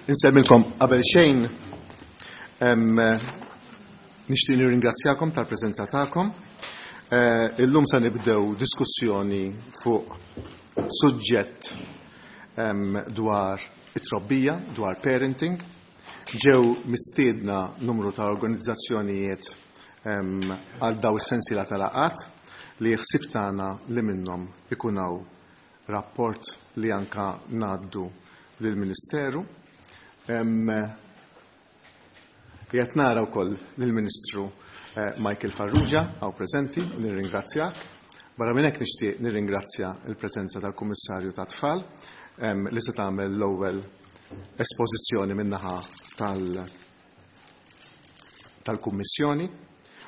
Insemmilkom qabel xejn nixtieq nirringrazzjakom tal-preżenza tagħkom. Eh, illum se nibdew diskussjoni fuq suġġett dwar it-trobbija, dwar parenting. Ġew mistiedna numru ta' organizzazzjonijiet għal daw is-sensiela ta' laqgħat li ħsieb tagħna li minnhom ikun hawn rapport li anka ngħaddu lill-Ministeru. Qiegħed nara wkoll lill-Ministru eh, Michael Farrugia hawn preżenti, nirringrazzjak. Barra minn hekk nixtieq nirringrazzja l-preżenza tal-Kummissarju tat-Tfal li se tagħmel l-ewwel espożizzjoni min-naħa tal- tal-Kummissjoni.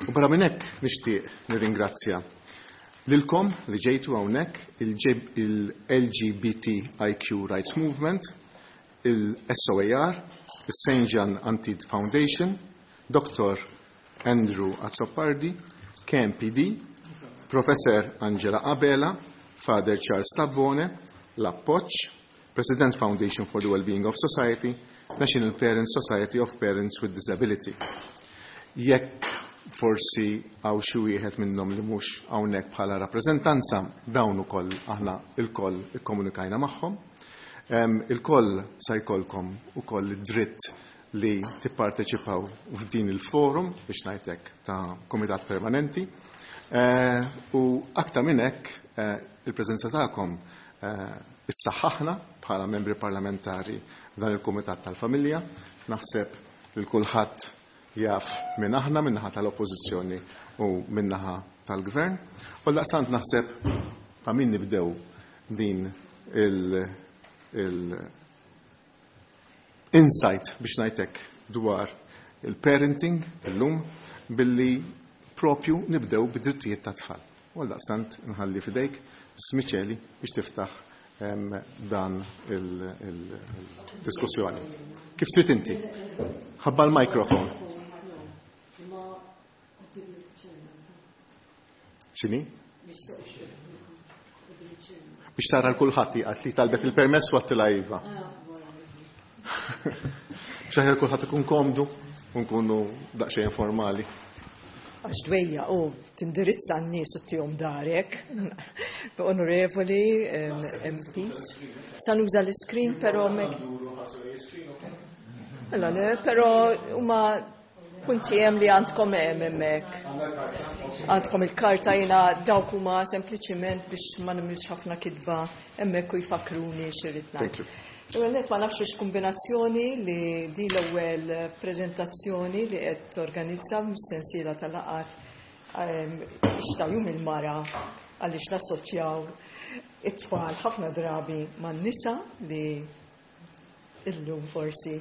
U barra minn hekk nixtieq nirringrazzja lilkom li ġejtu hawnhekk il-LGBTIQ Rights Movement, il-SOAR, il-St. John Antid Foundation, Dr. Andrew Azzopardi, KMPD, Professor Angela Abela, Father Charles Tabone, l-Appoġġ, President Foundation for the Wellbeing of Society, National Parents Society of Parents with Disability. Jekk forsi hawn xi wieħed minnhom li mhux hawnhekk bħala rappreżentanza, dawn ukoll aħna lkoll ikkomunikajna magħhom. Ilkoll sa jkollkom ukoll id-dritt li tipparteċipaw f'din il-forum biex ngħidlek ta' komitat permanenti. Eh, u aktar minn hekk eh, il-preżenza tagħkom eh, issaħħaħna bħala membri parlamentari f'dan il-Kumitat tal-Familja. Naħseb li kulħadd jaf minn aħna min-naħa tal-Oppożizzjoni u min-naħa tal-Gvern. U daqstant naħseb ta' min nibdew din il insight biex ngħidlek dwar il-parenting illum billi propju nibdew bid-drittijiet tat-tfal. U għaldaqstant nħalli f'idejk Mrs. Miceli biex tiftaħ dan il-diskussjoni. Kif trid inti? Ħabba l-mikrofon. X'inhi? Biex tara l-kulħadd għat li talbet il-permess u għattilha iva. Biex aħjar kulħadd ikun komdu u nkunu daqsxejn informali. Għax dwejja u tindirizza n-nies u tihom darek. Onorevoli MPs. Sa nuża l-screen però mek. Mela le, però huma punti hemm li għandkom hemm hemmhekk. Għandkom il-karta jiena dawk huma sempliċiment biex ma nimlix ħafna kitba hemmhekk u jfakkruni x'irrid ngħid. Thank you. L-ewwel nett ma nafx x'kombinazzjoni li di l-ewwel preżentazzjoni li qed torganizza mis-sensiela tal-laqgħat ta' jum il-mara għaliex nassoċjaw it-tfal ħafna drabi man-nisa li illum forsi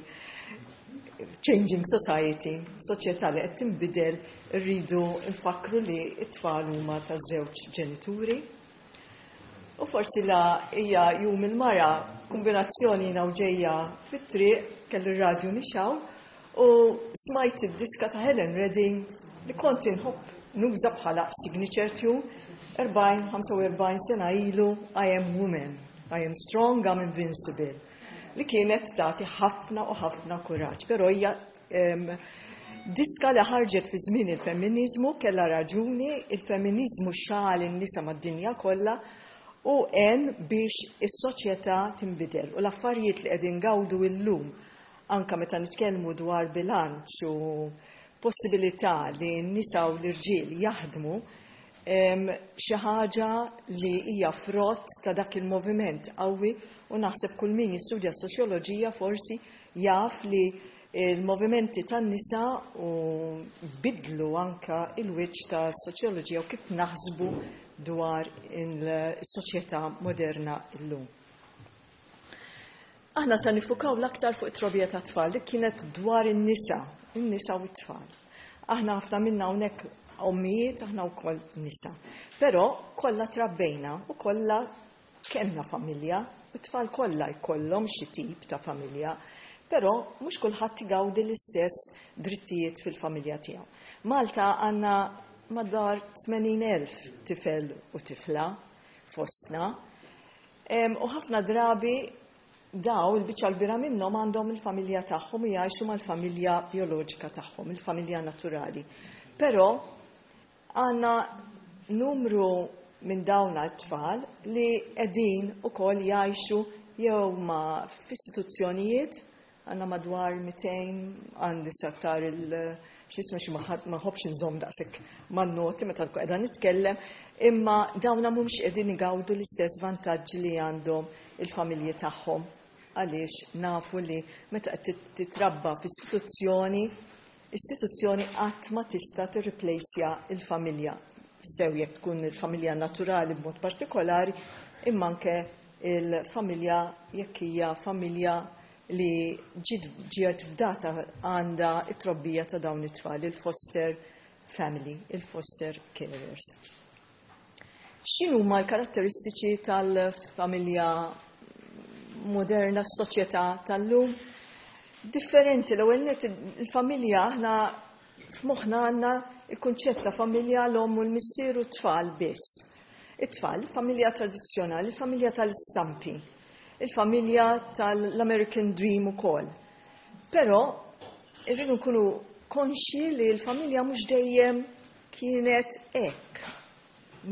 changing society, soċjetà li qed tinbidel, rridu nfakru li t-tfal huma taż-żewġ ġenituri. U forsi la hija jum il-mara kombinazzjoni jiena u ġejja fit-triq kelli r-radju mixgħul u smajt id-diska ta' Helen Redding li kont inħobb nuża bħala signature tune 40-45 sena ilu I am woman, I am strong, I'm invincible li kienet tagħti ħafna u ħafna kuraġġ, però hija diska li ħarġet fi żmien il-femminizmu kellha raġuni, il-femminizmu xagħal in-nisa mad-dinja kollha u għen biex is-soċjetà tinbidel. U l-affarijiet li qegħdin gawdu illum anka meta nitkellmu dwar bilanċ u possibilità li n-nisa u l-irġiel jaħdmu, xi ħaġa li hija frott ta' dak il-moviment qawwi u naħseb kull min jistudja s-soċjoloġija forsi jaf li il-movimenti tan-nisa u bidlu anka il-wiċċ ta' soċjoloġija u kif naħsbu dwar il-soċjetà moderna illum. Aħna sa nifukaw l-aktar fuq it-trobbija ta' tfal li kienet dwar in-nisa, in-nisa u t-tfal. Aħna ħafna minna hawnhekk ommijiet, aħna wkoll nisa. Però kollha trabbejna u kollha kellna familja, u t-tfal kollha jkollhom xi tip ta' familja, però mhux kulħadd igawdi l-istess drittijiet fil-familja tiegħu. Malta għandna madwar 80,000 tifel u tifla fostna, u ħafna drabi Daw il-biċċa l-kbira minnhom għandhom il-familja tagħhom u jgħixu mal-familja bioloġika tagħhom, il-familja naturali. Però għandna numru minn dawn it-tfal li qegħdin ukoll jgħixu jew ma' f'istituzzjonijiet, għandna madwar 200, għandi sattar il x'ismu xi ma nħobbx inżomm daqshekk man-noti meta nkun qiegħda nitkellem, imma dawna mhumiex qegħdin igawdu l-istess vantaġġi li għandhom il-familji tagħhom, għaliex nafu li meta qed titrabba f'istituzzjoni, istituzzjoni qatt ma tista' tirriplejsja il-familja, sew jekk tkun il-familja naturali b'mod partikolari, imma anke il-familja jekk hija familja li ġiet fdata għandha it-trobbija ta' dawn it-tfal, il-foster family, il-foster carers. X'inhuma l-karatteristiċi tal-familja moderna, s-soċjetà tal-lum? Differenti, l-ewwel nett il-familja aħna f'moħħna għandna il-kunċett ta' familja l-omm u l-missier u t-tfal biss. It-tfal, familja tradizzjonali, familja tal-istampi, il-familja tal-American Dream ukoll. Però irridu nkunu konxi li l-familja mhux dejjem kienet hekk.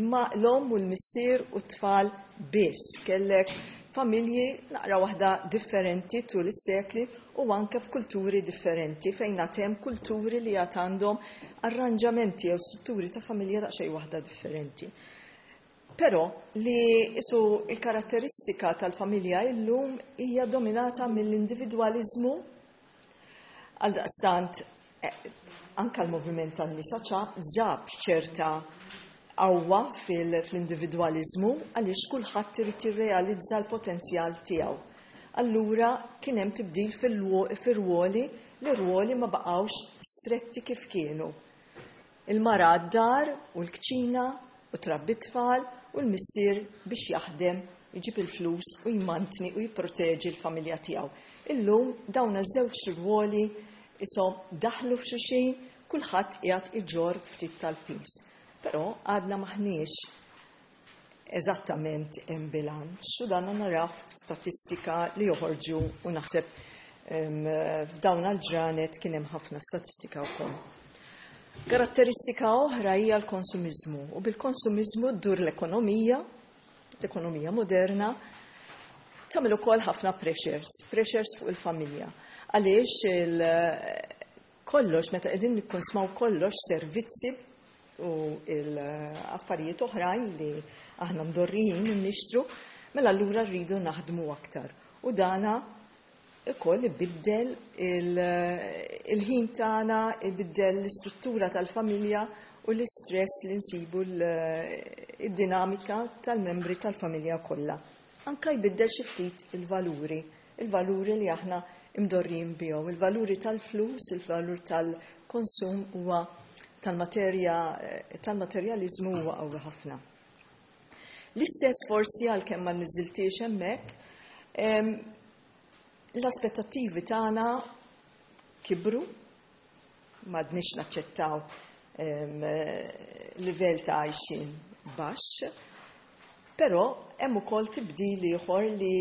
Ma l-omm u l-missier u t-tfal biss. Kellek familji naqra waħda differenti tul is-sekli u anke f'kulturi differenti fejn hemm kulturi li għad għandhom arranġamenti jew strutturi ta' familja daqsxejn waħda differenti. Però li isu il-karatteristika tal-familja illum hija dominata mill-individwaliżmu, għaldaqstant anka l-moviment tan-nisa ġab ċerta qawwa fl-individwaliżmu għaliex kulħadd irid jirrealizza l-potenzjal tiegħu. Allura kien hemm tibdil fir-ruoli, li ruoli ma baqgħux stretti kif kienu. Il-mara għad-dar u l-kċina u trabbi tfal u l-missier biex jaħdem, iġib il-flus u jmantni u jipproteġi l-familja tiegħu. Illum dawn iż-żewġ ruoli isom daħlu f'xulxin, kulħadd qiegħed iġorr ftit tal-pis. Però għadna maħniex eżattament hemm bilanċ u dan naraw statistika li joħorġu u naħseb f'dawn għal-ġranet kien hemm ħafna statistika wkoll. Karatteristika oħra hija l-konsumiżmu, u bil-konsumiżmu ddur l-ekonomija, l-ekonomija moderna, tagħmel ukoll ħafna pressures, pressures fuq il-familja. Għaliex kollox, meta qegħdin nikkonsmaw kollox, servizzi u l-affarijiet oħrajn li aħna mdorrijin nixtru, mela allura rridu naħdmu aktar. U dana ukoll ibiddel il-ħin tagħna, ibiddel l-istruttura tal-familja u l-istress li nsibu id-dinamika tal-membri tal-familja kollha. Anka jbiddel xi ftit il-valuri, il-valuri li aħna imdorrijin bihom, il-valuri tal-flus, il-valur tal-konsum huwa tal-materja, tal-materjalizmu huwa qawwi ħafna. L-istess forsi għalkemm ma niżiltiex hemmhekk, l-aspettattivi tagħna kibru, m'għadniex naċċettaw livell ta' għajxin baxx, però hemm ukoll tibdil ieħor li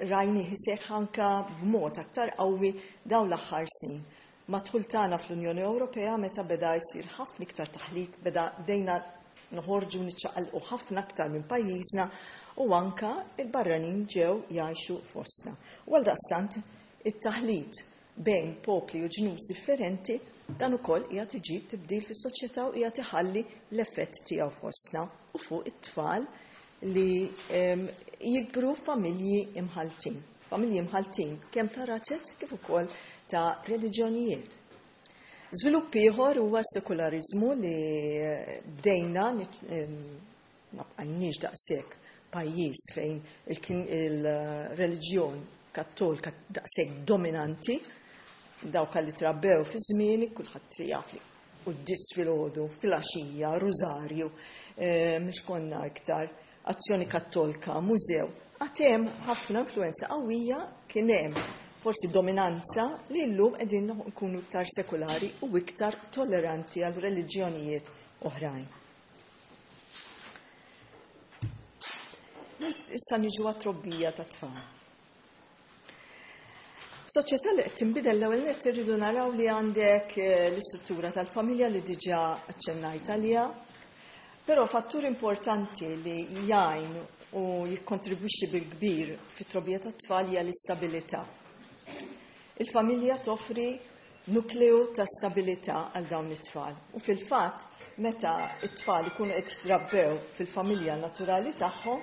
rajni iseħħ anka b'mod aktar qawwi dawn l-aħħar snin. Mad-dħul tagħna fl-Unjoni Ewropea, meta beda jsir ħafna iktar taħlit, beda bdejna noħorġu niċċaqalqu ħafna aktar minn pajjiżna u anka il-barranin ġew jgħixu fostna. U għaldaqstant it-taħlit bejn popli u ġnus differenti dan ukoll qiegħed iġib tibdil fis-soċjetà u qiegħed iħalli l-effett tiegħu fostna u fuq it-tfal li jikbru familji imħaltin. Familji imħaltin kemm ta' razzez kif ukoll ta' reliġjonijiet. Żvilupp ieħor huwa s-sekulariżmu li bdejna ma bqajniex daqshekk pajjiż fejn il-reliġjon kattolika daqshekk dominanti, dawk li trabbew fi żmieni kulħadd jaf li quddies filgħodu, filgħaxija, rużarju, mhux konna iktar azzjoni kattolika, mużew. Għad hemm ħafna influenza qawwija, kien hemm forsi dominanza li llum qegħdin nkunu iktar sekulari u iktar tolleranti għal reliġjonijiet oħrajn. Issa niġu għat-trobbija ta' tfal. Soċjetà li qed tinbidel, l-ewwel nett irridu naraw li għandek l-istruttura tal-familja li diġà aċċennajt għaliha, però fattur importanti li jgħin u jikkontribwixxi bil-kbir fit-trobbija tat-tfal hija l-istabilità. Il-familja toffri nukleu ta' stabilità għal dawn it-tfal. U fil-fatt, meta it-tfal ikunu qed jitrabbew fil-familja naturali tagħhom,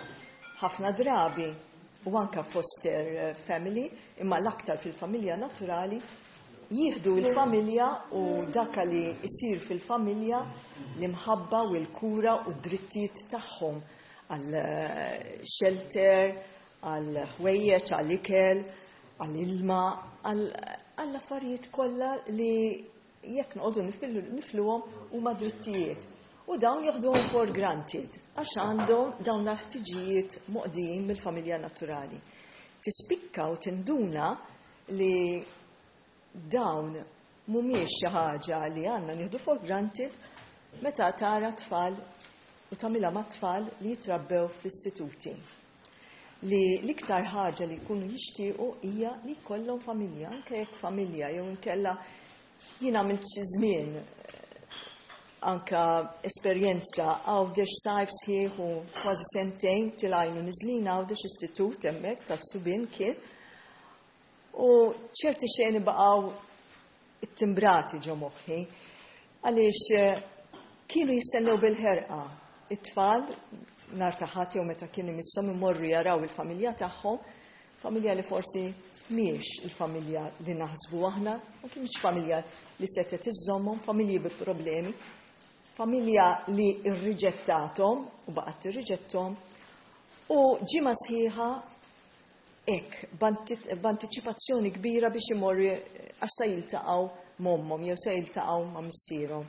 ħafna drabi u anka foster family, imma l-aktar fil-familja naturali, jieħdu l-familja u dak li jsir fil-familja, l-imħabba u l-kura u d-drittijiet tagħhom għal shelter, għal ħwejjeġ, għal ikel, għal ilma, għall affarijiet kollha li jekk noqogħdu nifluhom huma drittijiet. U dawn jaħduhom for granted għax għandhom dawn l-ħtiġijiet moqdijin mill-familja naturali. Tispikka u tinduna li dawn mhumiex xi ħaġa li għandna nieħdu for granted meta tara tfal u tagħmilha ma' tfal li jitrabbew fl-istituti, li l-iktar ħaġa li jkunu jixtiequ hija li jkollhom familja, anke jekk familja jew inkella. Jien għamilt xi żmien anka esperjenza Għawdex, sajf sħiħ u kważi sentejn tilgħin u niżlin Għawdex, istitut hemmhekk tas-subien kien. U ċerti xeni baqgħu ittimbrati ġo moħħi għaliex kienu jistennew bil-ħerqa it-tfal nhar ta' Ħadd jew meta kien imisshom imorru jaraw il-familja tagħhom, familja li forsi mhijiex il-familja li naħsbu aħna, ma kienx familja li setgħet iżżommhom, familji bi problemi, familja li rriġettathom u baqgħet tirriġetthom, u ġimgħa sħiħa hekk b'antiċipazzjoni kbira biex imorru għax se jiltaqgħu m'ommhom jew se jiltaqgħu ma' missierhom.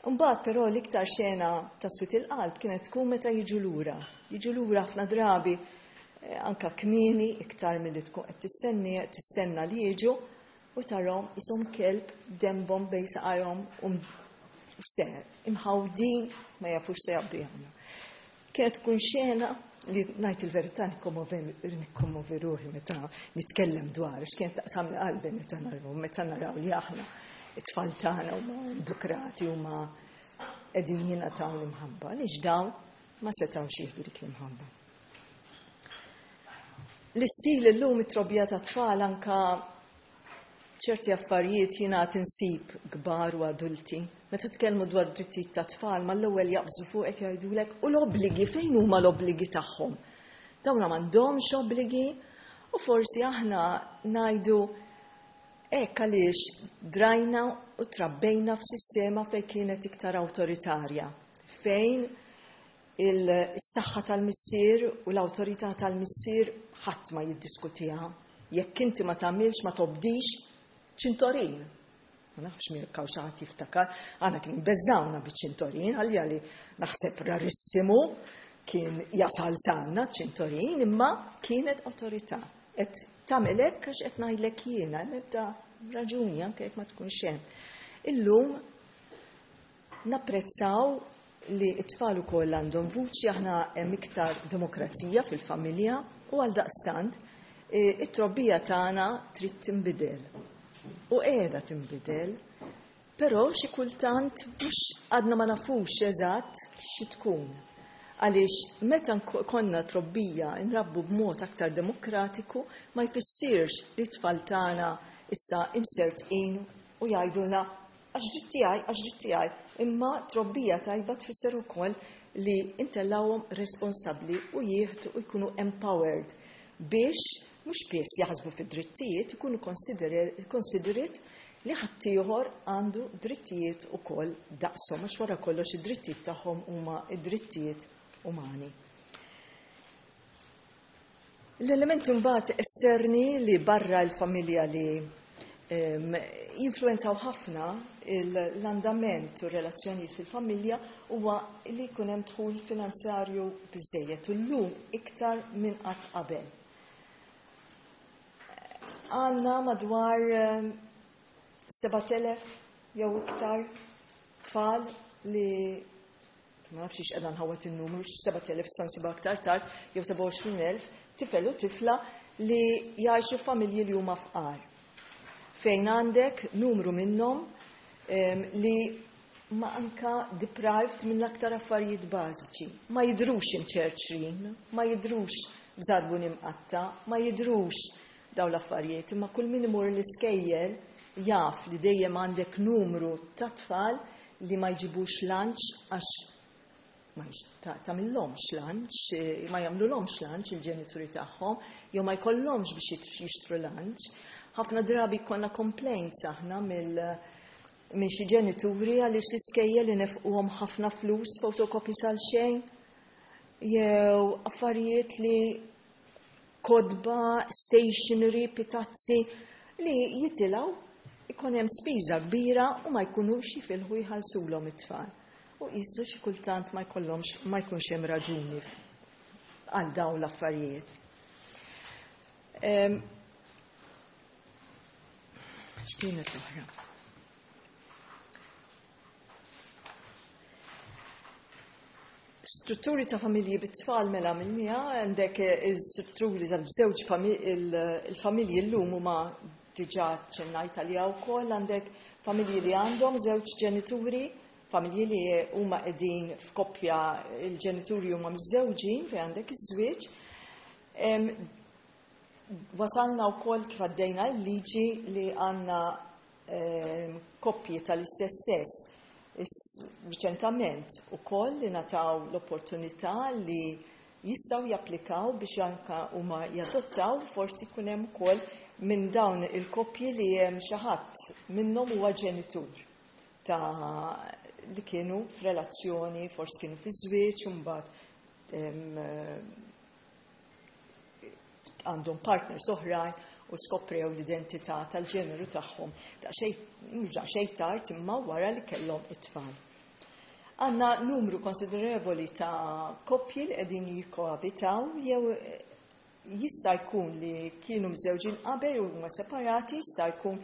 Mbagħad però l-iktar xena ta' swied il-qalb kienet tkun meta jiġu lura. Jiġu lura ħafna drabi anka kmieni iktar milli tkun qed tistenni tistenna li jiġu u tarahom qishom kelb denbhom bejn saqajhom u se imħawdin, ma jafux se jaqbdu jagħmlu. Kienet tkun xena li, ngħid il-verità, nikkommovi ruħi meta nitkellem dwar, x'kienet taqsam qalbi meta naraw li aħna it-tfal tagħna huma edukrati, huma qegħdin jingħataw l-imħabba, għaliex dawn ma setgħux jieħdu dik l-imħabba. L-istil illum, it-trobbija ta' tfal, anka ċerti affarijiet jiena tinsib kbar u adulti. Meta tkellmu dwar drittijiet ta' tfal, mal-ewwel jaqbżu fuqek, jgħidulek: "U l-obbligi, fejn huma l-obbligi tagħhom? Dawn m'għandhomx obbligi?" U forsi aħna ngħidu hekk għaliex drajna u trabbejna f'sistema fejn kienet iktar awtoritarja, fejn il-saħħa tal-missier u l-awtorità tal-missier ħadd ma jiddiskutiha. Jekk inti ma tagħmilx, ma tobdix, ċintorin. Ma nafx min kaw xi ħadd jiftakar, għana kien beżawna biċ-ċintorin, għalli għalli naħseb rarissimu kien jasal sanna ċintorin, imma kienet awtorità. Et tagħmel hekk għax qed ngħidlek jiena, nibda raġuni anke jekk ma tkunx hemm. Illum napprezzaw li t-tfal ukoll għandhom vuċi, aħna hemm iktar demokrazija fil-familja u għal daqstant it-trobbija tagħna trid tinbidel. U qiegħda tinbidel, però xi kultant mhux għadna ma nafux eżatt xi tkun. Għaliex meta konna trobbija nrabbu b'mod aktar demokratiku ma jfissirx li t-tfal tagħna issa imsertqin u jgħidulna "għax dritt tiegħi, għax dritt tiegħi". Imma trobbija tajba tfisser ukoll li intellawhom responsabbli u jieħdu u jkunu empowered biex mhux biss jaħsbu fid-drittijiet, ikunu considerate li ħaddieħor għandu drittijiet ukoll daqshom, għax wara kollox id-drittijiet tagħhom huma id-drittijiet umani. L-elementi mbagħad esterni li barra l-familja li jinfluenzaw ħafna l-andament u relazzjonijiet fil-familja huwa li jkun hemm dħul finanzjarju biżejjed u llum iktar minn qatt qabel. Għandna madwar 7000 jew iktar tfal li, ma nafx qiegħda nħawat il-numru, 7000 san siba aktar tard, jew 27,000 tifel u tifla. li jgħixu familji li huma fqar. Fejn għandek numru minnhom li ma anka deprived minn l-aktar affarijiet bażiċi. Ma jidrux imċerċrin, ma jidrux b'żarbun imqatta, ma jidrux daw l-affarijiet, imma kull min imur l-iskejjel jaf li dejjem għandek numru ta' tfal li ma jġibux lunch għax ma tagħmilhomx lunch, ma jagħmlulhomx lunch il-ġenituri tagħhom, jew ma jkollhomx biex jixtru lunch. Ħafna drabi konna complaints aħna minn xi ġenituri għaliex l-iskejjel li nefquhom ħafna flus fotokopi sal xejn jew affarijiet li kotba, stationery, pitazzi li jitilgħu ikun hemm spiża kbira u ma jkunux jifilħu jħallsulhom it-tfal. U qisu xi kultant ma jkollhomx ma jkunx hemm raġuni għal dawn l-affarijiet. X'kienet l-oħra? Strutturi ta' familji bit-tfal mela minnija, għandek il-strutturi ta' żewġ il-familji llum huma diġà ċennajt għaliha wkoll, għandek familji li għandhom żewġ ġenituri, familji li huma qegħdin f'koppja, il-ġenituri huma miżżewġin fejn għandek iż-żwieġ. Wasalna wkoll kif għaddejna l-liġi li għandna koppji tal-istess sess riċentament ukoll li nataw l-opportunità li jistgħu japplikaw biex anka huma jadottaw, forsi jkun hemm ukoll minn dawn il-koppji li hemm xi ħadd minnhom huwa ġenitur ta' li kienu f'relazzjoni, forsi kienu fi żwieġ u mbagħad għandhom partners oħrajn u skoprew l-identità tal-ġeneru tagħhom mhux daqsxejn tard imma wara li kellhom it-tfal. Għandna numru konsiderevoli ta' koppji li qegħdin jikkoabitaw jew jista' jkun li kienu mżewġin qabel u huma separati, jista' jkun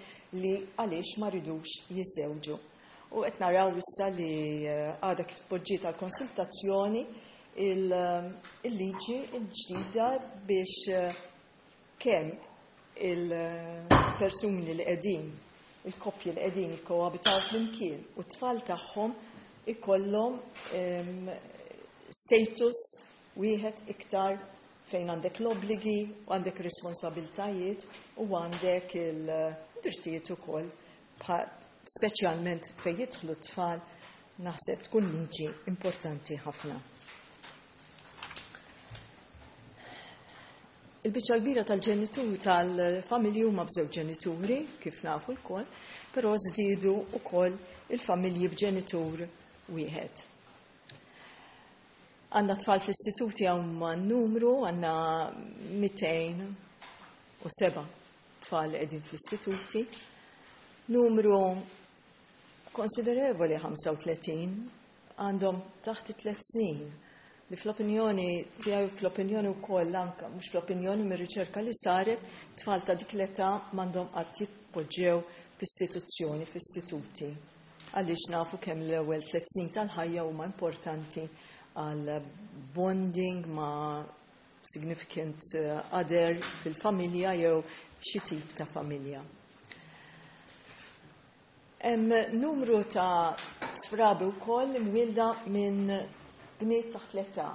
li għaliex ma ridux jiżżewġu. U qed naraw issa li għadha kif tpoġġiet għal konsultazzjoni il-liġi l-ġdida biex kemm il-persuni li qegħdin, il-koppji li qegħdin jikkoabitaw flimkien u t-tfal tagħhom ikollhom status wieħed iktar fejn għandek l-obbligi u għandek responsabiltajiet u għandek il-drittijiet ukoll, speċjalment fejn jidħlu t-tfal, naħseb tkun liġi importanti ħafna. Il-biċċa kbira tal-ġenituri tal-familji huma b'żewġ ġenituri, kif nafu lkoll, però żdiedu wkoll il-familji b'ġenitur wieħed. Għandna tfal fl-istituti hawn numru, għandna 207 tfal li qegħdin fl-istituti, numru konsiderevoli 35 għandhom taħt 3 snin li fl-opinjoni tiegħi, fl-opinjoni wkoll anke mhux fl-opinjoni mir-riċerka li saret, tfal ta' dik l-età m'għandhom qatt jitpoġġew f'istituzzjoni, f'istituti. Għaliex nafu kemm l-ewwel 3 snin tal-ħajja huma importanti għal bonding ma' significant other fil-familja jew xi tip ta' familja. Hemm numru ta' trabi wkoll imwielda minn bniet taħt l-età,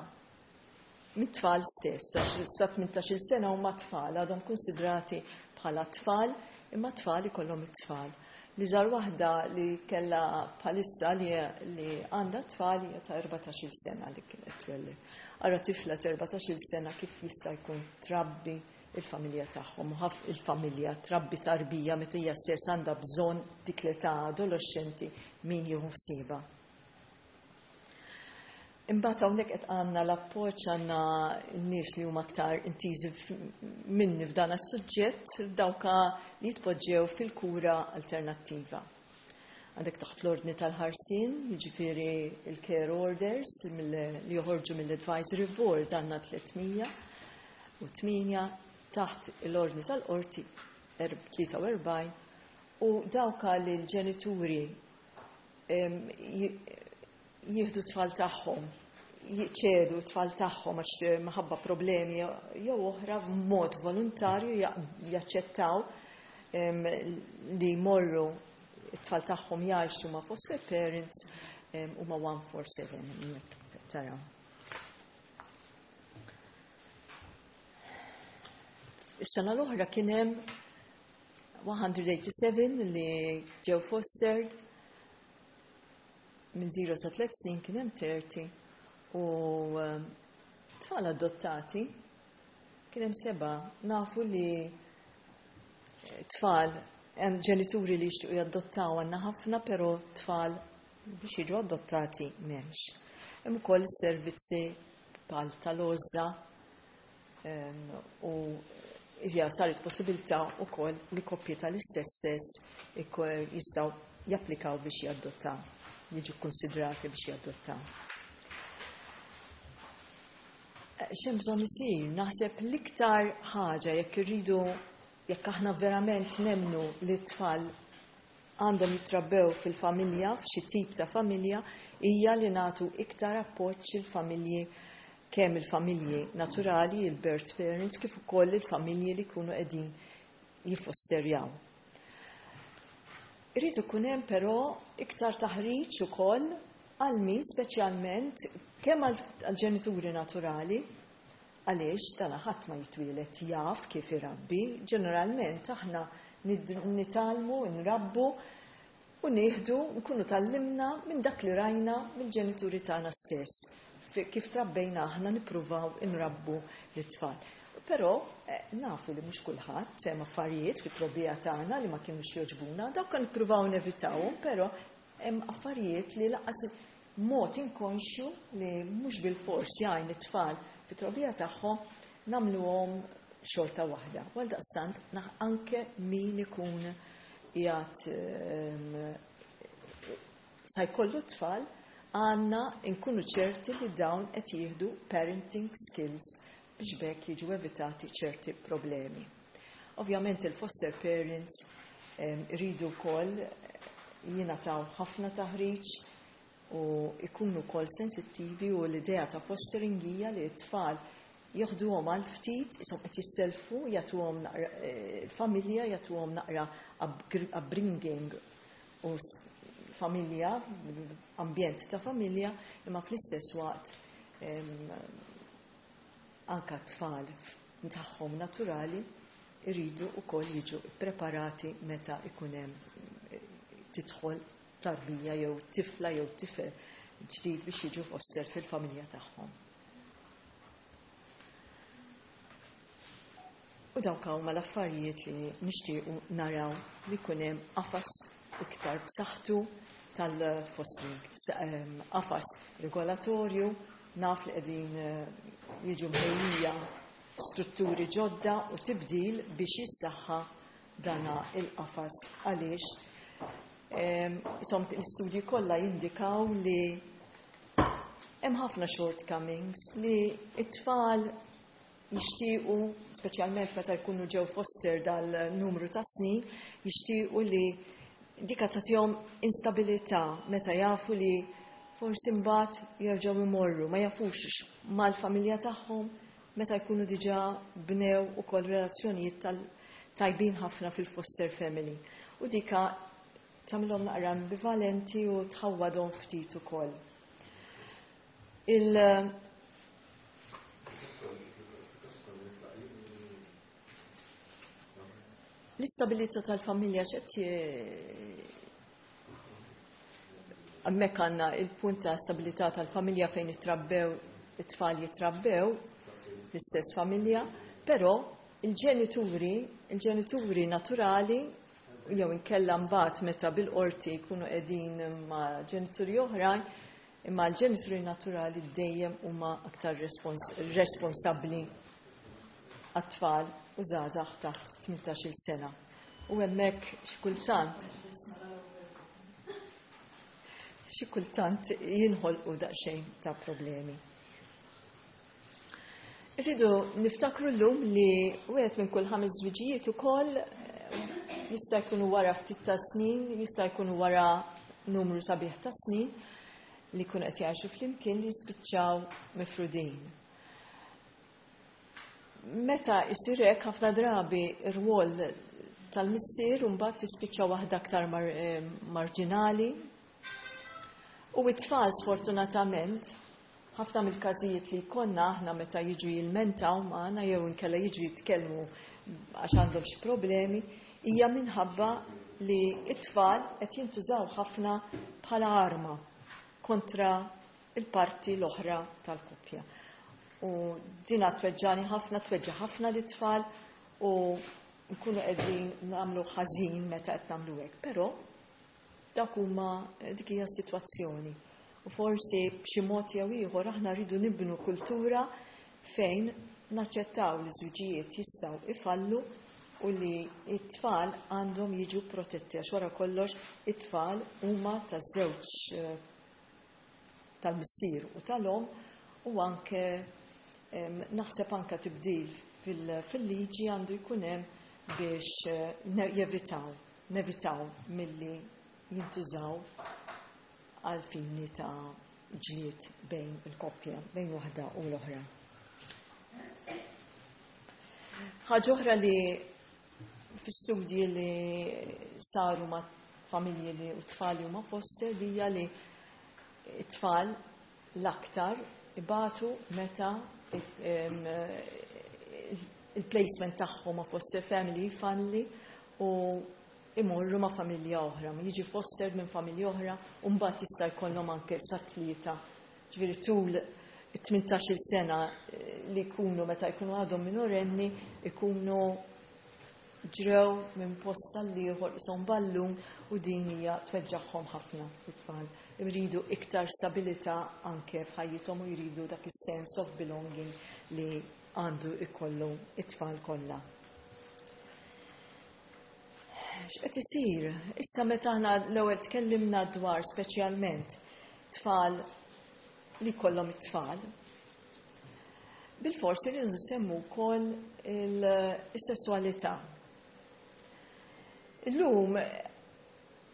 mit-tfal stess, għax sa 18-il sena huma tfal, għadhom konsidrati bħala tfal, imma tfal ikollhom it-tfal. Li żar waħda li kellha bħalissa li għandha tfal hija ta' 14-il sena li kienet twelled. Ara tifla ta' 14-il sena kif jista' jkun trabbi il-familja tagħhom, u ħaf il-familja trabbi tarbija meta hija stess għandha bżonn dik l-età adolescenti min jieħu ħsiebha. Imbagħad hawnhekk qed għandna l-appoġġ, għandna n-nies li huma aktar intiżi minni f'dan is-suġġett, dawka li jitpoġġew fil-kura alternattiva. Għandek taħt l-ordni tal-ħarsien, jiġifieri il-care orders li joħorġu mill-advisory board għandna 308, taħt l-ordni tal-qorti 43, u dawka li l-ġenituri jieħdu tfal tagħhom Jċedu t-tfal tagħhom għax minħabba problemi jew oħra b'mod volontarju jaċċettaw li jmorru t-tfal tagħhom jgħixu ma' foster parents huma 147 hemmhekk taraw. Is-sena l-oħra kien hemm 187 li ġew fostered minn 0 sa 3 snin kien hemm 30 u tfal adottati kien hemm 7. Nafu li tfal hemm ġenituri li jixtiequ jadottaw għandna ħafna, però tfal biex jiġu adottati m'hemmx. Hemm ukoll servizzi bħal tal-għożża u hija saret possibilità wkoll li koppji tal-istess sess jistgħu japplikaw biex jadottaw, jiġu konsidrati biex jadottaw. X'hemm bżonn isir? Naħseb l-iktar ħaġa jekk irridu, jekk aħna verament nemmnu li t-tfal għandhom jitrabbew fil-familja, f'xi tip ta' familja, hija li nagħtu iktar appoġġ il-familji, kemm il-familji naturali, il-birth parents, kif ukoll il-familji li jkunu qegħdin jiffosterjaw. Irid ikun hemm però iktar taħriġ ukoll għal min speċjalment kemm għall-ġenituri naturali, għaliex dana ħadd ma jitwielet jaf kif irabbi, ġeneralment aħna nitgħallmu, nrabbu u nieħdu, nkunu tgħallimna minn dak li rajna mill-ġenituri tagħna stess. Kif trabbejna aħna nippruvaw inrabbu l-tfal. Però nafu li mhux kulħadd hemm affarijiet fit-trobbija tagħna li ma kinux jogħġbuna, dawk kan nippruvaw nevitawhom, però hemm affarijiet li lanqas mod inkonxju li mhux bil-fors jgħin it-tfal fit-trobbija tagħhom nagħmluhom xorta waħda. Għaldaqstant anke min ikun qiegħed sa jkollu tfal għandna nkunu ċerti li dawn qed jieħdu parenting skills biex b'hekk jiġu evitati ċerti problemi. Ovvjament il-foster parents iridu wkoll jingħataw ħafna taħriġ u ikunu wkoll sensittivi, u l-idea ta' fostering hija li t-tfal joħduhom għal ftit, ishom qed jisselfu, jagħtuhom naqra familja, jagħtuhom naqra upbringing u familja, ambjent ta' familja, imma fl-istess waqt anka tfal tagħhom naturali iridu wkoll jiġu preparati meta ikun hemm tidħol tarbija jew tifla jew tifel ġdid biex jiġu foster fil-familja tagħhom. U dawk huma l-affarijiet li nixtiequ naraw li jkun hemm qafas iktar b'saħħtu tal-fostering, qafas regolatorju, naf li qegħdin jiġu mħejjija strutturi ġodda u tibdil biex jissaħħa dana il-qafas, għaliex l-istudji kollha jindikaw li hemm ħafna shortcomings li t-tfal jixtiequ, speċjalment meta jkunu ġew foster dal-numru ta' snin, jixtiequ li dika tagħtihom instabilità meta jafu li forsi mbagħad jerġgħu imorru, ma jafux mal-familja tagħhom meta jkunu diġà bnew ukoll relazzjonijiet tajbin ħafna fil-foster family. U dika tagħmilhom naqra ambivalenti u tħawwadhom ftit ukoll. L-istabilità tal-familja x'qed hemmhekk għandna il-punt ta' stabilità tal-familja fejn jitrabbew it-tfal, jitrabbew l-istess familja, però il-ġenituri naturali jew inkella mbagħad meta bil-qorti jkunu qegħdin ma' ġenituri oħrajn, imma l-ġenituri naturali dejjem huma aktar responsabbli għat-tfal u żgħażagħ taħt 18 sena. U hemmhekk xi kultant jinħolqu daqsxejn ta' problemi. Irridu niftakru llum li wieħed minn kull 5 żwiġijiet ukoll jista' jkunu wara ftit ta' snin, jista' jkunu wara numru sabiħ ta' snin. li jkunu qed jgħixu flimkien li jispiċċaw mifrudin. Meta jsir hekk, ħafna drabi r-rwol tal-missier mbagħad tispiċċa waħda aktar marġinali. U it-tfal, sfortunatament, ħafna mill-każijiet li jkollna aħna meta jiġu jilmentaw magħna jew inkella jiġu jitkellmu għax għandhom xi problemi, hija minħabba li t-tfal qed jintużaw ħafna bħala arma kontra il-parti l-oħra tal-koppja. U dina tweġġani ħafna, tweġġa ħafna lit-tfal u nkunu qegħdin nagħmlu ħażin meta qed nagħmlu hekk. Però dak huma dik hija s-sitwazzjoni. U forsi b'xi mod jew ieħor aħna rridu nibnu kultura fejn naċċettaw li żwiġijiet jistgħu ifallu u li t-tfal għandhom jiġu protetti, għax wara kollox it-tfal huma taż-żewġ, tal-missier u tal-omm. U anke naħseb anke tibdil fil-liġi għandu jkun hemm biex jevitaw, nevitaw milli jintużaw għal fini ta' ġlied bejn il-koppja, bejn waħda u l-oħra. Ħaġa oħra li fi studji li saru ma' familji li u tfal li huma foster li hija li t-tfal l-aktar ibatu meta il-placement tagħhom ma' foster family jfalli u imorru ma' familja oħra, jiġi foster minn familja oħra u mbagħad jista' jkollhom anke sa 3. Ġifieri tul 18-il sena li jkunu, meta jkunu għadhom minorenni, ikunu ġrew minn post għall-ieħor qishom ballun u din hija tweġġagħhom ħafna it-tfal. Jridu iktar stabilità anke f'ħajjithom u jridu dak is-sense of belonging li għandu jkollu it-tfal kollha. X'qed isir? Issa meta aħna l-ewwel tkellimna dwar speċjalment tfal li kollhom it-tfal, bil-forsi li nsemmu wkoll is-sesswalità. Illum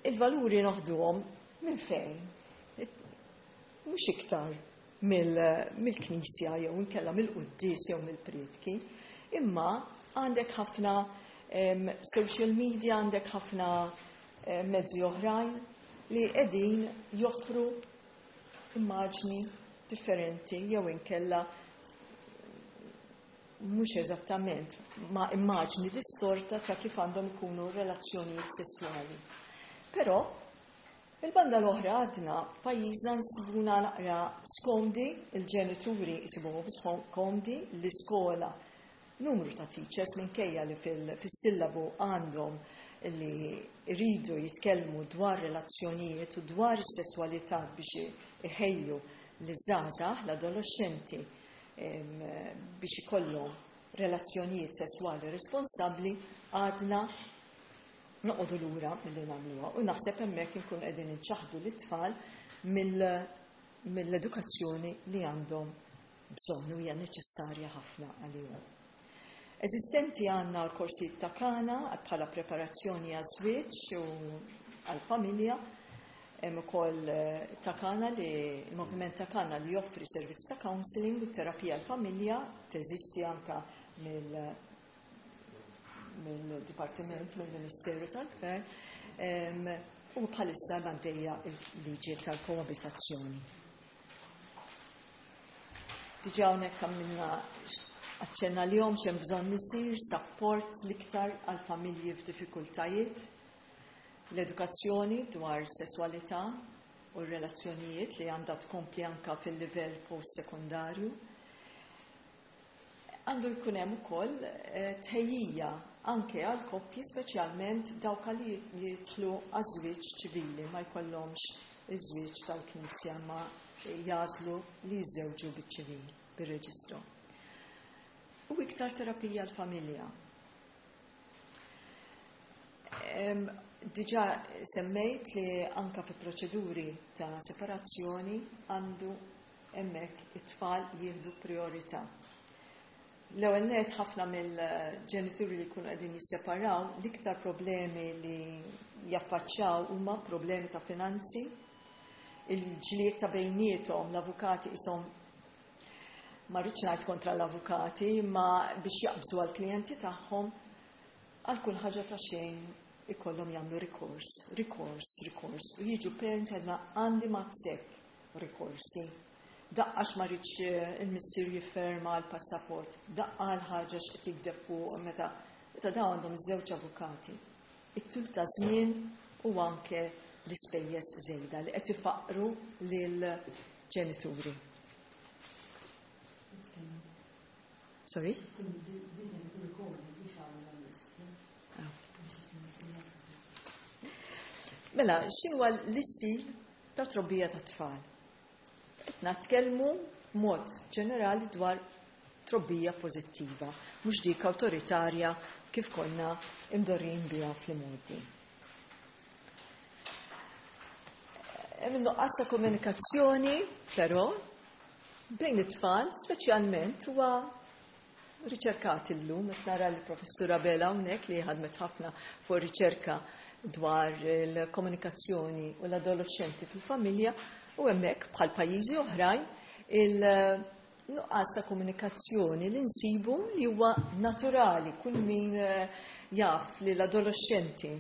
il-valuri noħduhom minn fejn? Mhux iktar mill-knisja jew inkella mill-quddies jew mill-priedki, imma għandek ħafna social media, għandek ħafna mezzi oħrajn li qegħdin joffru immaġni differenti jew inkella mhux eżattament ma immaġni distorta ta' kif għandhom ikunu relazzjonijiet sessuali. Però il-banda l-oħra għadna f'pajjiżna nsibuna naqra skomdi, il-ġenituri jsibuhom skomdi, l-iskola, numru ta' teachers, minkejja li fis-sillabu għandhom li jridu jitkellmu dwar relazzjonijiet u dwar is-sesswalità biex iħejju l-żgħażagħ, l-adolescenti, biex ikollhom relazzjonijiet sesswali responsabbli, għadna noqogħdu lura milli nagħmluha u naħseb hemmhekk inkun qegħdin inċaħdu lit-tfal mill-edukazzjoni li għandhom bżonn u hija neċessarja ħafna għalihom. Eżistenti għandna l-korsijiet ta' Kana bħala preparazzjoni għaż-żwieġ u għall-familja. Hemm ukoll ta' Kana li il-moviment ta' Kana li joffri servizz ta' counseling u terapija għall-familja, teżisti anka mill-Dipartiment, mill-Ministeru tal-Gvern, u bħalissa għaddejja il-liġi tal-koabitazzjoni. Diġà hawnhekk għamilna aċċenna li jom xem bżonn isir support l-iktar għal familji f'diffikultajiet, l-edukazzjoni dwar sesswalità u r-relazzjonijiet li għandha tkompli anka fil-livell post-sekundarju. Għandu jkun hemm ukoll tħejjija anke għal koppji, speċjalment dawk li jidħlu għaż-żwieġ ċivili, ma jkollhomx iż-żwieġ tal-Knisja ma jagħżlu li jiżżewġu biċ-ċivil, bir-reġistru. U iktar terapija l-familja. Diġà semmejt li anka fi proċeduri ta' separazzjoni għandu hemmhekk it-tfal jieħdu priorità. L-ewwel net, ħafna mill-ġenituri li jkunu qegħdin jisseparaw, l-iktar problemi li jaffaċċjaw huma problemi ta' finanzi. Il-ġlied ta' bejniethom, l-avukati ishom, ma rridx ngħid kontra l-avukati, imma biex jaqbżu għall-klijenti tagħhom, għal kull ħaġa ta' xejn ikollhom jagħmlu rikors, rikors, rikors, u jiġu parents għedna għandi mazzek rikorsi. Daqqa ma rridx il-missier jifferma l-passaport, daqqa l-ħaġa x'qed jikdeb fuq meta dawn għandhom iż-żewġ avukati. It-tul ta' żmien u anke l-ispejjeż żejda li qed ifaqru lil ġenituri. Sorry? Mela, x'inhuwa l-istil ta' trobbija ta' tfal? Qed nitkellmu b'mod ġenerali dwar trobbija pożittiva, mhux dik awtoritarja kif konna imdorrin biha fl-imgħoddi. Hemm nuqqas ta' komunikazzjoni, però, bejn it-tfal, speċjalment huwa riċerkat illum, qed nara l-professura Bella hawnhekk li ħadmet ħafna fuq riċerka dwar il-komunikazzjoni u l-adolescenti fil-familja, u hemmhekk bħal pajjiżi oħrajn il-nuqqas ta' komunikazzjoni li nsibu li huwa naturali. Kull min jaf li l-adolescenti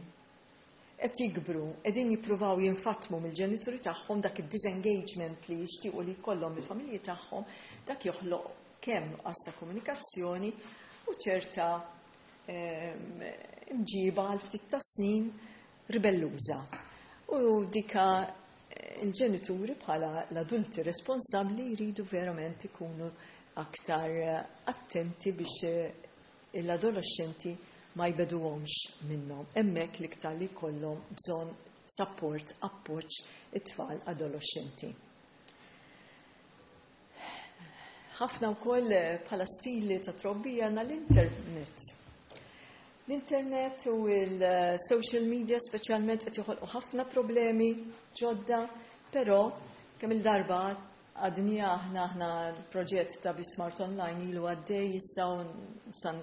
qed jikbru, qegħdin jippruvaw jinfatmu mill-ġenituri tagħhom, dak id-disengagement li jixtiequ li jkollhom il-familji tagħhom, dak joħloq kemm nuqqas ta' komunikazzjoni u ċerta imġiba għal ftit ta' snin ribelluża. U dika il-ġenituri bħala l-adulti responsabbli jridu verament ikunu aktar attenti biex l-adolescenti ma jbeduhomx minnhom. Hemmhekk l-iktar li jkollhom bżonn support, appoġġ it-tfal adolescenti. Ħafna wkoll bħala stili ta' trobbija għandna l-internet. L-internet u il-social media speċjalment qed joħolqu ħafna problemi ġodda, però kemm il-darba għadni aħna l-proġett ta' Bismart Online ilu għaddej issa u san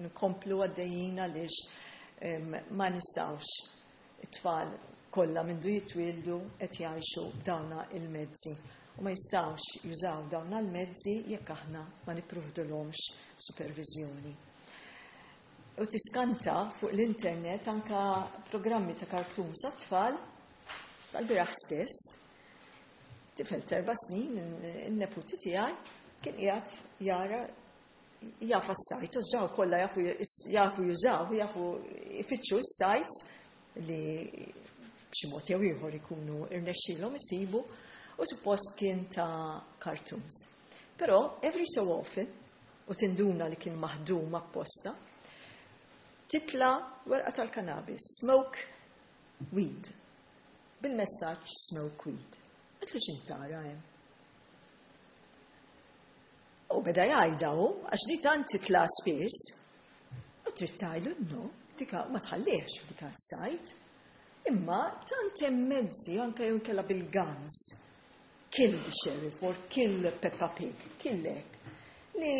nkomplu għaddejjin għaliex ma nistgħux, it-tfal kollha mindu jitwieldu qed jgħixu dawna il-mezzi. U ma jistgħux jużaw dawna l-mezzi jekk aħna ma nipprovdulhomx supervizjoni. U tiskanta fuq l-internet anka programmi ta' cartoons għat-tfal. Tal-bieraħ stess, tifel 4 snin, il-neputi tiegħi, kien qiegħed jara jaf s-sajt, daw kollha jafu jużaw, jafu ifittxu s-sajt li b'xi mod jew ieħor ikunu irnexxielhom isibu, u suppost kien ta' cartoons. Però every so often, u tinduna li kien maħdum apposta, titla werqa tal-cannabis, "Smoke weed." Bil-messaġġ "Smoke weed." Għedtlu, "X'intara hemm?" U beda jgħidha hu, għax li tant titla spiss, u trid tgħidlu no, dika ma tħallihx f'dika s-sajt. Imma tant hemm mezzi anke jew inkella bil-guns. "Kill the sheriff" or "Kill Peppa Pig", kill hekk. Li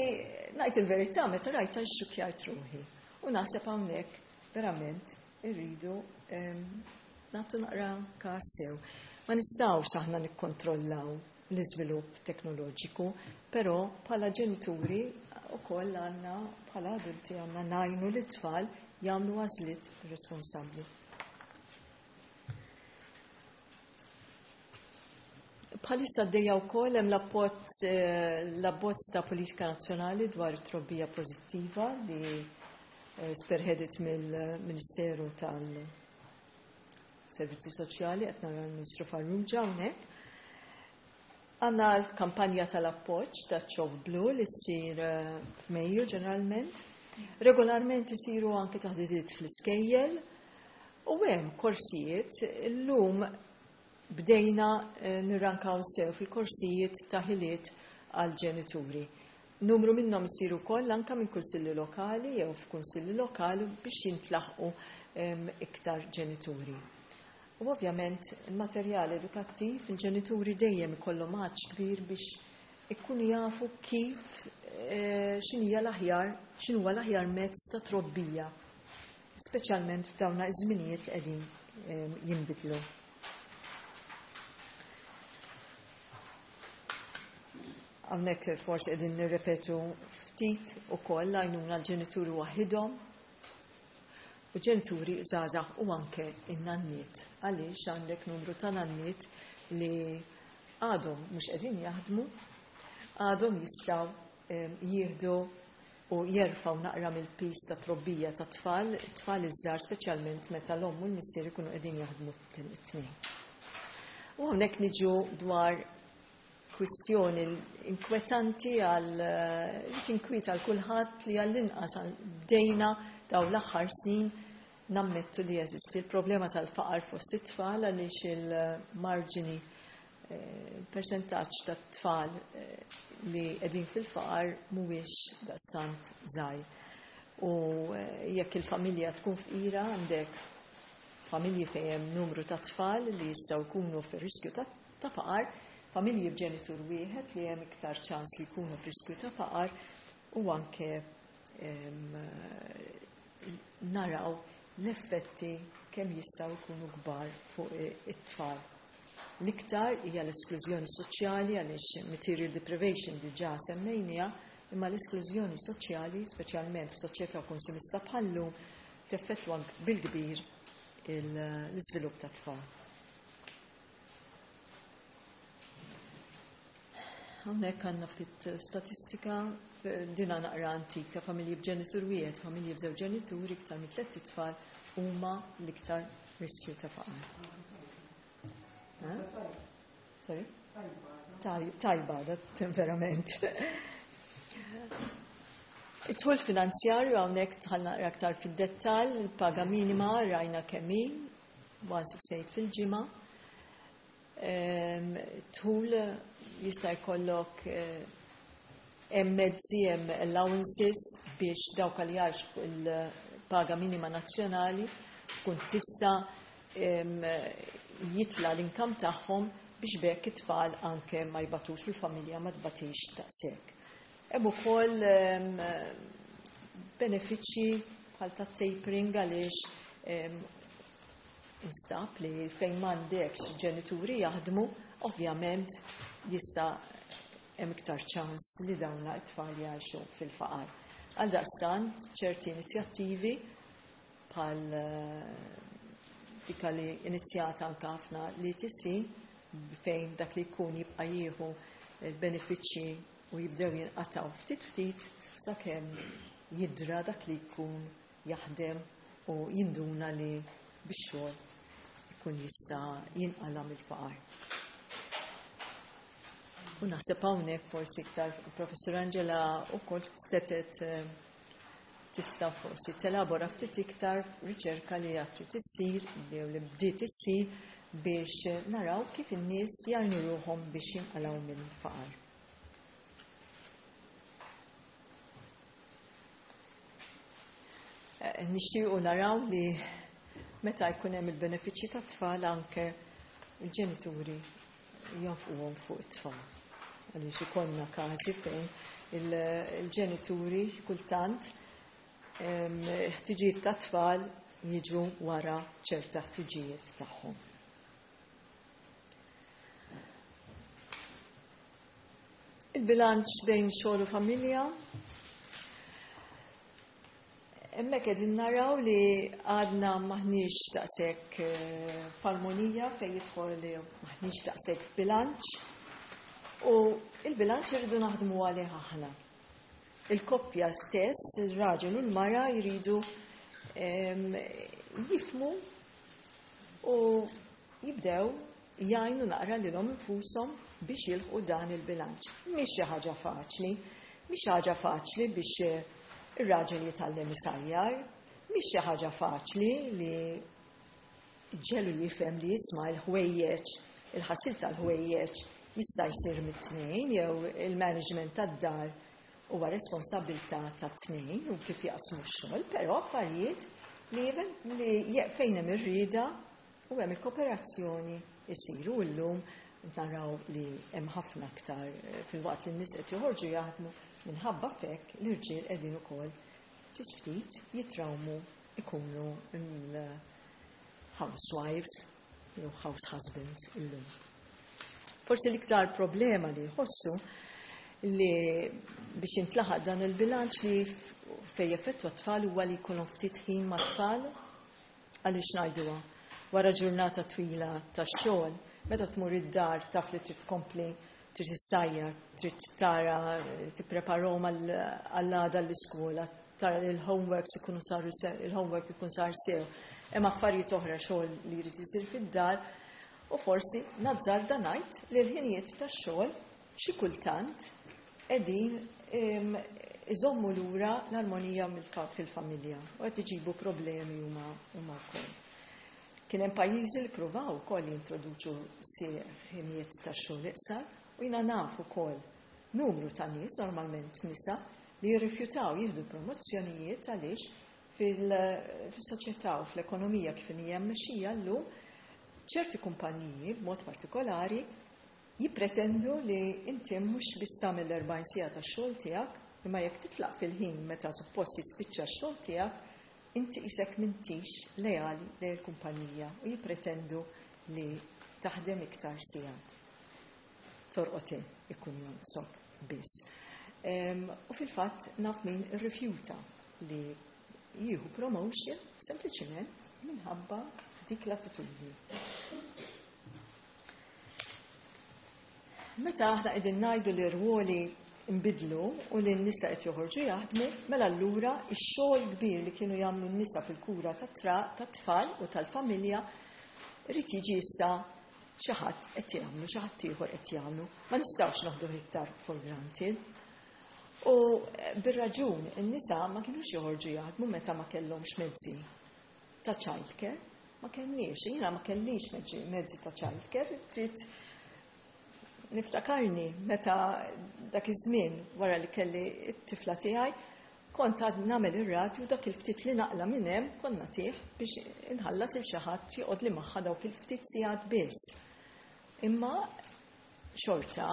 ngħid il-verità, meta rajta xxukkjajt ruħi. U naħseb hawnhekk verament irridu nagħtu naqra każ sew. Ma nistgħux aħna nikkontrollaw l-iżvilupp teknoloġiku, però bħala ġenituri ukoll għandna, bħala adulti għandna ngħinu l-tfal jagħmlu għażliet responsabbli. Bħalissa għaddejja wkoll hemm l-abbozz ta' politika nazzjonali dwar it-trobbija pożittiva li spearheaded mill-Ministeru tal-Servizzi Soċjali, qed nara l-Ministru Farrugia hawnhekk. Għandna l-kampanja tal-appoġġ ta' ċoff Blu li ssir f'Mejju ġeneralment. Regolarment isiru anke taħdidiet fl-iskejjel u hemm korsijiet. Illum bdejna nirrankaw sew fil-korsijiet ta' ħiliet għal ġenituri. Numru minnhom isiru wkoll anke minn kunsilli lokali jew f'kunsilli lokali biex jintlaħqu iktar ġenituri. U ovvjament il-materjal edukattiv, il-ġenituri dejjem ikollhom għatx kbir biex ikunu jafu kif x'inhija l-aħjar, x'inhuwa l-aħjar mezz ta' trobbija, speċjalment f'dawna iż-żminijiet li qegħdin jinbidlu. Hawnhekk forsi qegħdin nirrepetu ftit ukoll għajnuna l-ġenituri waħidhom u ġenituri żgħażagħ u anke in-nanniet. Għaliex għandek numru ta' nanniet li għadhom mhux qegħdin jaħdmu, għadhom jistgħu jieħdu u jerfgħu naqra mill-piż ta' trobbija ta' tfal, tfal iż-żgħar speċjalment meta l-omm u l-missier ikunu qegħdin jaħdmu t-tnejn. U hawnhekk niġu dwar kwistjoni inkwetanti għal li tinkwieta għal kulħadd li għall-inqas bdejna daw l-aħħar snin nammettu li jeżisti l-problema tal-faqar fost it-tfal għaliex il-marġini, il-persentaġġ tat-tfal li qegħdin fil-faqar mhuwiex daqstant żgħir. U jekk il-familja tkun fqira, għandek familji fejn hemm numru ta' tfal li jistgħu jkunu fir-riskju ta' faqar, familji b'ġenitur wieħed li hemm iktar ċans li jkunu f'riskju ta' faqar, u anke naraw l-effetti kemm jistgħu jkunu kbar fuq it-tfal. L-iktar hija l-esklużjoni soċjali, għaliex material deprivation diġà semmejnija, imma l-esklużjoni soċjali, speċjalment f'soċjetà konsumista bħallu, teffettwa bil-kbir l-iżvilupp ta' tfal. Hawnhekk għandna ftit statistika, dina naqra antika, familji b'ġenitur wieħed, familji b'żewġ ġenituri, iktar minn 3 itfal huma l-iktar riskju ta' faqar. Sorry? Tajba, da verament. It-tħul finanzjarju hawnhekk dħalna naqra aktar fid-dettall, il-paga minima rajna kemm hi, 168 fil-ġimgħa. Tħul jista' jkollok hemm mezzi, hemm allowances biex dawk li jgħixu fuq il-paga minima nazzjonali tkun tista' jitla l-inkam tagħhom biex bekk it-tfal anke ma jbatux, fil-familja ma tbatix daqshekk. Hemm ukoll benefiċċji bħal ta' tapering, għaliex instab li fejn m'għandekx ġenituri jaħdmu, ovvjament jista' hemm iktar ċans li dawn it-tfal jgħixu fil-faqar. Għaldaqstant ċerti inizjattivi bħal dika li inizjata anke ħafna l-ETC, fejn dak li jkun jibqa' jieħu l-benefiċċji u jibdew jinqataw ftit ftit sakemm jidra dak li jkun jaħdem u jinduna li bix-xogħol ikun jista' jinqala' mill-faqar. U naħseb hawnhekk forsi iktar Professur Angela wkoll setet tista' forsi telabora ftit iktar riċerka li għad trid issir jew li bdiet issir biex naraw kif in-nies jgħinu ruħhom biex jinqalgħu mill-faqar. Nixtiequ naraw li meta jkun hemm il-benefiċċji tat-tfal anke il-ġenituri jonfquhom fuq it-tfal. Għaliex ikollna każi fejn il-ġenituri kultant ħtiġijiet tat-tfal jiġu wara ċerta ħtiġijiet tagħhom. Il-bilanċ bejn xogħol u familja. Hemmhekk qegħdin naraw li għadna maħniex daqshekk f'armonija fejn jidħol li maħniex daqshekk f'bilanċ, u il-bilanċ irridu naħdmu għalih aħna. Il-koppja stess, il-raġel u l-mara jridu jifmu u jibdew jgħinu naqra lilhom infushom biex jilħqu dan il-bilanċ. Mhix xi ħaġa faċli, mhix ħaġa faċli biex ir-raġel jitgħallem isajjar, mhix xi ħaġa faċli li ġelu jifhem li jisma' l-ħwejjeġ, il-ħasil tal-ħwejjeġ jista' jsir mit-tnejn, jew il-management tad-dar huwa responsabilità tat-tnejn u kif jaqsmu x-xogħol, però affarijiet li fejn hemm ir-rieda u hemm il-kooperazzjoni jsiru. Llum naraw li hemm ħafna aktar fil-waqt li n-nies qed joħorġu jaħdmu, minħabba f'hekk l-irġiel qegħdin ukoll ftit ftit jitrawmu ikunu il-housewives jew house husbands illum. Forsi l-iktar problema li jħossu Li biex jintlaħaq dan il-bilanċ li fejn jeffettwa t-tfal huwa li jkollhom ftit ħin mat-tfal. Għaliex ngħiduha? Wara ġurnata twila ta' xogħol, meta tmur id-dar taf li trid tkompli, trid issajjar, trid tara tippreparahom għall-għada l-iskola, tara li l-homeworks ikunu saru sew, il-homework ikun sar sew. Hemm affarijiet oħra xogħol li jrid isir fid-dar u forsi nazzarda ngħid li l-ħinijiet tax-xogħol xi kultant qegħdin iżommu lura l-armonija fil-familja u qed iġibu problemi huma wkoll. Kien hemm pajjiżi li pruvaw ukoll jintroduċu ħinijiet tax-xogħol iqsar u jiena naf ukoll numru ta' nies, normalment nisa, li jirrifjutaw jieħdu promozzjonijiet għaliex fil-soċjetà u fl-ekonomija kif hija mmexxija llum ċerti kumpaniji b'mod partikolari jippretendu li inti mhux biss tagħmel l-40 siegħa tax-xogħol tiegħek, imma jekk titlaq fil-ħin meta suppost jispiċċa x-xogħol tiegħek, inti qisek m'intix leali lejn il-kumpanija u jippretendu li taħdem iktar sigħat. Torqod ikun jonqsok biss. U fil-fatt naf min irrifjuta li jieħu promotion sempliċement minħabba dik l-attitudni. Meta aħna qegħdin ngħidu li r-rwoli nbidlu u li n-nisa qed joħorġu jaħdmu, mela allura x-xogħol kbir li kienu jagħmlu n-nisa fil-kura tat-tfal u tal-familja irid jiġi issa xi ħadd qed jagħmlu, xi ħadd ieħor qed jagħmlu. Ma nistgħux noħdu iktar for granted. U bir-raġun in-nisa ma kinux joħorġu jaħdmu meta ma kellhomx mezzi ta' childcare. Ma kellniex, jiena ma kellix mezzi ta' childcare, trid niftakarni meta dak iż-żmien wara li kelli t-tifla tiegħi kont għad nagħmel ir-radju, dak il-ftit li naqla minn hemm kont nagħtih biex inħallas il xi ħadd joqgħod li magħha dawk il-ftit sigħat biss. Imma xorta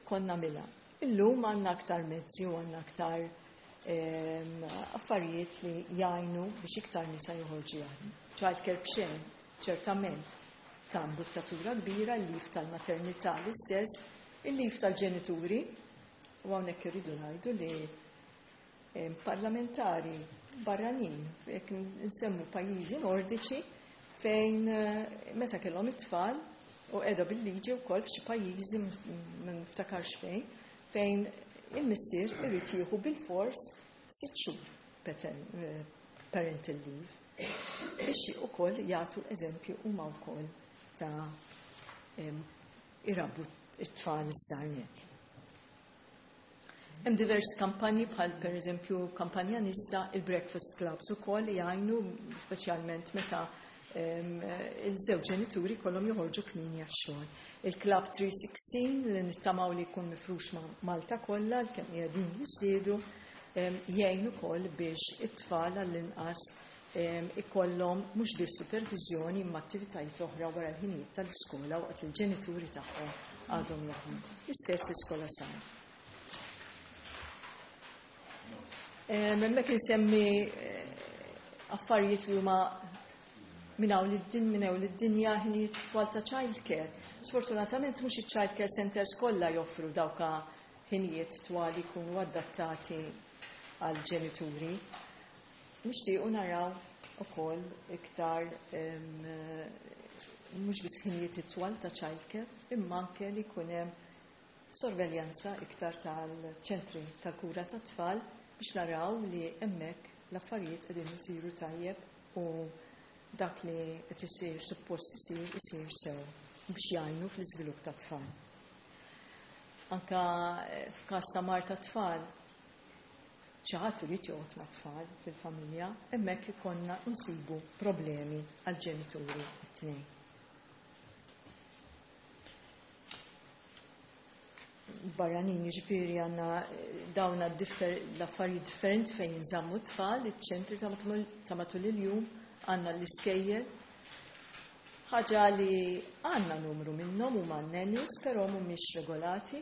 kont nagħmilha. Illum għandna aktar mezzi u għandna aktar affarijiet li jgħinu biex iktar nisa joħorġu jaħdmu. Childcare b'xejn, ċertament, ta' imbuttatura kbira, il-leave tal-maternità l-istess, il-leave tal-ġenituri, u hawnhekk irridu ngħidu li parlamentari barranin, jekk nsemmu pajjiżi nordiċi, fejn meta kellhom it-tfal u qiegħda bil-liġi wkoll f'xi pajjiżi ma niftakarx fejn, fejn il-missier irid jieħu bil-fors 6 xhur parental leave biex ukoll jagħtu eżempju huma wkoll ta' irabbu it-tfal iż-żgħar. Hemm diversi kampanji bħal pereżempju kampanja Nista, il-Breakfast Clubs ukoll li jgħinu speċjalment meta il-żewġ ġenituri kollhom joħorġu kmieni għax-xogħol. Il-Club 316 li nittamaw li jkun mifrux ma' Malta kollha kemm qiegħdin jiżdiedu jgħin ukoll biex it-tfal għall-inqas ikollhom mhux biss supervizjoni imma attivitajiet oħra wara l-ħinijiet tal-iskola waqt li l-ġenituri tagħhom għadhom jaħdmu. L-istess l-iskola sar. Hemmhekk insemmi affarijiet li huma minn hawn lid-dinja, ħinijiet twal ta' childcare. Sfortunatament mhux iċ-childcare centers kollha joffru dawka ħinijiet twal li jkunu adattati għal ġenituri. Nixtiequ naraw ukoll iktar mhux biss ħinijiet itwal ta' childcare, imma anke li jkun hemm sorveljanza iktar tal-ċentri tal-kura tat-tfal biex naraw li hemmhekk l-affarijiet qegħdin isiru tajjeb u dak li qed isir suppost isir isir sew biex jgħinu fl-iżvilupp tat-tfal. Anka f'każ ta' mard tat-tfal, xi ħadd irid joqgħod mat-tfal fil-familja, hemmhekk ikollna nsibu problemi għall-ġenituri t-tnejn. Barranin, jiġifieri għandna dawn l-affarijiet differenti fejn jinżammu t-tfal, iċ-ċentri ta' matul il-jum, għandna l-iskejjel. Ħaġa li għandna numru minnhom huma n-nannies, però mhumiex regolati.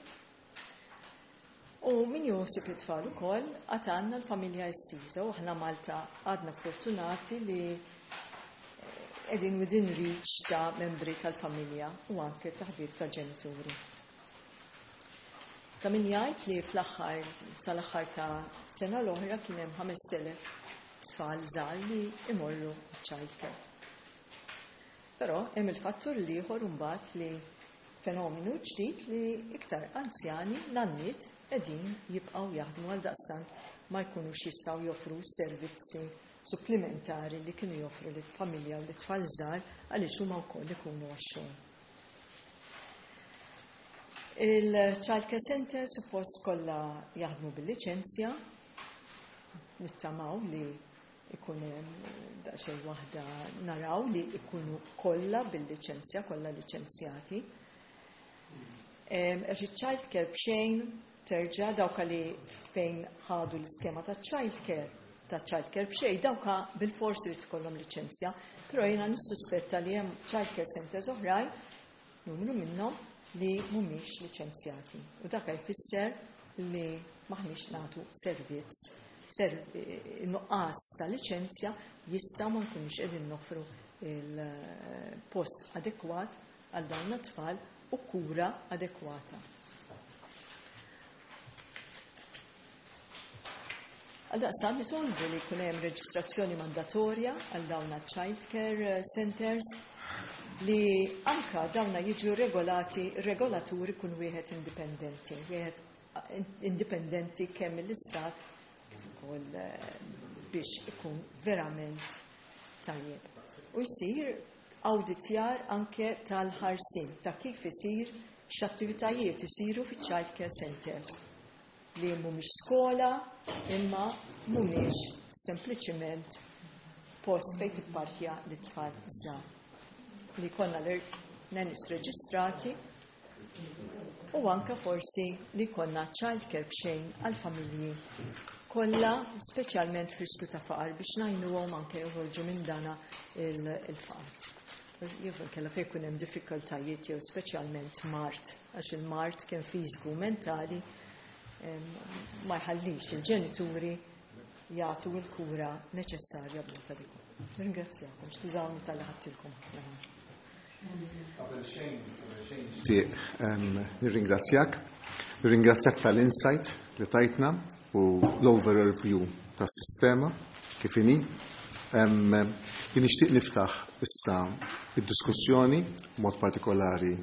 U min joħsib it-tfal ukoll għad għandna l-familja estiża u aħna Malta għadna fortunati li qegħdin within reach ta' membri tal-familja u anke ta' ħbieb ta' ġenituri. Ta' min jgħid li fl-aħħar sal-aħħar ta' sena l-oħra kien hemm 5000 tfal żgħar li imorru child care. Però hemm il-fattur l-ieħor imbagħad li fenomenu ġdid li iktar anzjani nanniet qegħdin jibqgħu jaħdmu, għal daqstant ma jkunux jistgħu joffru servizzi supplementari li kienu joffru lit-familja u lit-tfal żgħar, għaliex huma wkoll ikunu għax-xogħol. Il-Child Care Center suppost kollha jaħdmu bil-liċenzja, nittamaw li ikun daqsxejn waħda naraw li ikunu kollha bil-liċenzja, kollha liċenzjati. Għax il-child care b'xejn terġa' dawka li fejn ħadu l-iskema ta' child care, ta' child care b'xejn, dawka bil-forsi li tkollhom liċenzja, però jiena nissuspetta li hemm child care centers oħrajn, numru minnhom, li mhumiex liċenzjati. U dak jfisser li maħniex nagħtu servizz. Nuqqas ta' liċenzja jista' ma nkunux qegħdin noffru il-post adekwat għal dawn it-tfal u kura adekwata. Għaldaqstant nitolbu li jkun hemm reġistrazzjoni mandatorja għal dawn child care centers, li anka dawna jiġu regolati, regolaturi kun wieħed indipendenti, wieħed indipendenti kemm mill-istat kif ukoll biex ikun verament tajjeb. U jsir awditjar anke tal-ħarsin ta' kif isir, x'attivitajiet isiru fi child care centers li mhumiex skola imma mhumiex sempliċiment post fejn tipparkja l-tfal żgħar. Li konna l-nannies reġistrati u anka forsi li konna child care b'xejn għal-familji kollha, speċjalment f'riskju ta' faqar, biex ngħinuhom anke joħorġu minn dana il-faqar. Jew kella fejn jkun hemm diffikultajiet jew speċjalment mard, għax il-mard kemm fiżiku u mentali ma jħallix il-ġenituri jagħtu l-kura neċessarja b'mod adekwat. Ringrazzjakom, skużawni talli ħadtilkom ħafna. Qabel xejn, nirringrazzjak. Nirringrazzjak tal-insight li tajtna u l-overall view tas-sistema kif inhi. Jien nixtieq niftaħ issa id-diskussjoni mod partikolari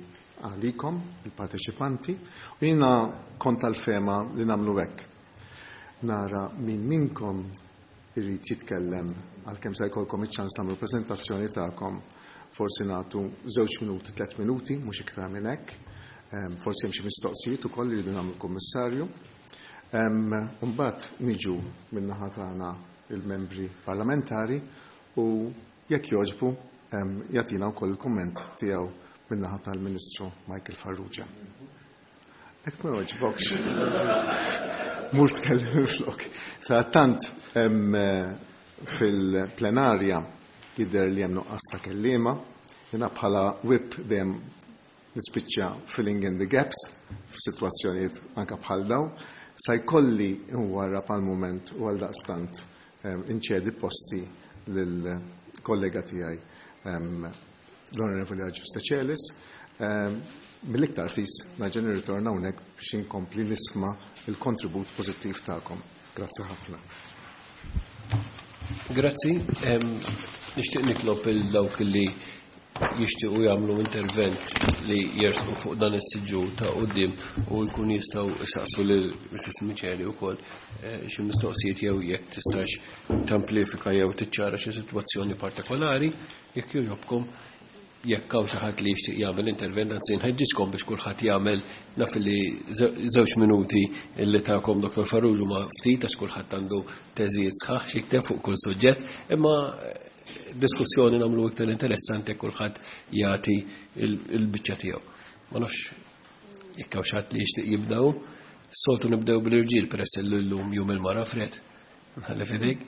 għalikom, il-parteċipanti, u jiena kont tal-fehma li nagħmlu hekk. Nara min minkom irid jitkellem, għalkemm se jkollkom iċ-ċans tagħmlu preżentazzjoni tagħkom, forsi nagħtu 2 minuti, 3 minuti, mhux iktar minn hekk. Forsi hemm xi mistoqsijiet ukoll li rridu nagħmlu kummissarju. Mbagħad niġu min-naħa tagħna il-membri parlamentari u jekk jogħġbu jagħtina wkoll il-kumment tiegħu min-naħa tal-Ministru Michael Farrugia. Jekk ma jogħġbokx. Mur tkellem flok. Sa tant fil-plenarja jidher li hemm nuqqas ta' kelliema, jiena bħala whip dejjem nispiċċa filling in the gaps f'sitwazzjonijiet anke bħal daw. Sa jkolli nwarrab għal mument u għal daqstant inċedi posti lill-kollega tiegħi, l-Onorevoli Agius Decelis. Mill-iktar fis nerġa' nirritorna hawnhekk biex inkompli nisma' il-kontribut pożittiv tagħkom. Grazzi ħafna. Grazzi. Nixtieq nitlob il dawk li jixtiequ jagħmlu intervent li jersqu fuq dan is-siġġu ta' quddiem u jkun jistgħu jsaqsu lil Mrs. Miceli wkoll xi mistoqsijiet jew jekk tistax tamplifika jew tiċċara xi sitwazzjoni partikolari, jekk jogħġobkom, jekk hawn xi ħadd li jixtieq jagħmel intervent, anzi nħeġġiġkom biex kulħadd jagħmel, naf li 2 minuti li tagħkom Dr. Farrugia ma ftit għax kulħadd għandu teżijiet sħaħ xi fuq kull suġġett, imma diskussjoni nagħmlu iktar interessanti jekk kulħadd jagħti il-biċċa tiegħu. Ma nafx jekk hawn xi ħadd li jixtieq jibdew, soltu nibdew bil-irġiel peress li llum jum il-mara Fred. Nħalli f'idejk.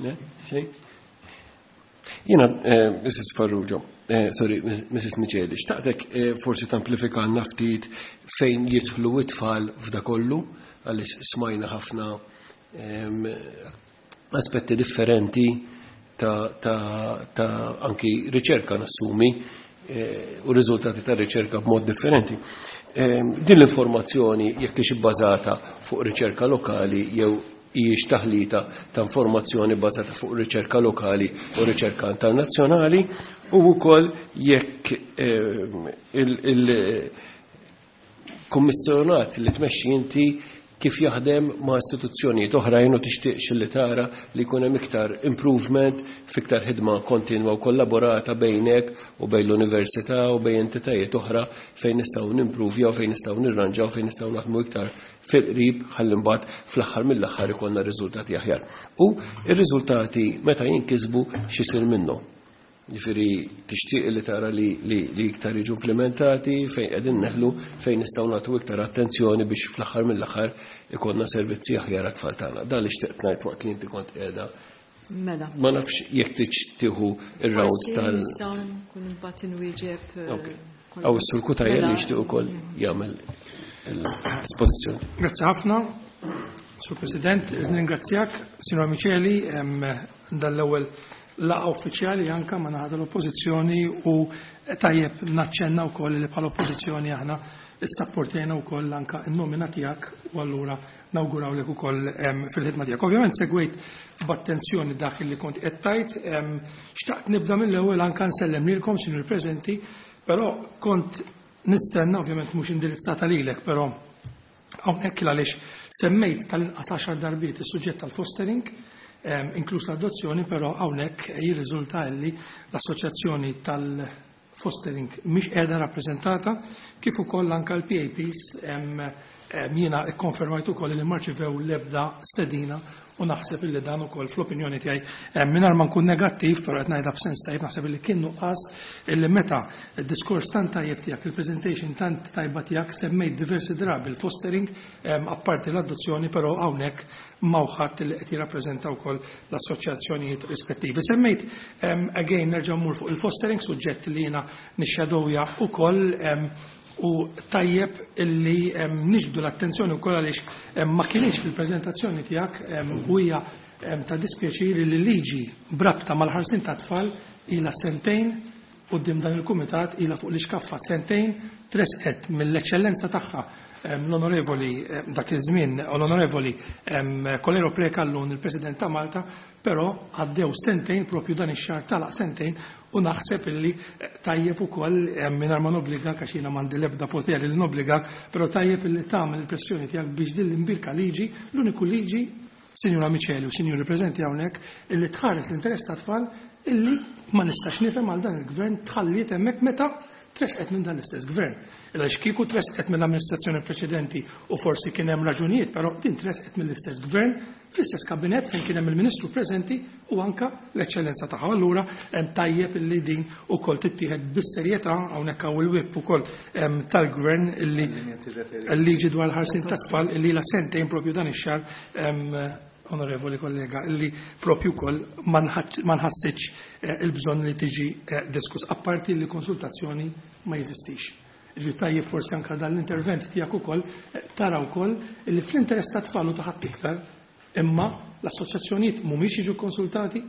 Ne? Xejn? Jiena, Mrs. Farrugia, sorry, Mrs. Miceli, xtaqtek forsi tamplifikalna ftit fejn jidħlu it-tfal f'da kollu, għaliex smajna ħafna aspetti differenti ta' anki riċerka nassumi u riżultati ta' riċerka b'mod differenti. Din l-informazzjoni jekk hix ibbażata fuq riċerka lokali jew hijiex taħlita ta' informazzjoni bbażata fuq riċerka lokali u riċerka internazzjonali, u wkoll jekk il-kummissjonat li tmexxi inti kif jaħdem ma' istituzzjonijiet oħrajn u tixtieqx li tara li jkun hemm iktar improvement f'iktar ħidma kontinwa u kollaborata bejnek u bejn l-università u bejn entitajiet oħra fejn nistgħu nimpruvjaw, fejn nistgħu nirranġaw, fejn nistgħu naħdmu iktar fil-qrib ħalli mbagħad fl-aħħar mill-aħħar ikollna riżultati aħjar. U r-riżultati meta jinkisbu x'isir minnhom. Ġifieri tixtieq li tara li iktar jiġu implementati, fejn qegħdin neħlu, fejn nistgħu nagħtu iktar attenzjoni biex fl-aħħar mill-aħħar ikollna servizzi aħjar għat-tfal tagħna. Dan li xtieqt ngħid waqt li inti kont qiegħda. Mela. Ma nafx jekk tridx tieħu ir-round Forsi tal- nistgħu nkun imbagħad inwieġeb, Ok. Aw is-Sur Cutajar li Mela. jixtieq ukoll jagħmel l-espożizzjoni. Grazzi ħafna, Sur President, ningrazzjak, Sinjora Miceli, dal-ewwel laqgħa uffiċjali anka ma naħa tal-oppożizzjoni u tajjeb naċċenna wkoll li bħala oppożizzjoni aħna issapportejna wkoll anka n-nomina tiegħek u allura nawgurawlek ukoll fil-ħidma tiegħek. Ovvjament segwejt b'attenzjoni dak li kont qed tgħid, xtaqt nibda mill-ewwel anka nsellem lilkom sinjur preżenti, però kont nistenna ovvjament mhux indirizzata lilek, però hawnhekk għaliex semmejt tal-inqas 10 darbiet is-suġġett tal-fostering, inkluż l-adozzjoni, però hawnhekk jirriżulta li l-assoċjazzjoni tal-fostering mhix qiegħda rappreżentata, kif ukoll anke l-PAPs, jiena kkonfermajt ukoll li ma rċivew l-ebda stedina u naħseb illi dan ukoll fl-opinjoni tiegħi, mingħajr ma nkun negattiv, però qed ngħidha b'sens tajjeb, naħseb illi kien nuqqas illi meta d-diskors tant tajjeb tiegħek, il-presentation tant tajba tiegħek, semmejt diversi drabi l-fostering, apparti l-adozzjoni, però hawnhekk m'hawn ħadd li qed jirrappreżenta wkoll l-assoċjazzjonijiet rispettivi. Semmejt, again nerġa' mmur fuq il-fostering, suġġett li jiena nixxadowja ukoll, u tajjeb illi niġbdu l-attenzjoni wkoll għaliex ma kienx fil-preżentazzjoni tiegħek, u hija ta' dispjaċir li liġi brabta mal-ħarsin ta' tfal ilha sentejn quddiem dan il-kumitat, ilha fuq l-iskaffa sentejn, tresqet mill-eċċellenza tagħha, l-onorevoli, dak iż-żmien l-onorevoli Coleiro Preca, llum il-President ta' Malta, però għaddew sentejn, propju dan ix-xahar talaq sentejn, u naħseb illi tajjeb ukoll, mingħajr ma nobbligak għax jiena m'għandi l-ebda poter li nobbligak, però tajjeb illi tagħmel il-pressjoni tiegħek biex din l-imbirka liġi, l-uniku liġi, Sinjura Miceli u Sinjuri preżenti hawnhekk, illi tħares l-interess ta' tfal, illi ma nistax nifhem għal dan il-gvern tħalliet hemmhekk meta tresqet minn dan l-istess gvern. Illa kieku tresqet mill-amministrazzjoni preċedenti u forsi kien hemm raġunijiet, però din tresqet mill-istess gvern, fl-istess kabinet fejn kien hemm il-Ministru preżenti u anka l-eċċellenza tagħha. Allura hemm tajjeb illi din ukoll tittieħed bis-serjetà hawnhekk hawn il-whip ukoll tal-gvern illi l-liġi dwar l-ħarsin tat-tfal illi la sentejn propju dan ix-xahar, onorevoli kollega, illi propju wkoll ma nħassitx il-bżonn li tiġi diskuss, apparti li konsultazzjoni ma jeżistix. Ġi tajjeb forsi anka dan l-intervent tiegħek ukoll tara wkoll illi fl-interess tat-tfal u ta' ħadd iktar, imma l-assoċjazzjonijiet mhumiex jiġu konsultati,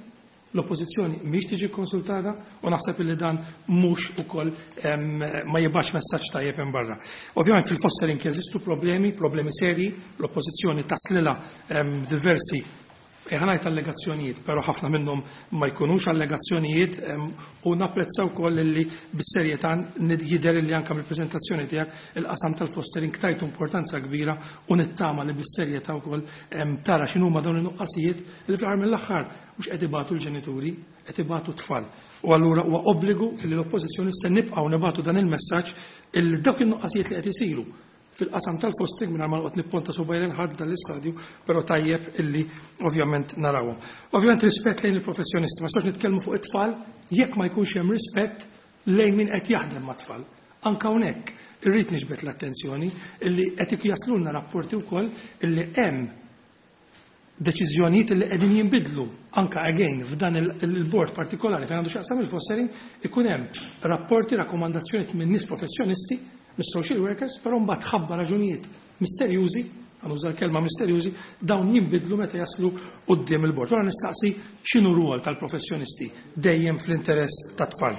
l-oppożizzjoni mhix tiġi konsultata, u naħseb illi dan mhux ukoll ma jibgħatx messaġġ tajjeb hemm barra. Ovvjament fil-fostering jeżistu problemi, problemi seri, l-oppożizzjoni taslilha diversi ħanajt allegazzjonijiet, però ħafna minnhom ma jkunux allegazzjonijiet, u napprezza wkoll li bis-serjetà jidher li anke mill-preżentazzjoni tiegħek il-qasam tal-fostering tajtu importanza kbira u nittama li bis-serjetà wkoll tara x'inhuma dawn in-nuqqasijiet li fl-aħħar mill-aħħar mhux qed ibatu l-ġenituri, qed ibatu t-tfal. U allura huwa obbligu li l-oppożizzjoni se nibqgħu nibatu dan il-messaġġ illi dawk in-nuqqasijiet li qed isiru fil-qasam tal-fostering, mingħajr ma noqgħod nipponta subgħajn lil ħadd dal-istadju, però tajjeb illi ovvjament narawhom. Ovvjament rispett lejn il-professjonisti, ma nistax nitkellmu fuq it-tfal jekk ma jkunx hemm rispett lejn min qed jaħdem mat-tfal. Anka hawnhekk irrid niġbed l-attenzjoni illi qed jaslulna rapporti wkoll illi hemm deċiżjonijiet li qegħdin jinbidlu anka again f'dan il-board partikolari fejn għandu x'jaqsam il-fostering, ikun hemm rapporti, rakkomandazzjonijiet minn nies professjonisti, mis-social workers, però mbagħad ħabba raġunijiet misterjużi, għanuża l-kelma misterjużi, dawn jinbidlu meta jaslu quddiem il-bord. Ora nistaqsi x'inhu rwol tal-professjonisti dejjem fl-interess tat-tfal.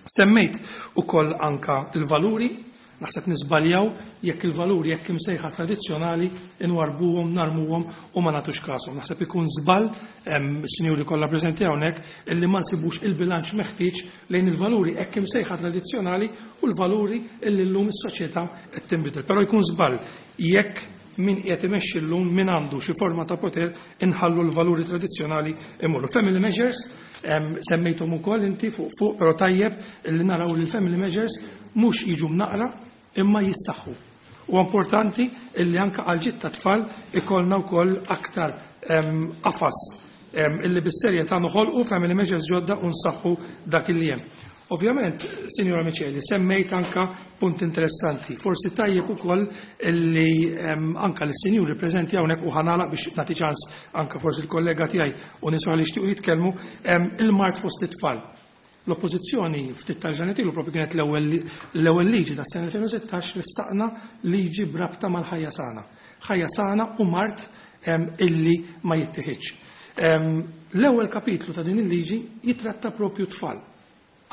Semmejt ukoll anka il-valuri. Naħseb niżbaljaw jekk il-valuri jekk imsejħa tradizzjonali inwarbuhom, narmuhom u ma nagħtux kashom. Naħseb ikun żball, sinjuri kollha preżenti hawnhekk, illi ma nsibux il-bilanċ meħtieġ lejn il-valuri hekk imsejħa tradizzjonali u l-valuri illi llum is-soċjetà qed tinbidel. Però jkun żball jekk min qiegħed imexxi llum, min għandu xi forma ta' poter, inħallu l-valuri tradizzjonali imorru. Family measures, semmejthom ukoll inti fuq fuq, però tajjeb illi naraw li l-family measures mhux jiġu mnaqra imma jissaħħu. U importanti illi anka għal ġid ta' tfal ikollna wkoll aktar qafas illi bis-serjetà noħolqu family measures ġodda u nsaħħu dak illi hemm. Ovvjament, Sinjora Miceli, semmejt anka punt interessanti. Forsi tajjeb ukoll illi anka l-sinjuri preżenti hawnhekk, u ħa nagħlaq biex nagħti ċans anka forsi l-kollega tiegħi u nies li jixtiequ jitkellmu, il-mard fost it-tfal. L-oppożizzjoni ftit tal-ġranet ilu propju kienet l-ewwel liġi tas sena 2016 li saqna liġi b'rabta mal-ħajja sana. Ħajja sana u mard illi ma jittieħidx. L-ewwel kapitlu ta' din il-liġi jitratta propju tfal.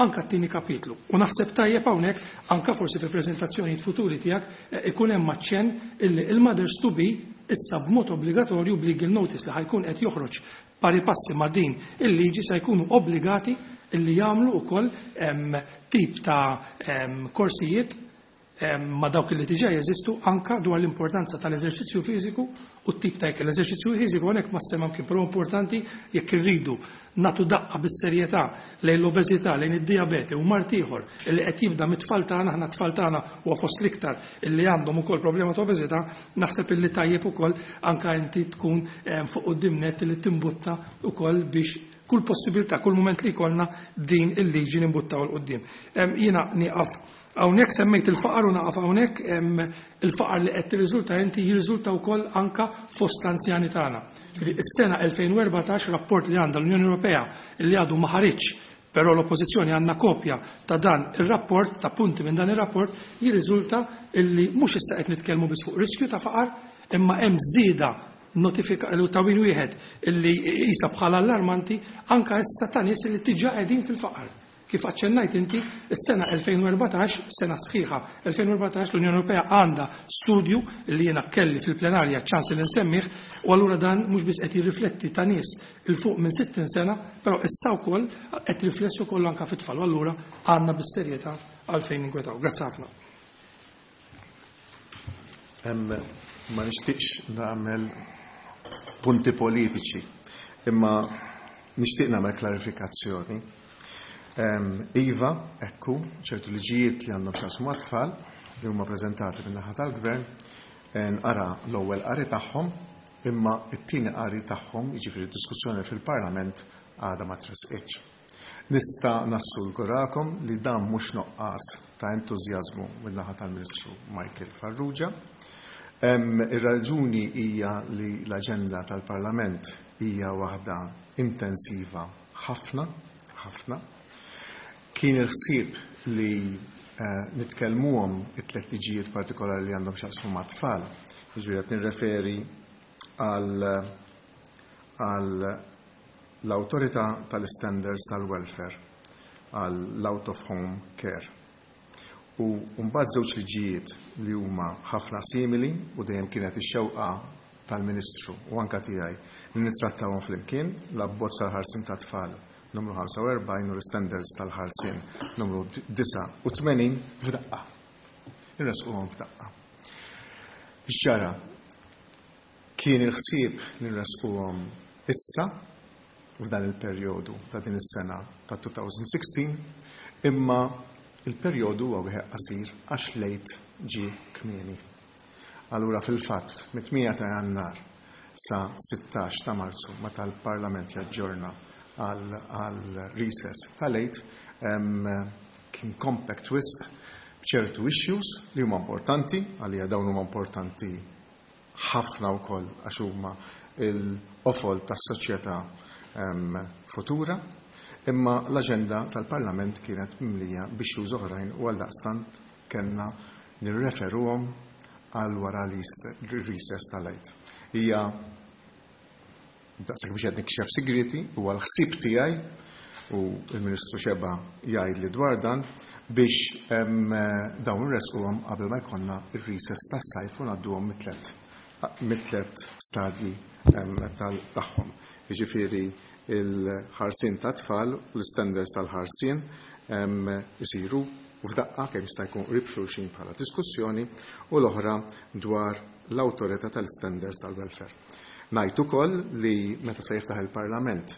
Anka t-tieni kapitlu. U naħseb tajjeb hawnhekk anka forsi fil-preżentazzjonijiet futuri tiegħek ikun hemm aċċenn illi il-mothers to be issa b'mod obbligatorju b'legal notice li ħa jkun qed joħroġ pari passi ma' din il-liġi se jkunu obbligati illi jagħmlu wkoll tip ta' korsijiet ma' dawk li diġà jeżistu anka dwar l-importanza tal-eżerċizzju fiżiku u t-tip ta' ikel. L-eżerċizzju fiżiku hawnhekk ma semma kien, però importanti jekk irridu nagħtu daqqa bis-serjetà lejn l-obeżità, lejn id-dijabete u mard ieħor li qed jibda mit-tfal tagħna, aħna t-tfal tagħna huwa fost l-iktar illi għandhom ukoll problema ta' obeżità, naħseb illi tajjeb ukoll anka inti tkun fuq quddiem net li timbutta ukoll biex kull possibilità, kull moment li jkollna din il-liġi nimbuttaw 'l quddiem. Jiena nieqaf hawnhekk, semmejt il-faqar u naqaf hawnhekk, il-faqar li qed tirriżulta inti jirriżulta wkoll anka fost l-anzjani tagħna. Ġifieri is-sena 2014, rapport li għandha l-Unjoni Ewropea li għadu ma ħariġx, però l-oppożizzjoni għandna kopja ta' dan ir-rapport, ta' punti minn dan ir-rapport, jirriżulta illi mhux issa qed nitkellmu biss fuq riskju ta' faqar, imma hemm żieda notifika ta' win wieħed illi jisa bħala allarmanti anka issa ta' nies li diġà qegħdin fil-faqar. Kif aċċennajt inti, is-sena 2014, sena sħiħa 2014, l-Unjoni Ewropea għandha studju li jiena kelli fil-plenarja ċans li nsemmih, u allura dan mhux biss qed jirrifletti ta' nies 'il fuq minn 60 sena, però issa wkoll qed riflessu kollu anka fit-tfal, u allura għandna bis-serjetà għalfejn ninkwetaw. Grazzi ħafna. Ma nixtieqx nagħmel punti politiċi, imma nixtieq nagħmel klarifikazzjoni. Iva, ekku, ċertu liġijiet li għandhom x'jaqsmu mat-tfal li huma preżentati min-naħa tal-gvern, nqara l-ewwel qari tagħhom, imma t-tieni qari tagħhom, jiġifieri diskussjoni fil-Parlament, għadha ma tressqitx. Nista' nassigurakom li dan mhux nuqqas ta' entużjażmu min-naħa tal-Ministru Michael Farrugia. Ir-raġuni hija li l-aġenda tal-Parlament hija waħda intensiva ħafna, ħafna. Kien il-ħsieb li nitkellmuhom it-tliet liġijiet partikolari li għandhom x'jaqsmu mat-tfal. Jiġifieri qed nirreferi għal l-Awtorità tal-Standards tal-Welfare, għall Out of Home Care. U mbagħad żewġ liġijiet li huma ħafna simili u dejjem kienet ix-xewqa tal-Ministru u anka tiegħi li nittrattawhom flimkien, l-abbozz tal-ħarsien tat-tfal numru 45 u l-standards tal-ħarsien numru 89 f'daqqa. Nresquhom f'daqqa. X'ġara? Kien il-ħsieb li nresquhom issa f'dan il-perjodu ta' din is-sena ta' 2016, imma il-perjodu huwa wieħed qasir għax l-Għid ġie kmieni. Allura fil-fatt mit-8 ta' Jannar sa 16 ta' Marzu, meta l-Parlament jaġġorna għal recess tal-Għid, kien compact wisq b'ċertu issues li huma importanti, għalija dawn huma importanti ħafna wkoll għax huma l-qofol tas-soċjetà futura, imma l-aġenda tal-Parlament kienet mimlija b'issues oħrajn u għaldaqstant kellna nirreferuhom għal wara l-recess tal-Għid. Hija daqshekk biex qed nikxef sigriti, huwa l-ħsieb tiegħi. u l-Ministru Xeba jgħid li dwar dan biex dawn irresquhom qabel ma jkollna ir-recess tas-sajf u ngħadduhom mit-tlet stadji tagħhom. Jiġifieri il-ħarsien ta' tfal u l-standards tal-ħarsien isiru f'daqqa kemm jista' jkun qrib xulxin bħala diskussjoni u l-oħra dwar l-awtorità tal-standards tal-welfare. Ngħid ukoll li meta se jiftaħ il-Parlament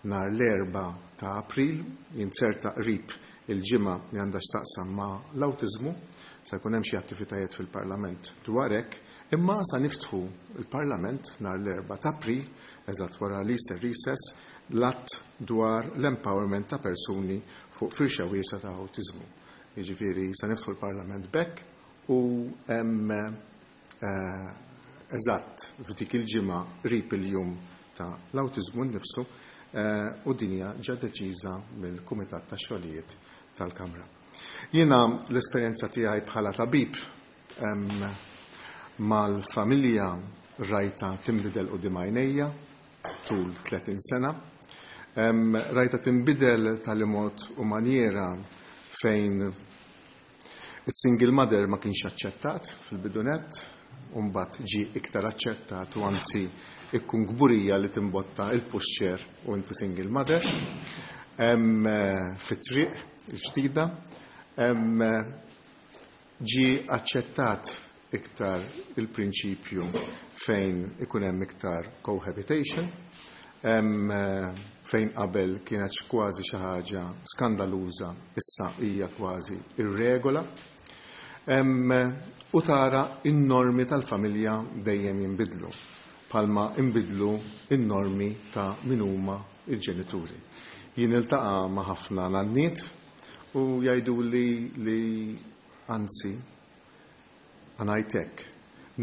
nhar l-4 ta' April, jinzerta qrib il-ġimgħa li għandha x'taqsam ma' l-awtiżmu, se jkun hemm xi attivitajiet fil-Parlament dwar hekk, imma sa niftħu il-Parlament nhar l-4 ta' April, eżatt wara l-Easter recess, l-att dwar l-empowerment ta' persuni fuq firxa wiesgħa ta' awtiżmu. Jiġifieri sa niftħu l-Parlament b'hekk u eżatt f'dik il-ġimgħa qrib il-jum ta' l-awtiżmu nnifsu, u dinja ġa deċiża mill-Kumitat tax-Xogħlijiet tal-Kamra. Jiena l-esperjenza tiegħi bħala tabib mal-familja rajta tinbidel quddiem għajnejja tul 30 sena. Rajta tinbidel tal-mod u manjera fejn is-single mother ma kienx aċċettat fil-bidunet, u mbagħad ġie iktar aċċettat u anzi ikkun kburija li timbotta il-pushchair u inti single mother. Fit-triq il-ġdida ġie aċċettat iktar il-prinċipju fejn ikun hemm iktar cohabitation, fejn qabel kienet kważi xi ħaġa skandaluża, issa hija kważi ir-regola. U tara in-normi tal-familja dejjem jinbidlu, palma inbidlu in-normi ta' min huma il-ġenituri. Jien iltaqa' ma' ħafna nanniet u jgħidu li anzi għanajtek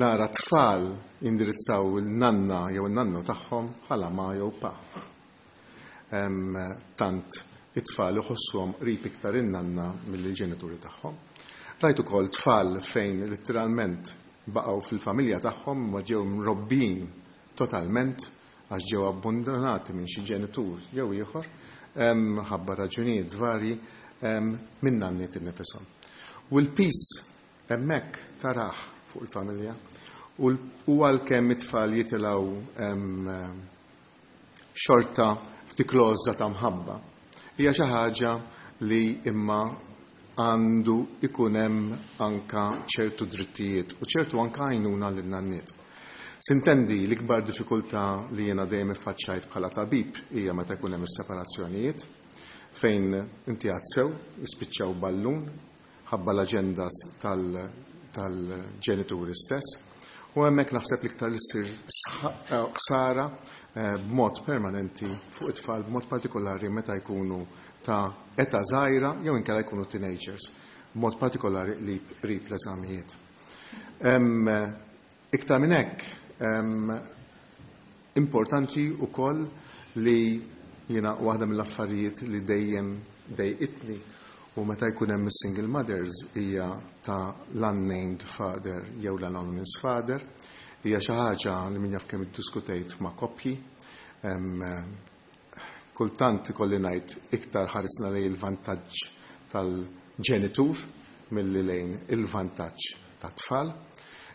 nara tfal indirizzaw il-nanna jew il-nannu tagħhom bħala ma jew pa. Tant it-tfal iħossuhom qrib iktar in-nanna mill-ġenituri tagħhom. Rajt ukoll tfal fejn letteralment baqgħu fil-familja tagħhom ma ġew mrobbin totalment għax ġew abbandonati minn xi ġenitur jew ieħor ħabba raġunijiet varji minn nanniet innifishom. U l-pis hemmhekk taraħ fuq il-familja u għalkemm it-tfal jitilgħu xorta f'dik l-għożża ta' mħabba. Hija xi ħaġa li imma għandu ikun hemm anka ċertu drittijiet u ċertu anka għajnuna lil nanniet. Sintendi l-ikbar diffikultà li jiena dejjem iffaċċajt bħala tabib hija meta jkun hemm is-separazzjonijiet fejn inti għadsew jispiċċaw ballun ħabba l-aġendas tal-ġenituri stess. U hemmhekk naħseb l-iktar li ssir ħsara b'mod permanenti fuq it-tfal, b'mod partikolari meta jkunu ta' età żgħira jew inkella jkunu teenagers, b'mod partikolari li qrib l-eżamijiet. Iktar minn hekk, importanti wkoll li jiena waħda mill-affarijiet li dejjem dejqitni u meta jkun hemm is-single mothers hija ta' l-unnamed father jew l-anonymous father, hija xi ħaġa li min jaf kemm iddiskutejt ma' koppji. Kultant ikolli ngħid iktar ħarisna lejn il-vantaġġ tal-ġenitur milli lejn il-vantaġġ tat-tfal.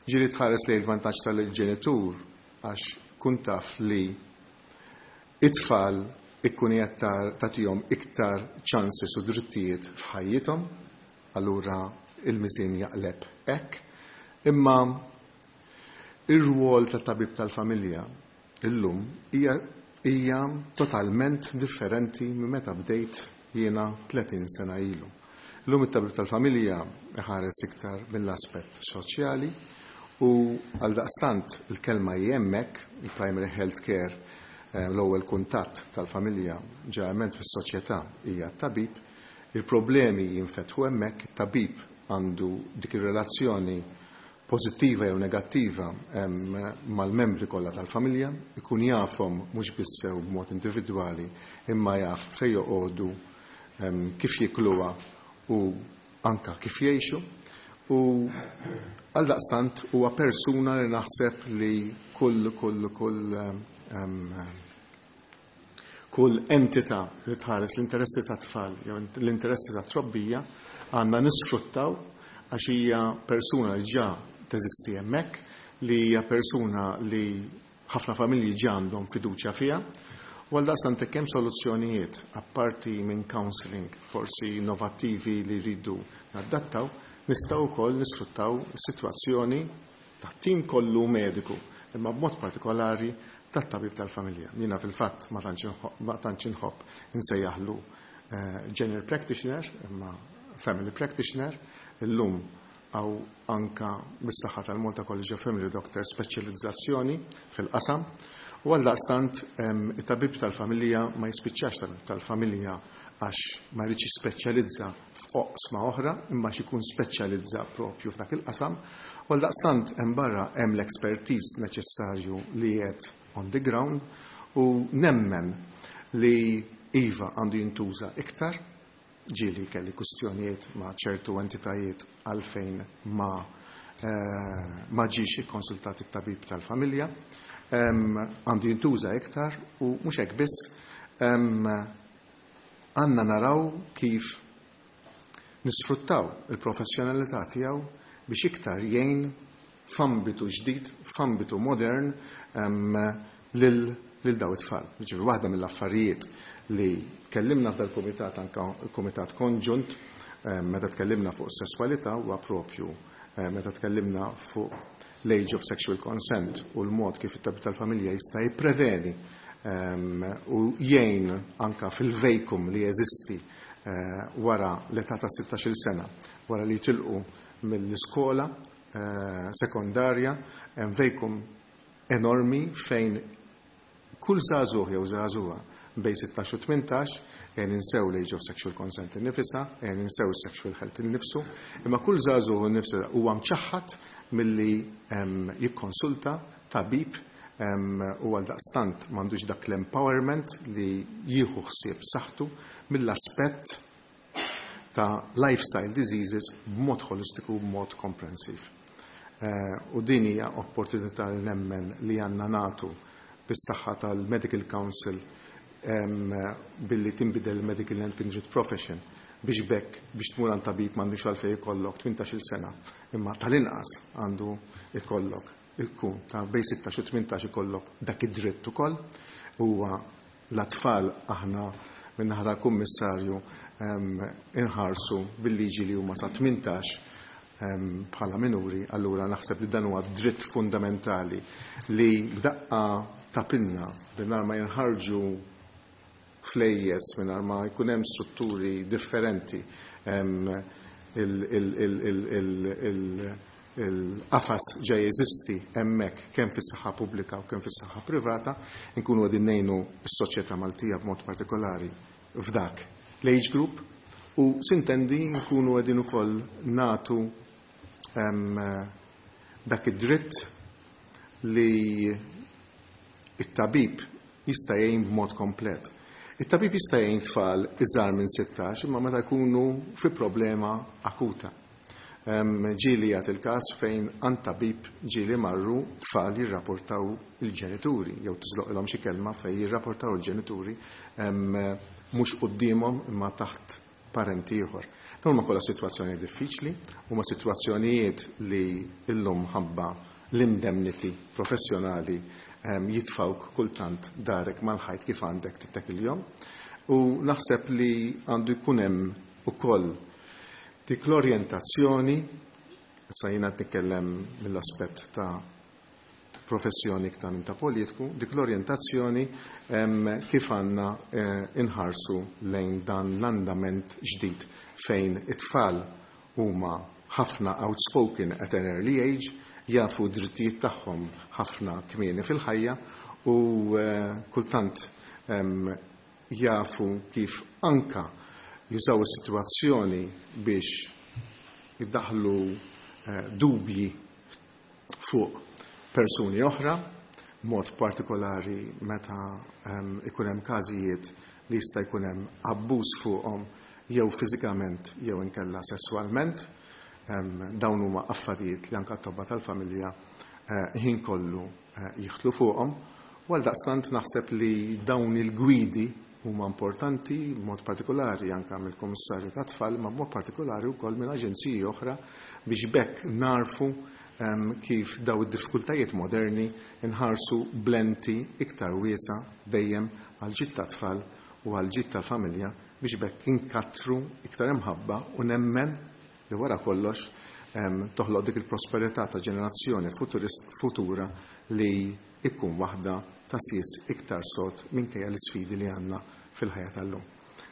Ġieli tħares lejn il-vantaġġ tal-ġenitur għax kun taf li it-tfal ikkun qed tagħtihom iktar ċansi u drittijiet f'ħajjithom, allura il-miżien jaqleb hekk. Imma ir-rwol tat-tabib tal-familja illum hija totalment differenti minn meta bdejt jiena 30 sena ilu. Illum it-tabib tal-familja iħares iktar mill-aspett soċjali u għaldaqstant il-kelma hemmhekk, il-primary health care, l-ewwel kuntatt tal-familja ġeneralment fis-soċjetà hija t-tabib, il-problemi jinfetħu hemmhekk, it-tabib għandu dik ir-relazzjoni pożittiva jew negattiva mal-membri kollha tal-familja, ikun jafhom mhux biss sew b'mod individwali imma jaf fejn joqogħdu, kif jikluha u anka kif jgħixu. U għaldaqstant huwa persuna li naħseb li Kull entità li tħares l-interessi tat-tfal jew l-interessi tat-trobbija għandna nisfruttaw għax hija persuna li ġa teżisti hemmhekk, li hija persuna li ħafna familji ġa għandhom fiduċja fiha. U għaldaqstant hekk hemm soluzzjonijiet apparti minn counselling forsi innovattivi li rridu nadattaw, nistgħu wkoll nisfruttaw is-sitwazzjoni tat-tim kollu mediku, imma b'mod partikolari tat-tabib tal-familja. Jiena fil-fatt ma tantx inħobb insejjaħlu general practitioner, imma family practitioner. Illum hawn anka bis-saħħa tal-Malta College of Family Doctors speċjalizzazzjoni fil-qasam. U għaldaqstant it-tabib tal-familja ma jispiċċax tabib tal-familja għax ma jridx jispeċjalizza f'oqsma oħra, imma xi jkun speċjalizza propju f'dak il-qasam. U għaldaqstant hemm barra hemm l-expertise neċessarju li qed on the ground u nemmen li iva għandu jintuża iktar. Ġieli kelli kustjonijiet ma' ċertu entitajiet għalfejn ma ġiex ikkonsultat it-tabib tal-familja. Għandu jintuża iktar u mhux hekk biss, għandna naraw kif nisfruttaw il-professjonalità tiegħu biex iktar jgħin f'ambitu ġdid, f'ambitu modern lil daw it-tfal. Ġifieri waħda mill-affarijiet li tkellimna f'dal-kumitat, anka il-kumitat konġunt, meta tkellimna fuq sesswalità, huwa propju meta tkellimna fuq l-age of sexual consent u l-mod kif it-tabib tal-familja jista' jippreveni u jgħin anka fil-vacuum li jeżisti wara l-età ta' 16 sena, wara li jitilqu mill-iskola sekondarja, hemm vacuum enormi fejn kull żagħżugħ jew żagħżugħa bejn 16 u 18, ninsew l-age of sexual consent innifisha, ninsew sexual health innifsu, imma kull żagħżugħ innifsu huwa mċaħħad milli jikkonsulta tabib u għaldaqstant m'għandux dak l-empowerment li jieħu ħsieb saħħtu mill-aspett ta' lifestyle diseases b'mod holistiku, b'mod komprensiv. U din hija opportunità li nemmen li għandna nagħtu bis-saħħa tal-Medical Council billi tinbidel il-Medical and Kindred Profession biex bekk biex tmur għand tabib m'għandux għalfejn ikollok 18-il sena, imma tal-inqas għandu ikollok ikun ta' bejn 16 u 18 ikollok dak id-dritt ukoll. Huwa l-atfal aħna min-naħa tal-Kummissarju inħarsu bil-liġi li huma sa 18 bħala minuri, allura naħseb li dan huwa dritt fundamentali li b'daqqa ta' pinna, mingħajr ma jinħarġu flejjes, mingħajr ma jkun hemm strutturi differenti, il-qafas ġa jeżisti hemmhekk kemm fis-saħħa pubblika u kemm fis-saħħa privata, nkunu qegħdin ngħinu s-soċjetà Maltija b'mod partikolari f'dak l-age group u sintendi nkunu qegħdin ukoll nagħtu dak id-dritt li it-tabib jista' jgħin b'mod komplet. It-tabib jista' jgħin tfal iżgħar minn 16, imma meta jkunu fi problema akuta. Ġieli jagħti il-każ fejn għand tabib ġieli marru tfal jirrapportaw il-ġenituri jew tiżloqilhom xi kelma fejn jirrapportaw il-ġenituri mhux quddiemhom imma taħt parenti ieħor. Dawn huma kollha sitwazzjoni diffiċli, huma sitwazzjonijiet li illum ħabba l-indemnity professjonali jitfawk kultant darek mal-ħajt kif għandek tittekilhom. U naħseb li għandu jkun hemm ukoll dik l-orjentazzjoni, issa jiena nitkellem mill-aspett ta' professjoni iktar minn ta' politiku, dik l-orjentazzjoni kif għandna inħarsu lejn dan l-andament ġdid fejn it-tfal huma ħafna outspoken at an early age, jafu drittijiet tagħhom ħafna kmieni fil-ħajja u kultant jafu kif anka jużaw is-sitwazzjoni biex jiddaħlu dubji fuq persuni oħra, mod partikolari meta ikun hemm każijiet li jista' jkun hemm abbuż fuqhom jew fiżikament jew inkella sesswalment. Dawn huma affarijiet li anke t-tobba tal-familja ħin kollu jidħlu fuqhom. U għaldaqstant naħseb li dawn il-gwidi huma importanti, b'mod partikolari anke mill-Kummissarju tat-Tfal, ma b'mod partikolari wkoll minn aġenziji oħra biex b'hekk narfu kif daw id-diffikultajiet moderni nħarsu b'lenti iktar wiesa dejjem għal ġid tat-tfal u għal ġid tal-familja biex b'hekk inkattru iktar imħabba u nemmen li wara kollox toħloq dik il-prosperità ta' ġenerazzjoni futura li ikkun waħda ta' sis iktar sod minkejja l-isfidi li għandna fil-ħajja tal-lum.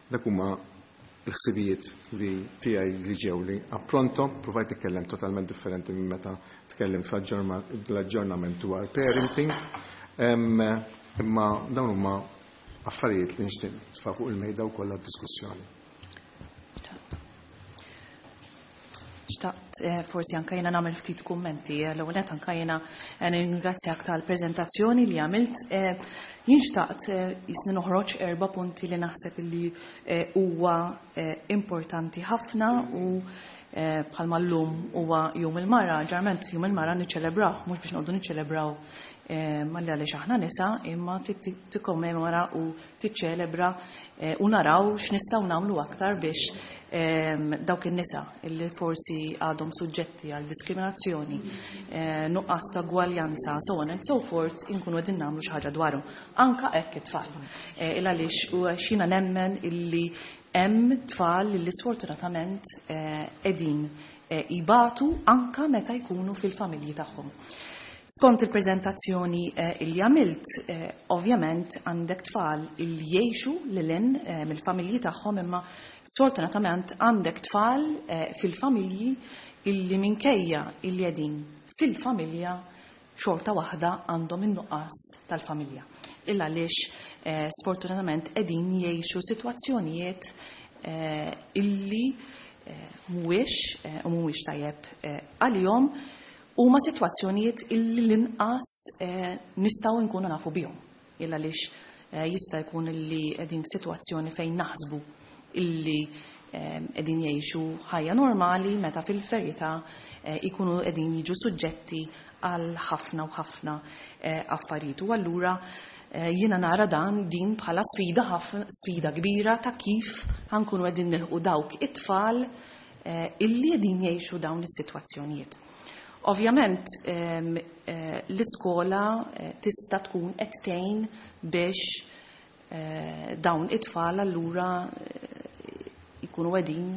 Dak huma l-ħsibijiet li tiegħi li ġew li appronto, provajt nitkellem totalment differenti minn meta tkellimt fl-aġġornament dwar parenting, imma dawn huma affarijiet li nixtieq nitfa' fuq il-mejda wkoll għad-diskussjoni. Xtaqt forsi anka jiena nagħmel ftit kummenti. L-ewwel nett anka jiena nirringrazzjak tal-preżentazzjoni li għamilt. Jien xtaqt jisni noħroġ 4 punti li naħseb li huwa importanti ħafna u bħalma llum huwa Jum il-Mara, ġarment Jum il-Mara niċċelebraw, mhux biex noqogħdu niċċelebraw malli għaliex aħna nisa, imma tikkommemora u tiċċelebra u naraw x'nistgħu nagħmlu aktar biex dawk in-nisa illi forsi għadhom suġġetti għal diskriminazzjoni, nuqqas ta' gwaljanza, so on and so forth, inkunu qegħdin nagħmlu xi ħaġa dwarhom. Anka hekk it-tfal. Il għaliex u xina nemmen illi hemm tfal li sfortunatament qegħdin jibatu anka meta jkunu fil-familji tagħhom. Skont il-preżentazzjoni li għamilt, ovvjament għandek tfal li jgħixu lil hinn mill-familji tagħhom, imma sfortunatament għandek tfal fil-familji illi minkejja illi qegħdin fil-familja xorta waħda għandhom in-nuqqas tal-familja. Illa għaliex sfortunatament qegħdin jgħixu sitwazzjonijiet illi mhuwiex u mhuwiex tajjeb għalihom, huma sitwazzjonijiet illi l-inqas nistgħu nkunu nafu bihom. Illa għaliex jista' jkun illi qegħdin f'sitwazzjoni fejn naħsbu illi qegħdin jgħixu ħajja normali meta fil-verità jkunu qegħdin jiġu suġġetti għal ħafna u ħafna affarijiet. U allura jiena nara dan din bħala sfida ħafna, sfida kbira ta' kif ħankunu qegħdin nilħqu dawk it-tfal illi qegħdin jgħixu dawn is-sitwazzjonijiet. Ovvjament, l-iskola tista' tkun qed tgħin biex dawn it-tfal allura jkunu qegħdin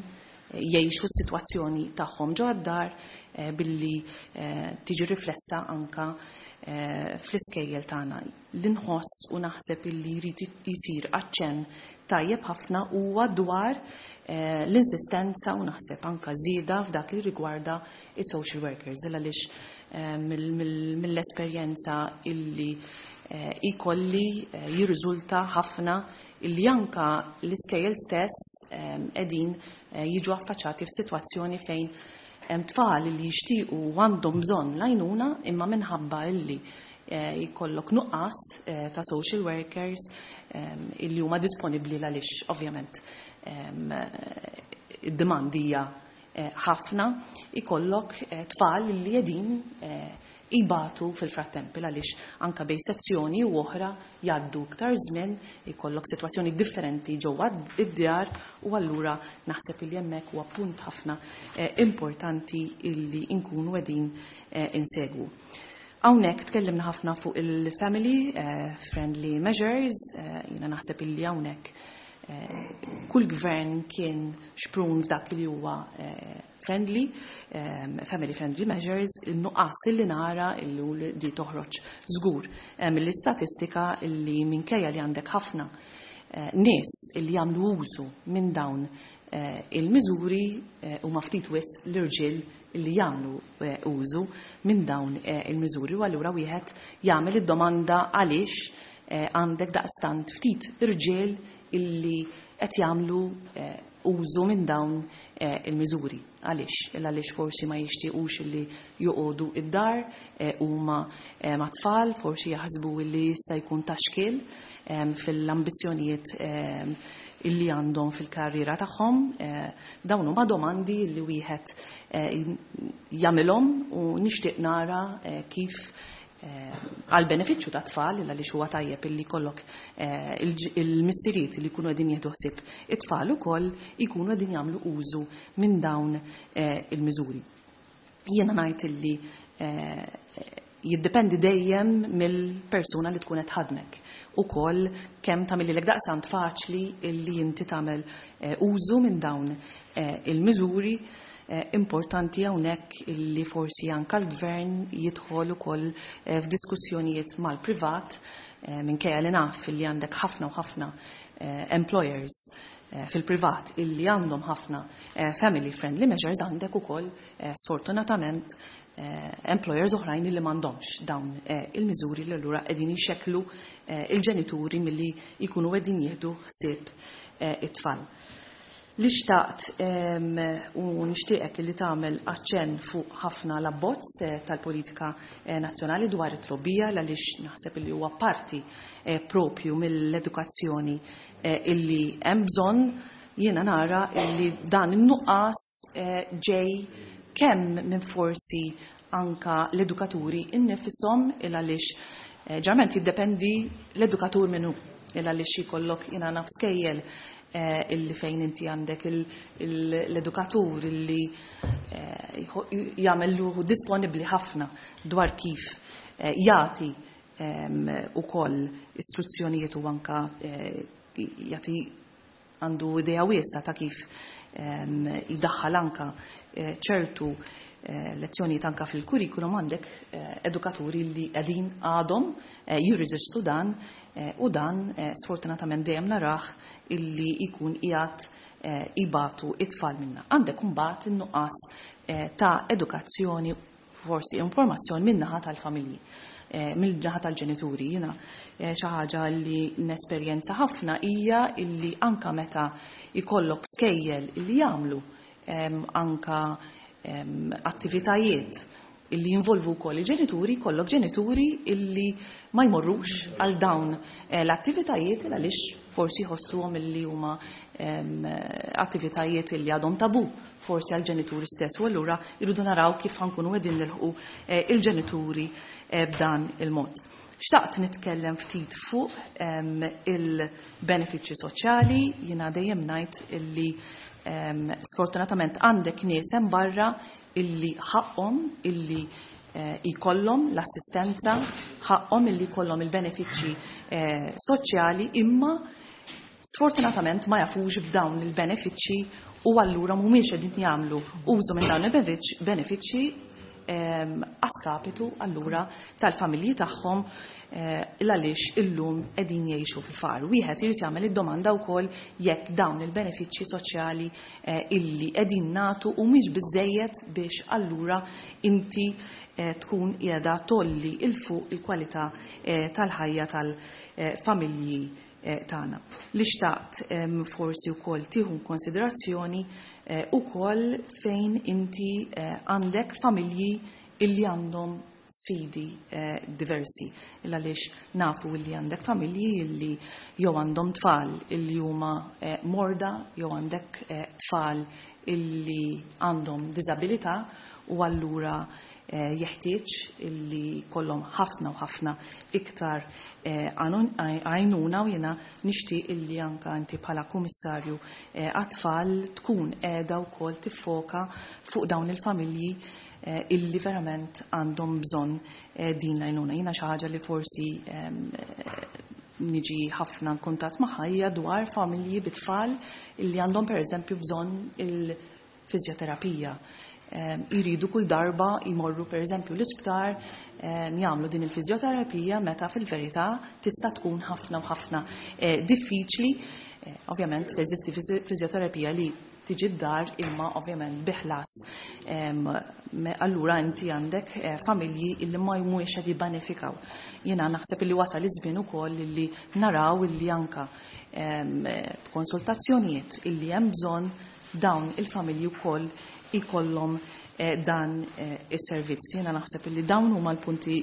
jgħixu s-sitwazzjoni tagħhom ġo d-dar billi tiġi riflessa anka fl-iskejjel tagħna. Li nħoss u naħseb illi jrid jisir aċċenn tajjeb ħafna huwa dwar l-insistenza u naħseb anka żieda f'dak li rigwarda is-social workers, għaliex mill-esperjenza illi ikolli jirriżulta ħafna illi anka l-iskejjel stess qegħdin jiġu affaċċati f'sitwazzjoni fejn hemm tfal li jixtiequ u għandhom bżonn l-għajnuna, imma minħabba illi jkollok nuqqas ta' social workers illi huma disponibbli għaliex ovvjament id-demand hija ħafna, ikollok tfal li qegħdin ibatu fil-frattemp għaliex anka bej sezzjoni u oħra jgħaddu iktar żmien, ikollok sitwazzjoni differenti ġewwa id-djar, u allura naħseb li hemmhekk huwa punt ħafna importanti illi nkunu qegħdin insegwu. Hawnhekk tkellimna ħafna fuq il-family friendly measures, jiena naħseb illi hawnhekk kull gvern kien xprun f'dak li huwa family friendly measures, il-nuqqas illi nara illi di toħroġ żgur mill-istatistika illi minkejja li għandek ħafna nies illi jagħmlu użu minn dawn il-miżuri huma ftit wisq l-irġiel illi jagħmlu użu minn dawn il-miżuri, u allura wieħed jagħmel id-domanda għaliex għandek daqstant ftit irġiel illi qed jagħmlu użu minn dawn il-miżuri. Għaliex? Għaliex forsi ma jixtiequx illi joqogħdu id-dar huma ma' tfal, forsi jaħsbu illi jista' jkun ta' xkiel fil-ambizzjonijiet illi għandhom fil-karriera tagħhom. Dawn huma domandi li wieħed jagħmilhom u nixtieq nara kif Għal benefiċċju ta' tfal, għaliex huwa tajjeb illi jkollok il-missirijiet li jkunu qegħdin jieħdu ħsieb it-tfal ukoll jkunu qegħdin jagħmlu użu minn dawn il-miżuri. Jiena ngħid illi jiddependi dejjem mill-persuna li tkun qed tħaddmek ukoll kemm tagħmililek daqstant faċli illi inti tagħmel użu minn dawn il-miżuri. Importanti hawnhekk illi forsi anke l-gvern jidħol ukoll f'diskussjonijiet mal-privat, minkejja li naf illi għandek ħafna u ħafna employers fil-privat illi għandhom ħafna family friendly measures, għandek ukoll sfortunatament employers oħrajn illi m'għandhomx dawn il-miżuri li allura qegħdin jxekklu il-ġenituri milli jkunu qegħdin jieħdu ħsieb it-tfal. Li xtaqt u nixtieqek li tagħmel aċċenn fuq ħafna l-abbozz tal-politika nazzjonali dwar it-trobbija, għaliex naħseb li huwa parti propju mill-edukazzjoni illi hemm bżonn. Jiena nara illi dan in-nuqqas ġej kemm minn forsi anka l-edukaturi innifisom, il għaliex ġarment jiddependi l-edukatur minnu, il għaliex jkollok jiena naf skejjel illi fejn inti għandek l-edukatur illi jagħmel ruħu disponibbli ħafna dwar kif jagħti ukoll istruzzjonijiet u anka jagħti għandu idea wiesgħa ta' kif jdaħħal anka ċertu lezzjonijiet anka fil-kurrikulum. Għandek edukaturi li qegħdin għadhom jirreżistu dan, u dan sfortunatament dejjem narah illi jkun qiegħed ibatu it-tfal minna. Għandek imbagħad in-nuqqas ta' edukazzjoni, forsi informazzjoni min-naħa tal-familji, mill-naħa tal-ġenituri. Jiena xi ħaġa li nesperjenza ħafna hija illi anka meta jkollok skejjel illi jagħmlu anka attivitajiet illi jinvolvu wkoll il-ġenituri, jkollok ġenituri illi ma jmorrux għal dawn l-attivitajiet għaliex forsi jħossuhom illi huma attivitajiet illi għadhom tabu forsi għal ġenituri stess, u allura irridu naraw kif ħankunu qegħdin nilħqu il-ġenituri b'dan il-mod. Xtaqt nitkellem ftit fuq il-benefiċċji soċjali. Jiena dejjem ngħid illi sfortunatament għandek nies hemm barra illi ħaqhom illi jkollhom l-assistenza, ħaqhom illi jkollhom il-benefiċċji soċjali, imma sfortunatament ma jafux b'dawn il-benefiċċji u allura mhumiex qegħdin jagħmlu użu minn dawn il-benefiċċji askapitu allura tal-familji tagħhom, għaliex illum qegħdin jgħixu fil-faqar. Wieħed irid jagħmel id-domanda wkoll jekk dawn il-benefiċċji soċjali illi qegħdin nagħtu humiex biżejjed biex allura inti tkun qiegħda tolli il fuq il-kwalità tal-ħajja tal-familji tagħna. Li xtaqt forsi wkoll tieħu konsiderazzjoni ukoll fejn inti għandek familji illi għandhom sfidi diversi. Illa għaliex nafu illi għandek familji illi jew għandhom tfal illi huma morda, jew għandek tfal illi għandhom diżabilità, u allura jeħtieġ illi kollhom ħafna u ħafna iktar għajnuna, u jiena nixtieq illi anka inti bħala kummissarju għat-tfal tkun qiegħda wkoll tiffoka fuq dawn il-familji illi verament għandhom bżonn din l-għajnuna. Jiena xi ħaġa li forsi niġi ħafna nkuntat magħha hija dwar familji bit-tfal illi għandhom pereżempju bżonn il-fiżjoterapija. Iridu kull darba jmorru per eżempju l-isptar, jagħmlu din il-fiżjoterapija, meta fil-verità tista' tkun ħafna u ħafna diffiċli. Ovvjament teżisti fiżjoterapija li tiġi d-dar, imma ovvjament biħlas. Allura inti għandek familji illi ma jmux qed jibbenefikaw. Jiena naħseb illi wasal iż-żmien ukoll illi naraw illi anka konsultazzjonijiet illi hemm bżonn dawn il-familji wkoll ikollhom dan is-servizz. Jiena naħseb illi dawn huma l-punti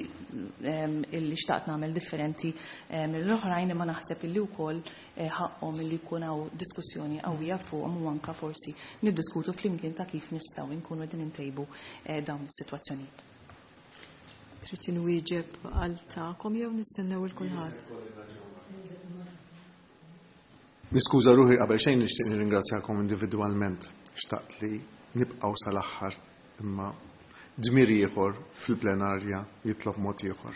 illi xtaqt nagħmel differenti mill-oħrajn, imma naħseb illi wkoll ħaqhom illi jkun hawn diskussjoni qawwija fuqhom u anka forsi niddiskutu flimkien ta' kif nistgħu nkunu qegħdin intejbu dawn is-sitwazzjonijiet. Trid inwieġeb għal tagħkom jew nistennew il kulħadd? Niskuża ruħi, qabel xejn nixtieq nirringrazzjakom individwalment. Xtaqt li nibqgħu sal-aħħar, imma dmir ieħor fil-plenarja jitlob mod ieħor.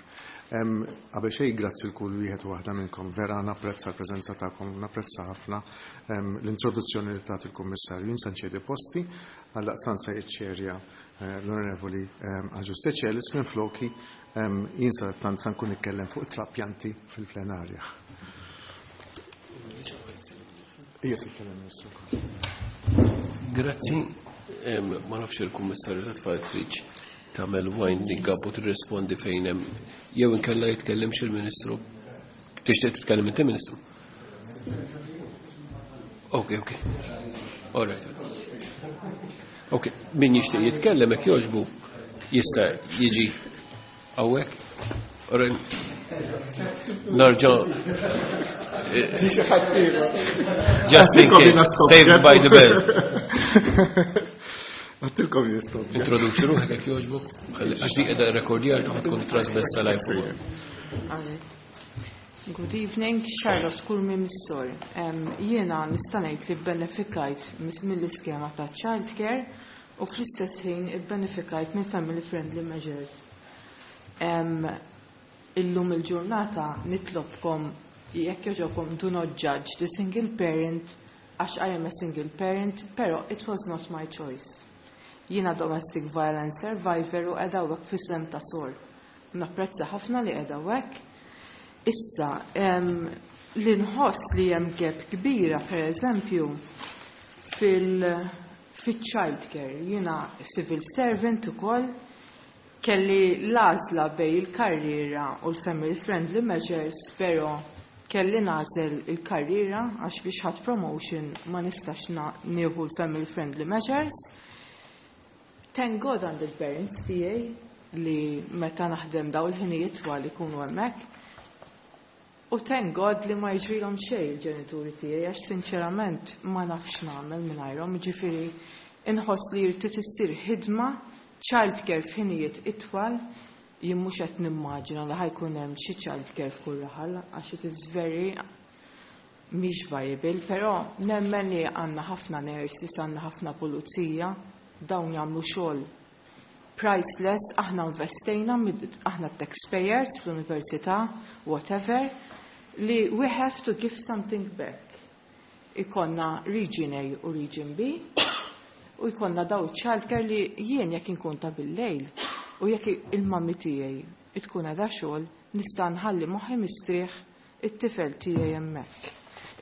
Qabel xejn, grazzi l kull wieħed u waħda minnkom. Vera napprezza l-preżenza tagħkom, napprezza ħafna l-introduzzjoni li tat il-Kummissarju. Jien se nċedi posti, għaldaqstant se jiċċerja l-Onorevoli Agius Decelis minn floki. Jien sa tant sa nkun nitkellem fuq trapjanti fil-plenarja. Ija se jitkellem Ministru wkoll. Grazzi. Ma nafx il-Kummissarju ta' Tfal tridx tagħmel winding up u tirrispondi fejn hemm, jew inkella jitkellimx il-Ministru. Tixtieq titkellem inti, Ministru? Ok. All right. Ok, min jixtieq jitkellem, hekk jogħġbu, jista' jiġi hawnhekk. All right. Narġa' Just in case. Saved by the bell. Għattilkom jistgħu. Introduċi ruħek jekk jogħġbok, għax di qiegħda rekordjar ħa tkun trasmessa live ukoll. Good evening, Charlotte Curmi Missor. Jiena nista' ngħid li bbenefikajt mill-iskema ta' childcare u fl-istess ħin ibbenefikajt minn family friendly measures. Illum il-ġurnata nitlobkom, jekk jogħġobkom, do not judge the single parent, għax I am a single parent, pero it was not my choice. Jiena domestic violence survivor u qiegħda hawnhekk f'isem ta' sor. Napprezza ħafna li qiegħda hawnhekk. Issa, li nħoss li hemm gap kbira, per eżempju, fil-child care. Jiena civil servant ukoll, kelli l-għażla bejn il-karriera u l-family friendly measures, pero kelli nagħżel il-karriera għax biex ħadd promotion ma nistax nieħu l-family friendly measures. Thank God għand il-parents tiegħi li meta naħdem daw il-ħinijiet twal ikunu hemmhekk. U thank God li ma jiġrilhom xejn il-ġenituri tiegħi, għax sinċerament ma nafx nagħmel mingħajrhom, jiġifieri inħoss li jrid issir ħidma childcare f'ħinijiet itwal. Jien mhux qed nimmaġina li ħa jkun hemm xi childcare f'kull raħal għax it is very mhix viable, però nemmen li għandna ħafna nurses, għandna ħafna pulizija, dawn jagħmlu xogħol priceless, aħna investejna, aħna taxpayers fl-università, whatever, li we have to give something back. Ikollna Region A u Region B, u jkollna daw childcare li jien jekk inkun ta' bil-lejl u jekk il-mummy tiegħi tkun għadha xogħol, nista' nħalli moħħi mistrieħ it-tifel tiegħi hemmhekk.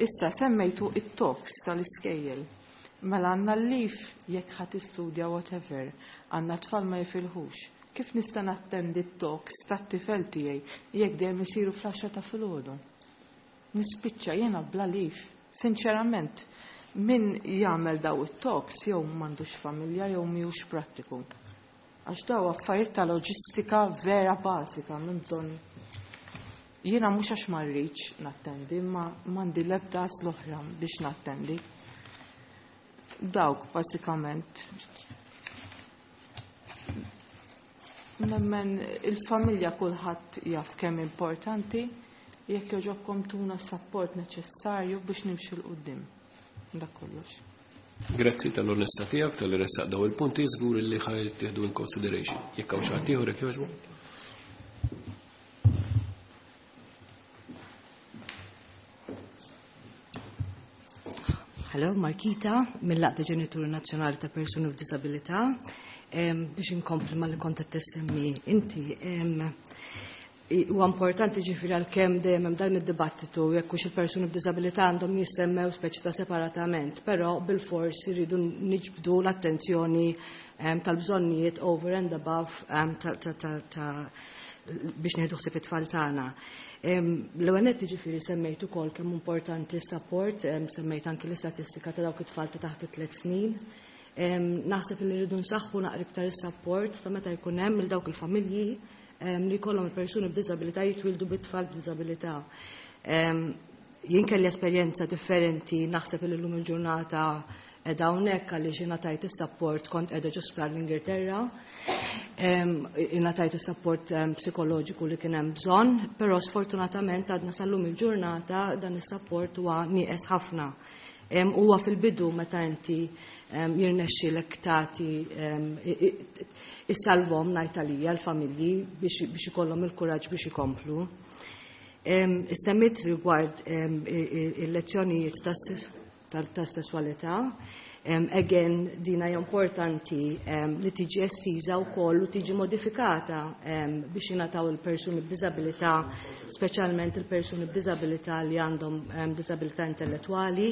Issa semmejtu it-talks tal-iskejjel. Mela għandna l-leave jekk ħadd tistudja whatever, għandna tfal ma jifilħux. Kif nista' nattendi t-talks tat-tifel tiegħi jekk dejjem isiru fl-10 ta' filgħodu? Nispiċċa jiena bla leave. Sinċerament, min jagħmel daw it-talks jew m'għandux familja jew mhijiex prattiku. Għax daw affarijiet ta' loġistika vera bażika minn bżonn. Jiena mhux għax ma rridx nattendi, ma m'għandi l-ebda l-oħra biex nattendi. Dawk bażikament. Nemmen il-familja kulħadd jaf kemm importanti, jekk jogħġobkom tuna s-support neċessarju biex nimxu 'l quddiem. Dak kollox. Grazzi tal-onestà tiegħek talli ressaqt daw il-punti, żgur li ħa jittieħdu in consideration. Jekk hawn xi ħadd ieħor, jekk jogħġbu. Hello, Markita, mill-Għaqda Ġenituri Nazzjonali ta' Persuni b'Disabilità. Biex inkompli ma li kont qed tissemmi inti, huwa importanti, ġifieri għalkemm dejjem hemm dan id-dibattitu jekk hux il-persuni b'diżabilità għandhom jissemmew speċi ta' separatament, però bil-fors iridu niġbdu l-attenzjoni tal-bżonnijiet over and above ta' biex nieħdu ħsieb it-tfal tagħna. L-ewwel nett, ġifieri semmejt ukoll kemm importanti support, semmejt anki l-istatistika ta' dawk it-tfal ta' taħt it-3 snin. Naħseb li rridu nsaħħu naqra iktar is-support ta' meta jkun hemm il dawk il-familji li jkollhom il-persuni b'diżabilità, jitwildu bit-tfal b'diżabilità. Jien kelli esperjenza differenti, naħseb li llum il-ġurnata qiegħda hawnhekk għaliex ingħatajt is-sapport, kont qiegħda ġo sptar l-Ingilterra. Ingħatajt is-sapport psikoloġiku li kien hemm bżonn, però sfortunatament għadna sal-lum il-ġurnata dan is-sapport huwa nieqes ħafna. Huwa fil-bidu meta inti jirnexxilek tagħti issalvhom, ngħid għalija, l-familji biex ikollhom il-kuraġġ biex ikomplu. Semmit rigward il-lezzjonijiet tas-sesswalità. Again, dina hija importanti li tiġi estiża wkoll u tiġi modifikata biex jingħataw il-persuni b'diżabilità, speċjalment il-persuni b'diżabilità li għandhom diżabilità intellettwali.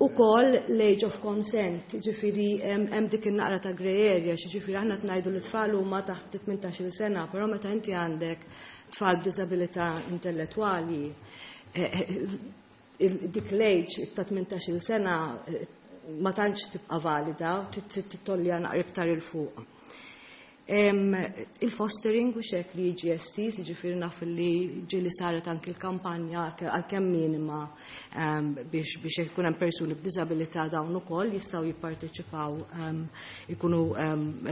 Ukoll l-age of consent, ġifieri hemm dik in-naqra ta' grey area, ġifieri aħna tnajdu li tfal huma taħt 18 sena, però meta inti għandek tfal b'diżabilità intellettwali, dik l-age ta' 18 sena ma tantx tibqa' valida, tittollja naqra iktar 'il fuq. Il-fostering u xek li jiġi estiż, ġifieri naf li ġieli saret anki l-kampanja, għalkemm minima, biex ikun hemm persuni b'diżabilità dawn ukoll jistgħu jipparteċipaw, ikunu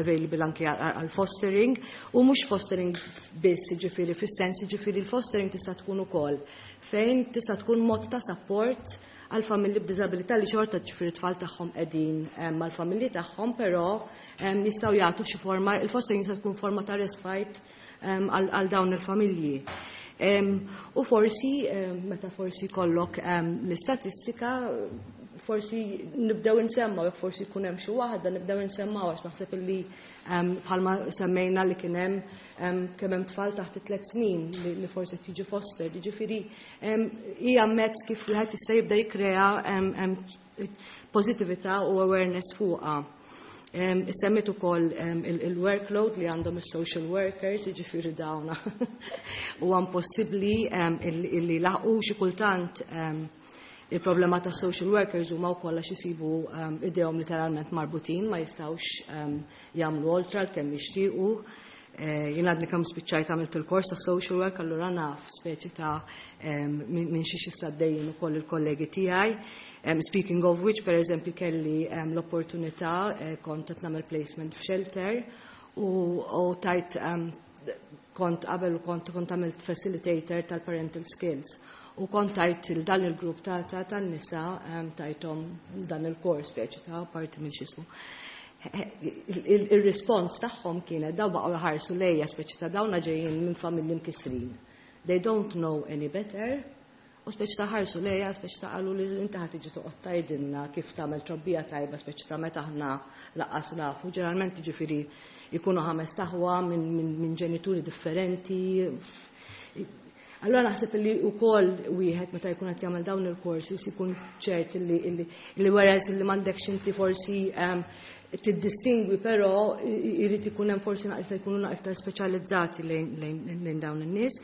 available anki għal fostering, u mhux fostering biss, ġifieri fis-sens, ġifieri l-fostering tista' tkun ukoll fejn tista' tkun mod ta' support għal familji b'diżabilità li xorta, ġifieri, tfal tagħhom qegħdin mal-familji tagħhom, però jistgħu jagħtu xi forma, il-fostering jista' tkun forma ta' respite għal dawn il-familji. U forsi, meta forsi kollok l-istatistika, forsi nibdew insemmaw, jekk forsi jkun hemm xi waħda nibdew insemmaw, għax naħseb illi bħalma semmejna li kien hemm kemm hemm tfal taħt 3 snin li forsi tiġi foster, jiġifieri hija mezz kif wieħed jista' jibda jikkrea pozitività u awareness fuqha. Semmit ukoll il-workload li għandhom is-social workers, jiġifieri dawna huwa impossibbli illi laħqu xi kultant. Il-problema ta' social workers huma wkoll għax isibu idejhom literalment marbutin, ma jistgħux jagħmlu oltre għal kemm jixtiequ. Jien għadni kemm spiċċajt għamilt il-kors ta' social work, allura naf speċi ta' minn xiex għaddejjin ukoll il-kollegi tiegħi. Speaking of which, per eżempju, kelli l-opportunità, kont qed nagħmel placement f'shelter u tajt kont qabel u kont għamilt facilitator tal-parental skills. U kont tajt dan il-grupp ta' tan-nisa tajthom dan il-kors speċi ta' parti minn xismu. Il-respons tagħhom kienet daw baqgħu jħarsu lejja, speċi ta' dawna ġejjin minn familji mkissrin. They don't know any better. U speċi ta' ħarsu lejja, speċi ta' qalu li inti ħa tiġi toqgħod tgħidilna kif tagħmel trobbija tajba, speċi ta' meta aħna lanqas nafu. Ġeneralment, ġifieri, jkunu ħames aħwa minn ġenituri differenti. Allora naħseb li wkoll wieħed meta jkun qed jagħmel dawn il-courses jkun ċert li whereas li m'għandekx inti forsi tiddistingwi, però jrid ikun hemm forsi naqra jkunu naqra iktar speċjalizzati lejn dawn in-nies.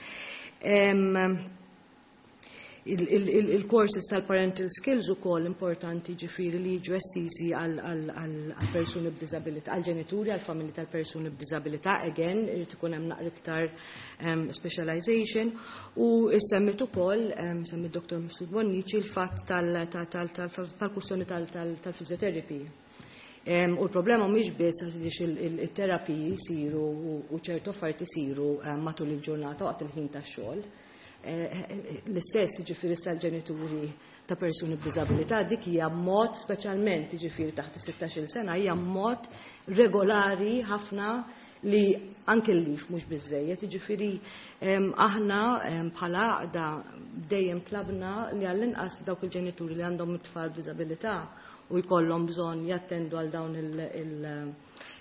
Il-courses tal-parental skills ukoll importanti, ġifieri li jiġu estiżi għal persuni b'diżabilità, għal ġenituri, għal familji tal-persuni b'diżabilità, again, irid ikun hemm naqra iktar specialization. U semmit ukoll, semmit Dr. Mifsud Bonnici, il-fatt tal-kwistjoni tal-physiotherapy. U l-problema mhix biss għaliex il-terapiji jsiru u ċertu affarijiet isiru matul il-ġurnata waqt il-ħin tax-xogħol. L-istess, ġifieri, sal-ġenituri ta' persuni b'diżabilità, dik hija mod, speċjalment, ġifieri, taħt is-16 sena, hija mod regolari ħafna li anke l-leave mhux biżejjed, ġifieri aħna bħala għaqda dejjem tlabna li għall-inqas dawk il-ġenituri li għandhom it-tfal b'diżabilità u jkollhom bżonn jattendu għal dawn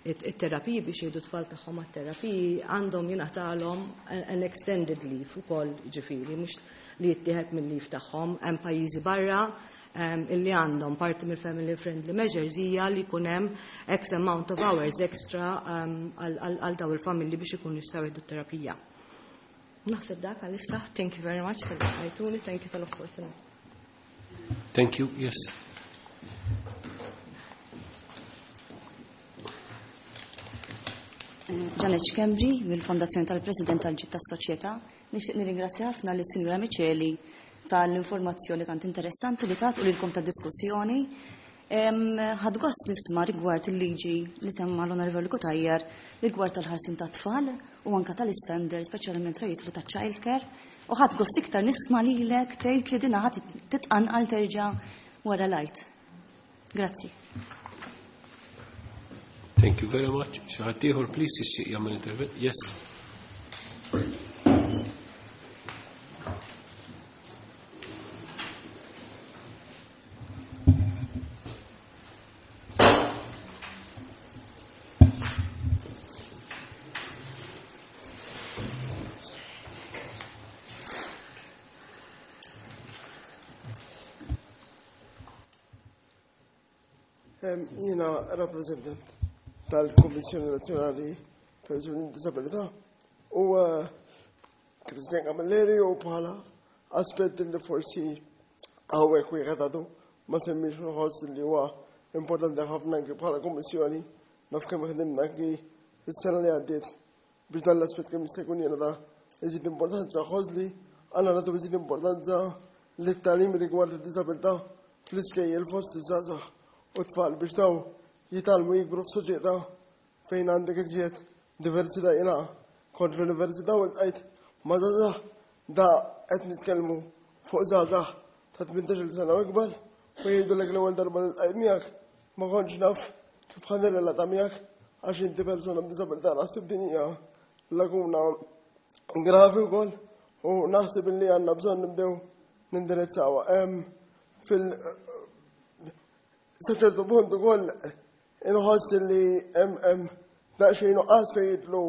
it-terapiji biex jgħidu tfal tagħhom għat-terapiji, għandhom jingħatalhom an extended leave ukoll, ġifieri mhux li jittieħed mill-leave tagħhom. Hemm pajjiżi barra illi għandhom parti mill-family friendly measures hija li jkun hemm X amount of hours extra għal daw il-familji biex ikunu jistgħu jieħdu terapija. Naħseb dak għalissa. Thank you very much talli, thank you tal-opportunità. Thank you. Yes. Janet Schembri mill-Fondazzjoni tal-President tal-Ġid tas-Soċjetà. Nixtieq nirringrazzja ħafna lis Sinjura Miceli tal-informazzjoni tant interessanti li tat u lilkom tad-diskussjoni. Ħadt gost nisma' rigward il-liġi li semma l-Onorevoli Cutajar rigward tal-ħarsien tat-tfal u anka tal-istandard, speċjalment fejn jidħlu ta' child care. U ħadt gost iktar nisma' lilek tgħid li dinha ħadd titqanqal terġa' wara l-Għid. Grazzi. Thank you very much. Xi ħadd ieħor please jixtieq jagħmel intervent? Yes. Jiena rappresentant tal-Kommissjoni Nazzjonali Persuni b'Disabilità u eh, Christian Camilleri u bħala aspett li forsi hawnhekk wieħed għadu ma semmix nħoss li huwa importanti ħafna anki bħala Kummissjoni naf kemm ħdimna anki s-sena li għaddiet biex dan l-aspett kemm jista' jkun jiena ta' iżid importanza ħoss li għandna nagħtu iżid importanza li t-tagħlim rigward id-diżabilità fl-iskejjel fost iż-żgħażagħ u tfal biex daw jitgħallmu jikbru f'soċjetà fejn għandek iżjed diversità. Jiena kont l-università u ltqajt ma' żgħażagħ, da qed nitkellmu fuq żgħażagħ ta' 18-il sena u ikbar, u jgħidulek l-ewwel darba li ltqajt miegħek ma kontx naf kif ħa nirrelata miegħek għax inti persuna b'diżabilità. Naħseb din hija laguna gravi wkoll u naħseb li għandna bżonn nibdew nindirizzawha. Fil sa ċertu punt ukoll inħoss li hemm daqsxejn nuqqas fejn jidħlu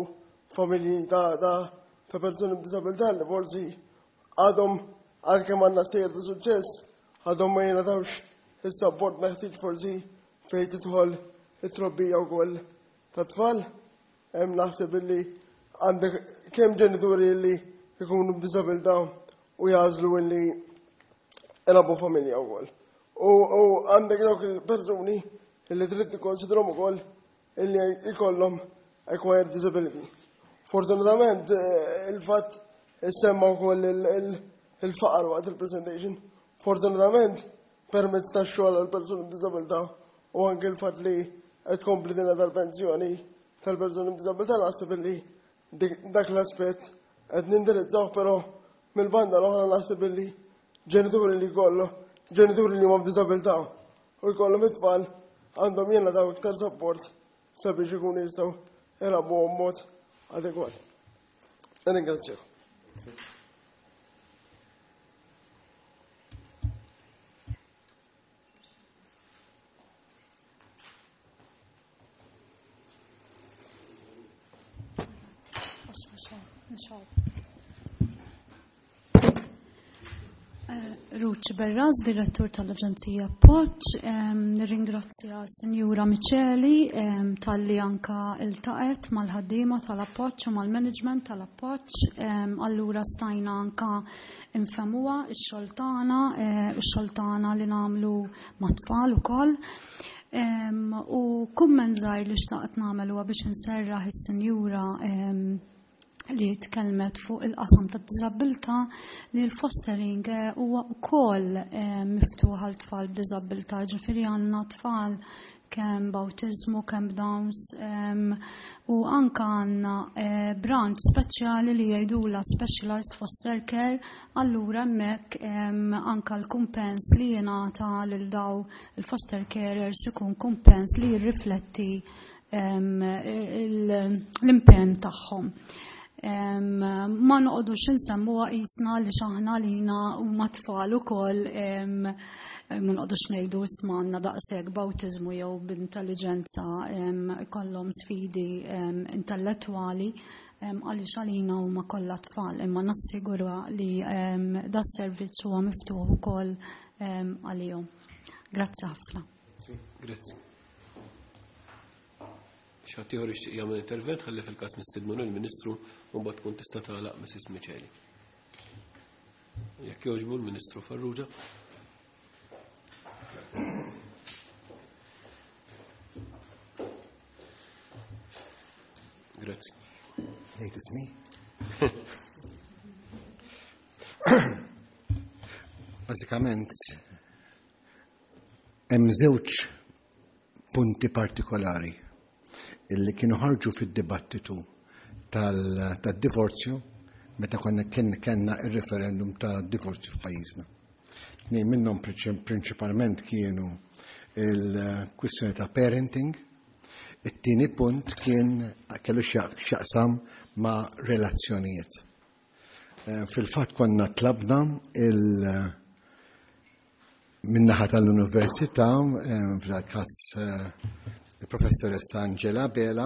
familji ta' ta' ta' persuni b'disabilità li forsi għadhom, għalkemm għandna stejjer ta' suċċess, għadhom ma jingħatawx is-sapport meħtieġ forsi fejn tidħol it-trobbija wkoll ta' tfal. Hemm naħseb illi għandek kemm ġenituri li jkunu b'disabilità u jagħżlu illi jrabbu familja wkoll. U għandek dawk il-persuni illi trid tikkonsidrhom ukoll illi jkollhom acquired disability. Fortunatament il-fatt issemma wkoll il-faqar waqt il-presentation. Fortunatament permezz tax-xogħol għal persuni b'disabilità u anke l-fatt li qed tkompli dinha tal-pensjoni tal-persuni b'disabilità, naħseb illi dak l-aspett qed nindirizzaw, però mill-banda l-oħra naħseb illi ġenituri li jkollu ġenituri li huma b'disabilità u jkollhom it-tfal għandhom jingħataw iktar support sabiex ikunu jistgħu jrabbuhom mod adegwat. Ringrazzjak. Ruth Berras, direttur tal-Aġenzija Appoġġ, nirringrazzja Sinjura Miceli talli anka iltaqet mal-ħaddiema tal-Appoġġ u mal-management tal-Appoġġ. Allura stajna anka nfehmuha x-xogħol tagħna, x-xogħol tagħna li nagħmlu mat-tfal ukoll. U kumment żgħir li xtaqt nagħmel huwa biex inserraħ is-Sinjura li tkellmet fuq il-qasam ta' diżabilità li l-fostering huwa wkoll miftuħ għal tfal b'diżabilità, ġifieri għandna tfal kemm b'awtiżmu, kemm b'Downs, u anka għandna branch speċjali li jgħidula Specialized Foster Care, allura hemmhekk anka l-kumpens li jingħata lil daw il-foster carers ikun kumpens li jirrifletti l-impenn tagħhom. Ma noqogħdux insemmuha qisna li x'aħna lina huma tfal ukoll, ma noqogħdux ngħidu isma' għandna daqshekk b'awtiżmu jew b'intelligenza kollhom sfidi intellettwali, għaliex għalina huma kollha tfal, imma nassigura li da servizz huwa miftuħ ukoll għalihom. Grazzi ħafna. Grazzi. Xi ħadd ieħor jixtieq jagħmel intervent ħalli fil-każ nistiednu lill-Ministru u mbagħad tkun tista' tagħlaq Mrs. Miceli. Jekk jogħġbu l-Ministru Farrugia. Grazzi. Ngħid ismi. Bażikament Hemm żewġ punti partikolari illi kienu ħarġu fid-dibattitu tad-divorzju meta konna kellna ir-referendum ta' divorzju f'pajjiżna. Tnejn minnhom prinċipalment kienu il-kwistjoni ta' parenting, it-tieni punt kien kellu x'jaqsam ma' relazzjonijiet. Fil-fatt konna tlabna il- min-naħa tal-Università, f'dal-każ il-Professoressa Angela Bela,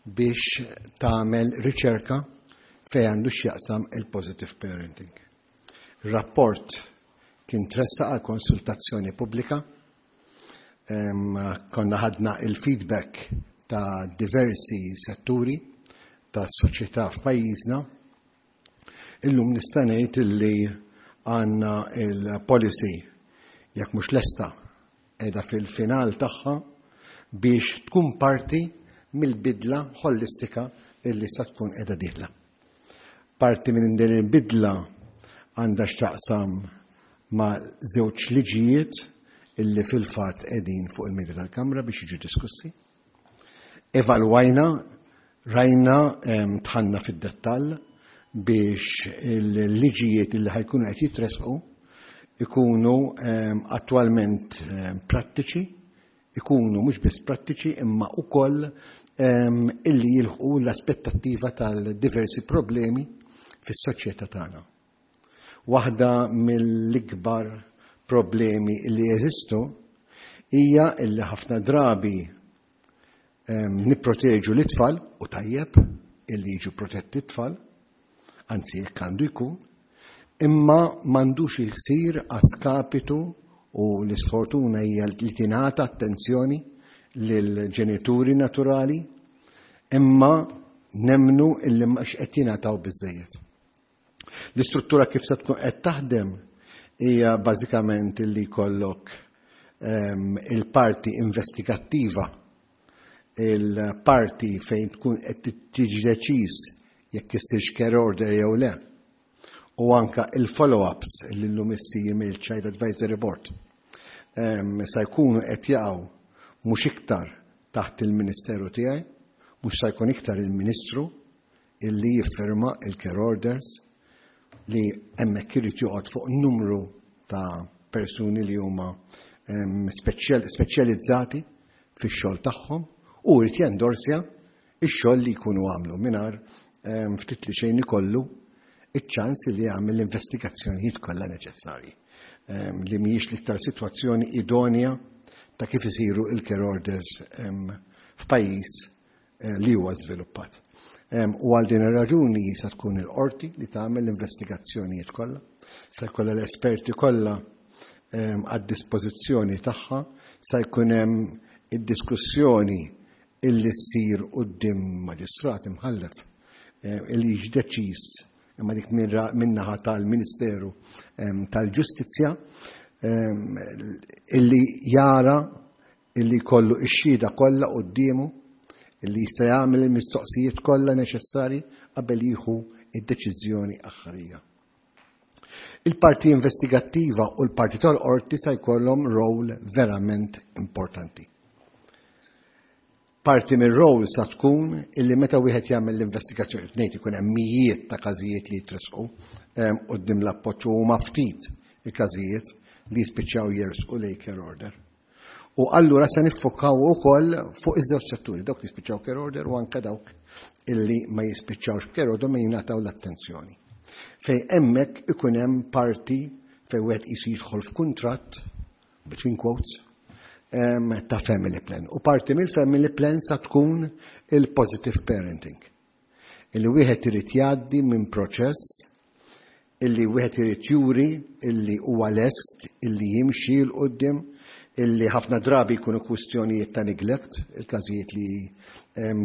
biex tagħmel riċerka fejn għandu x'jaqsam il-positive parenting. Il-rapport kien tressaq għal konsultazzjoni pubblika, konna ħadna il-feedback ta' diversi setturi ta' soċjetà f'pajjiżna. Illum nista' ngħid illi għandna il-policy, jekk mhux lesta, qiegħda fil-final tagħha biex tkun parti mill-bidla ħolistika illi sa tkun qiegħda dieħla. Parti minn din il-bidla għandha x'taqsam ma' żewġ liġijiet illi fil-fatt qegħdin fuq il-mejda tal-Kamra biex jiġu diskussi. Evalwajna, rajna, dħalna fid-dettall biex il-liġijiet illi ħa jkunu qed jitresqu ikunu attwalment prattiċi, ikunu mhux biss prattiċi imma wkoll illi jilħqu l-aspettattiva tal-diversi problemi fis-soċjetà tagħna. Waħda mill-ikbar problemi li jeżistu hija illi ħafna drabi nipproteġu l-itfal, u tajjeb illi jiġu protetti t-tfal, anzi jekk għandu jkun, imma m'għandux isir a skapitu, u l-isfortuna hija li tingħata attenzjoni lill-ġenituri naturali, imma nemmnu illi mhux qed jingħataw biżejjed. L-istruttura kif se tkun qed taħdem hija bażikament illi jkollok il-parti investigattiva, il-parti fejn tkun qed tiġi deċiż jekk issirx care order jew le, u anka il-follow-ups li llum issir mill-Child Advisory Board sa jkunu qed jaqgħu mhux iktar taħt il-Ministeru tiegħi, mhux sa jkun iktar il-Ministru illi jiffirma il-care orders, li hemmhekk irid joqgħod fuq numru ta' persuni li huma speċjalizzati fix-xogħol tagħhom u jrid jendorsja ix-xogħol li jkunu għamlu mingħajr ftit li xejn ikollu iċ-ċans li jagħmel l-investigazzjonijiet kollha neċessarji, li mhijiex l-iktar sitwazzjoni idonja ta' kif isiru il-care orders f'pajjiż li huwa żviluppat. U għal din ir-raġuni sa tkun il-qorti li tagħmel l-investigazzjonijiet kollha, sa jkollha l-esperti kollha għad-dispożizzjoni tagħha, sa jkun hemm id-diskussjoni illi ssir quddiem maġistrat imħallef illi jiġi deċiż, imma dik min-naħa tal-Ministeru tal-Ġustizzja, illi jara illi jkollu x-xhieda kollha quddiemu, illi jista' jagħmel il-mistoqsijiet kollha neċessarji qabel jieħu id-deċiżjoni aħħarija. Il-parti investigattiva u l-parti tal-qorti sa jkollhom rol verament importanti. Parti mir-rol sa tkun illi meta wieħed jagħmel l-investigazzjoni, ngħid ikun hemm mijiet ta' każijiet li jitresqu quddiem l-appoġġ u huma ftit il-każijiet li jispiċċaw jersqu lejn care order. U allura se niffokaw ukoll fuq iż-żewġ setturi, dawk li jispiċċaw care order u anke dawk illi ma jispiċċawx b'care order ma jingħataw l-attenzjoni. Fej hemmhekk ikun hemm parti fej wieħed qisu jidħol f'kuntratt, between quotes, ta' family plan. U parti mill-family plan sa tkun il-positive parenting. Illi wieħed irid jgħaddi minn proċess illi wieħed irid juri illi huwa lest illi jimxi 'l quddiem, illi ħafna drabi jkunu kwistjonijiet ta' neglect, il-każijiet li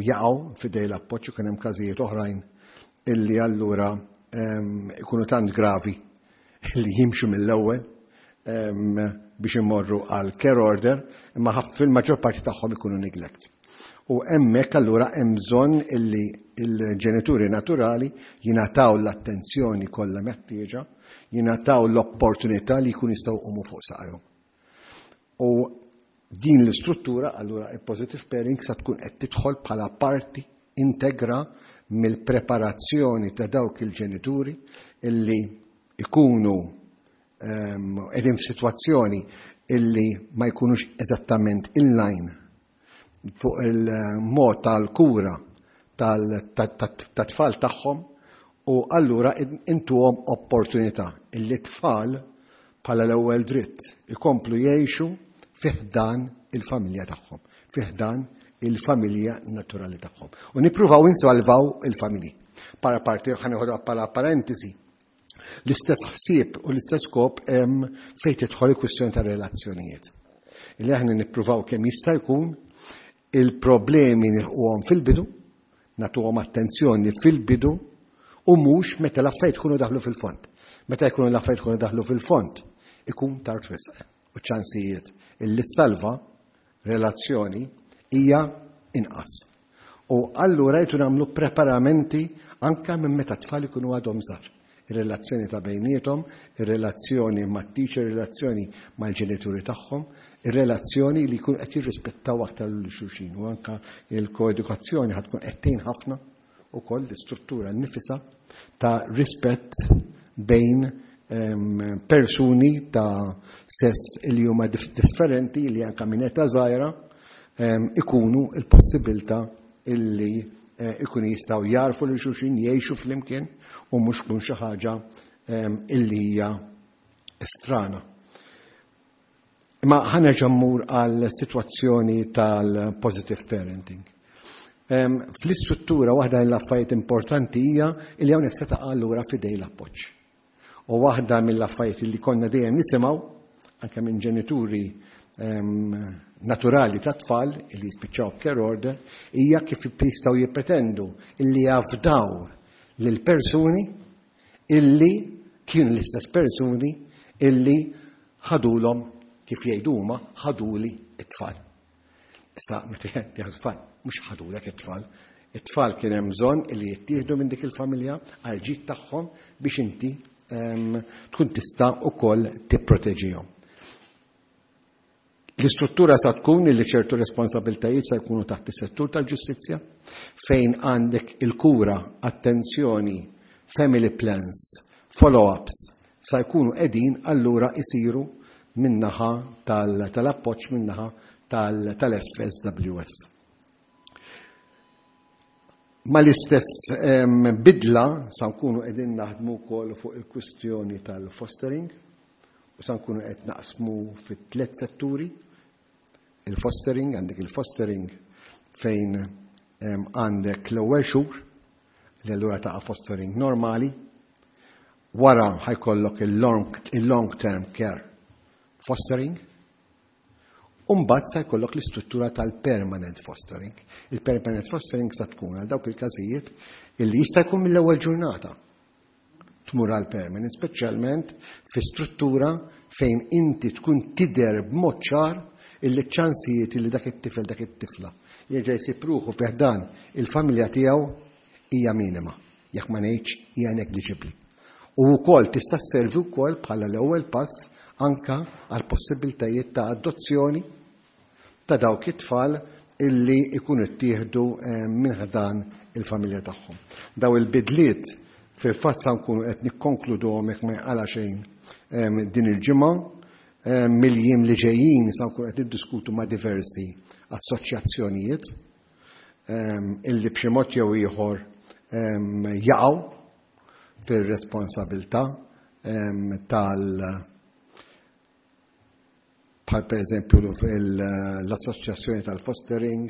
jaqgħu f'idej l-appoġġ, ikun hemm każijiet oħrajn illi allura ikunu tant gravi illi jimxu mill-ewwel biex imorru għal care order, imma fil-maġġor parti tagħhom ikunu neglect. U hemmhekk allura hemm bżonn illi il-ġenituri naturali jingħataw l-attenzjoni kollha meħtieġa, jingħataw l-opportunità li jkun jistgħu jqumu fuq saqajhom. U din l-istruttura allura il-positive pairing sa tkun qed tidħol bħala parti integra mill-preparazzjoni ta' dawk il-ġenituri illi ikunu qegħdin f'sitwazzjoni illi ma jkunux eżattament in-line fuq il-mod tal-kura tat-tfal tagħhom u allura intuhom opportunità illi tfal bħala l-ewwel dritt ikomplu jgħixu fi ħdan il-familja tagħhom, fi ħdan il-familja naturali tagħhom. U nippruvaw insalvaw il-familji. Para parti ħa neħodha bħala parentesi. L-istess ħsieb u l-istess skop hemm fejn tidħol il-kwistjoni ta' relazzjonijiet. Illi aħna nippruvaw kemm jista' jkun il-problemi nilħquhom fil-bidu, nagħtuhom attenzjoni fil-bidu u mhux meta l-affarijiet ikunu daħlu fil-fond. Meta jkunu l-affarijiet ikunu daħlu fil-fond, ikun tard wisq. U ċansijiet illi salva relazzjoni hija inqas. U allura jtu nagħmlu preparamenti anka minn meta tfal ikunu għadhom żgħar. Ir-relazzjoni ta' bejniethom, ir-relazzjoni mat-teacher, ir-relazzjoni mal-ġenituri tagħhom, ir-relazzjoni li jkun qed jirrispettaw aktar lil xulxin u anka il-koedukazzjoni ħad tkun qed tgħin ħafna ukoll l-istruttura nnifisha ta' rispett bejn persuni ta' sess li huma differenti li anka minn età żgħira ikunu il-possibilità illi ikunu jistgħu jarfu lil xulxin, jgħixu flimkien u mhux tkun xi ħaġa illi hija strana. Imma ħa nerġa' mmur għal sitwazzjoni tal-positive parenting. Fl-istruttura waħda mill-affarijiet importanti hija li hawnhekk se taqa' allura f'idej l-appoġġ. U waħda mill-affarijiet li konna dejjem nisimgħu anke minn ġenituri naturali ta' tfal li jispiċċaw care order hija kif jistgħu jippretendu illi jafdaw lil persuni illi kienu l-istess persuni illi ħadulhom, kif jgħidu huma, ħaduli it-tfal. Issa meta jgħidu tfal, mhux ħadulek it-tfal. It-tfal kien hemm bżonn illi jittieħdu minn dik il-familja għal ġid tagħhom biex inti tkun tista' ukoll tipproteġihom. L-istruttura sa tkun illi ċertu responsabiltajiet sa jkunu taħt is-settur tal-ġustizzja, fejn għandek il-kura, attenzjoni, family plans, follow-ups, sa jkunu qegħdin allura isiru min-naħa tal-appoġġ, min-naħa tal-FSWS. Ma l-istess bidla sa nkunu qegħdin naħdmu wkoll fuq il-kwistjoni tal-fostering u sa nkunu qed naqsmu fit-tliet setturi. Il-fostering, għandek il-fostering fejn għandek l-ewwel xhur li allura taqa' fostering normali, wara ħa jkollok il-long term care fostering, u mbagħad sa jkollok l-istruttura tal-permanent fostering. Il-permanent fostering sa tkun għal dawk il-każijiet illi jista' jkun mill-ewwel ġurnata tmur għal permanent, speċjalment fi struttura fejn inti tkun tidher b'mod ċar illi ċ-ċansijiet illi dak it-tifel, dak it-tifla jerġa' jsib ruħu fi ħdan il-familja tiegħu hija minima, jekk ma ngħidx hija negliġibbli. U wkoll tista' sservi wkoll bħala l-ewwel pass anka għal possibiltajiet ta' adozzjoni ta' dawk it-tfal illi ikunu ttieħdu minn ħdan il-familja tagħhom. Daw il-bidliet fil-fatt sa nkunu qed nikkonkluduhom, jekk ma jqala xejn, din il-ġimgħa. Mill-jiem li ġejjin sa nkunu qed niddiskutu ma' diversi assoċjazzjonijiet illi b'xi mod jew ieħor jaqgħu fir-responsabilità tal bħal per eżempju l-assoċjazzjoni tal-fostering,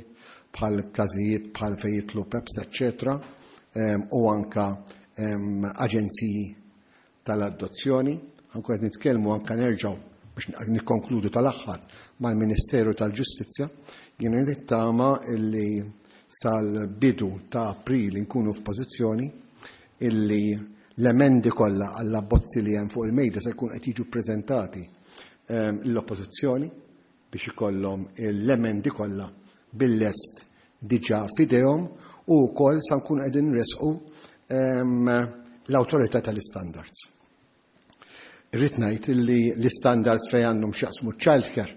bħal każijiet bħal fejn jidħlu PEPS, eccetera, u anka aġenziji tal-adozzjoni. Anke qed nitkellmu anka nerġgħu biex nikkonkludu tal-aħħar mal-Ministeru tal-Ġustizzja. Jiena nittama illi sal-bidu ta' April nkunu f'pożizzjoni illi l-emendi kollha għall-abbozzi li hemm fuq il-mejda se jkun qed jiġu ppreżentati l-oppożizzjoni biex ikollhom l-emendi kollha bil-lest diġà f'idejhom, u wkoll sa nkunu qegħdin nresqu l-awtorità tal-istandards. Irrid ngħid illi l-istandards fejn għandhom x'jaqsmu childcare.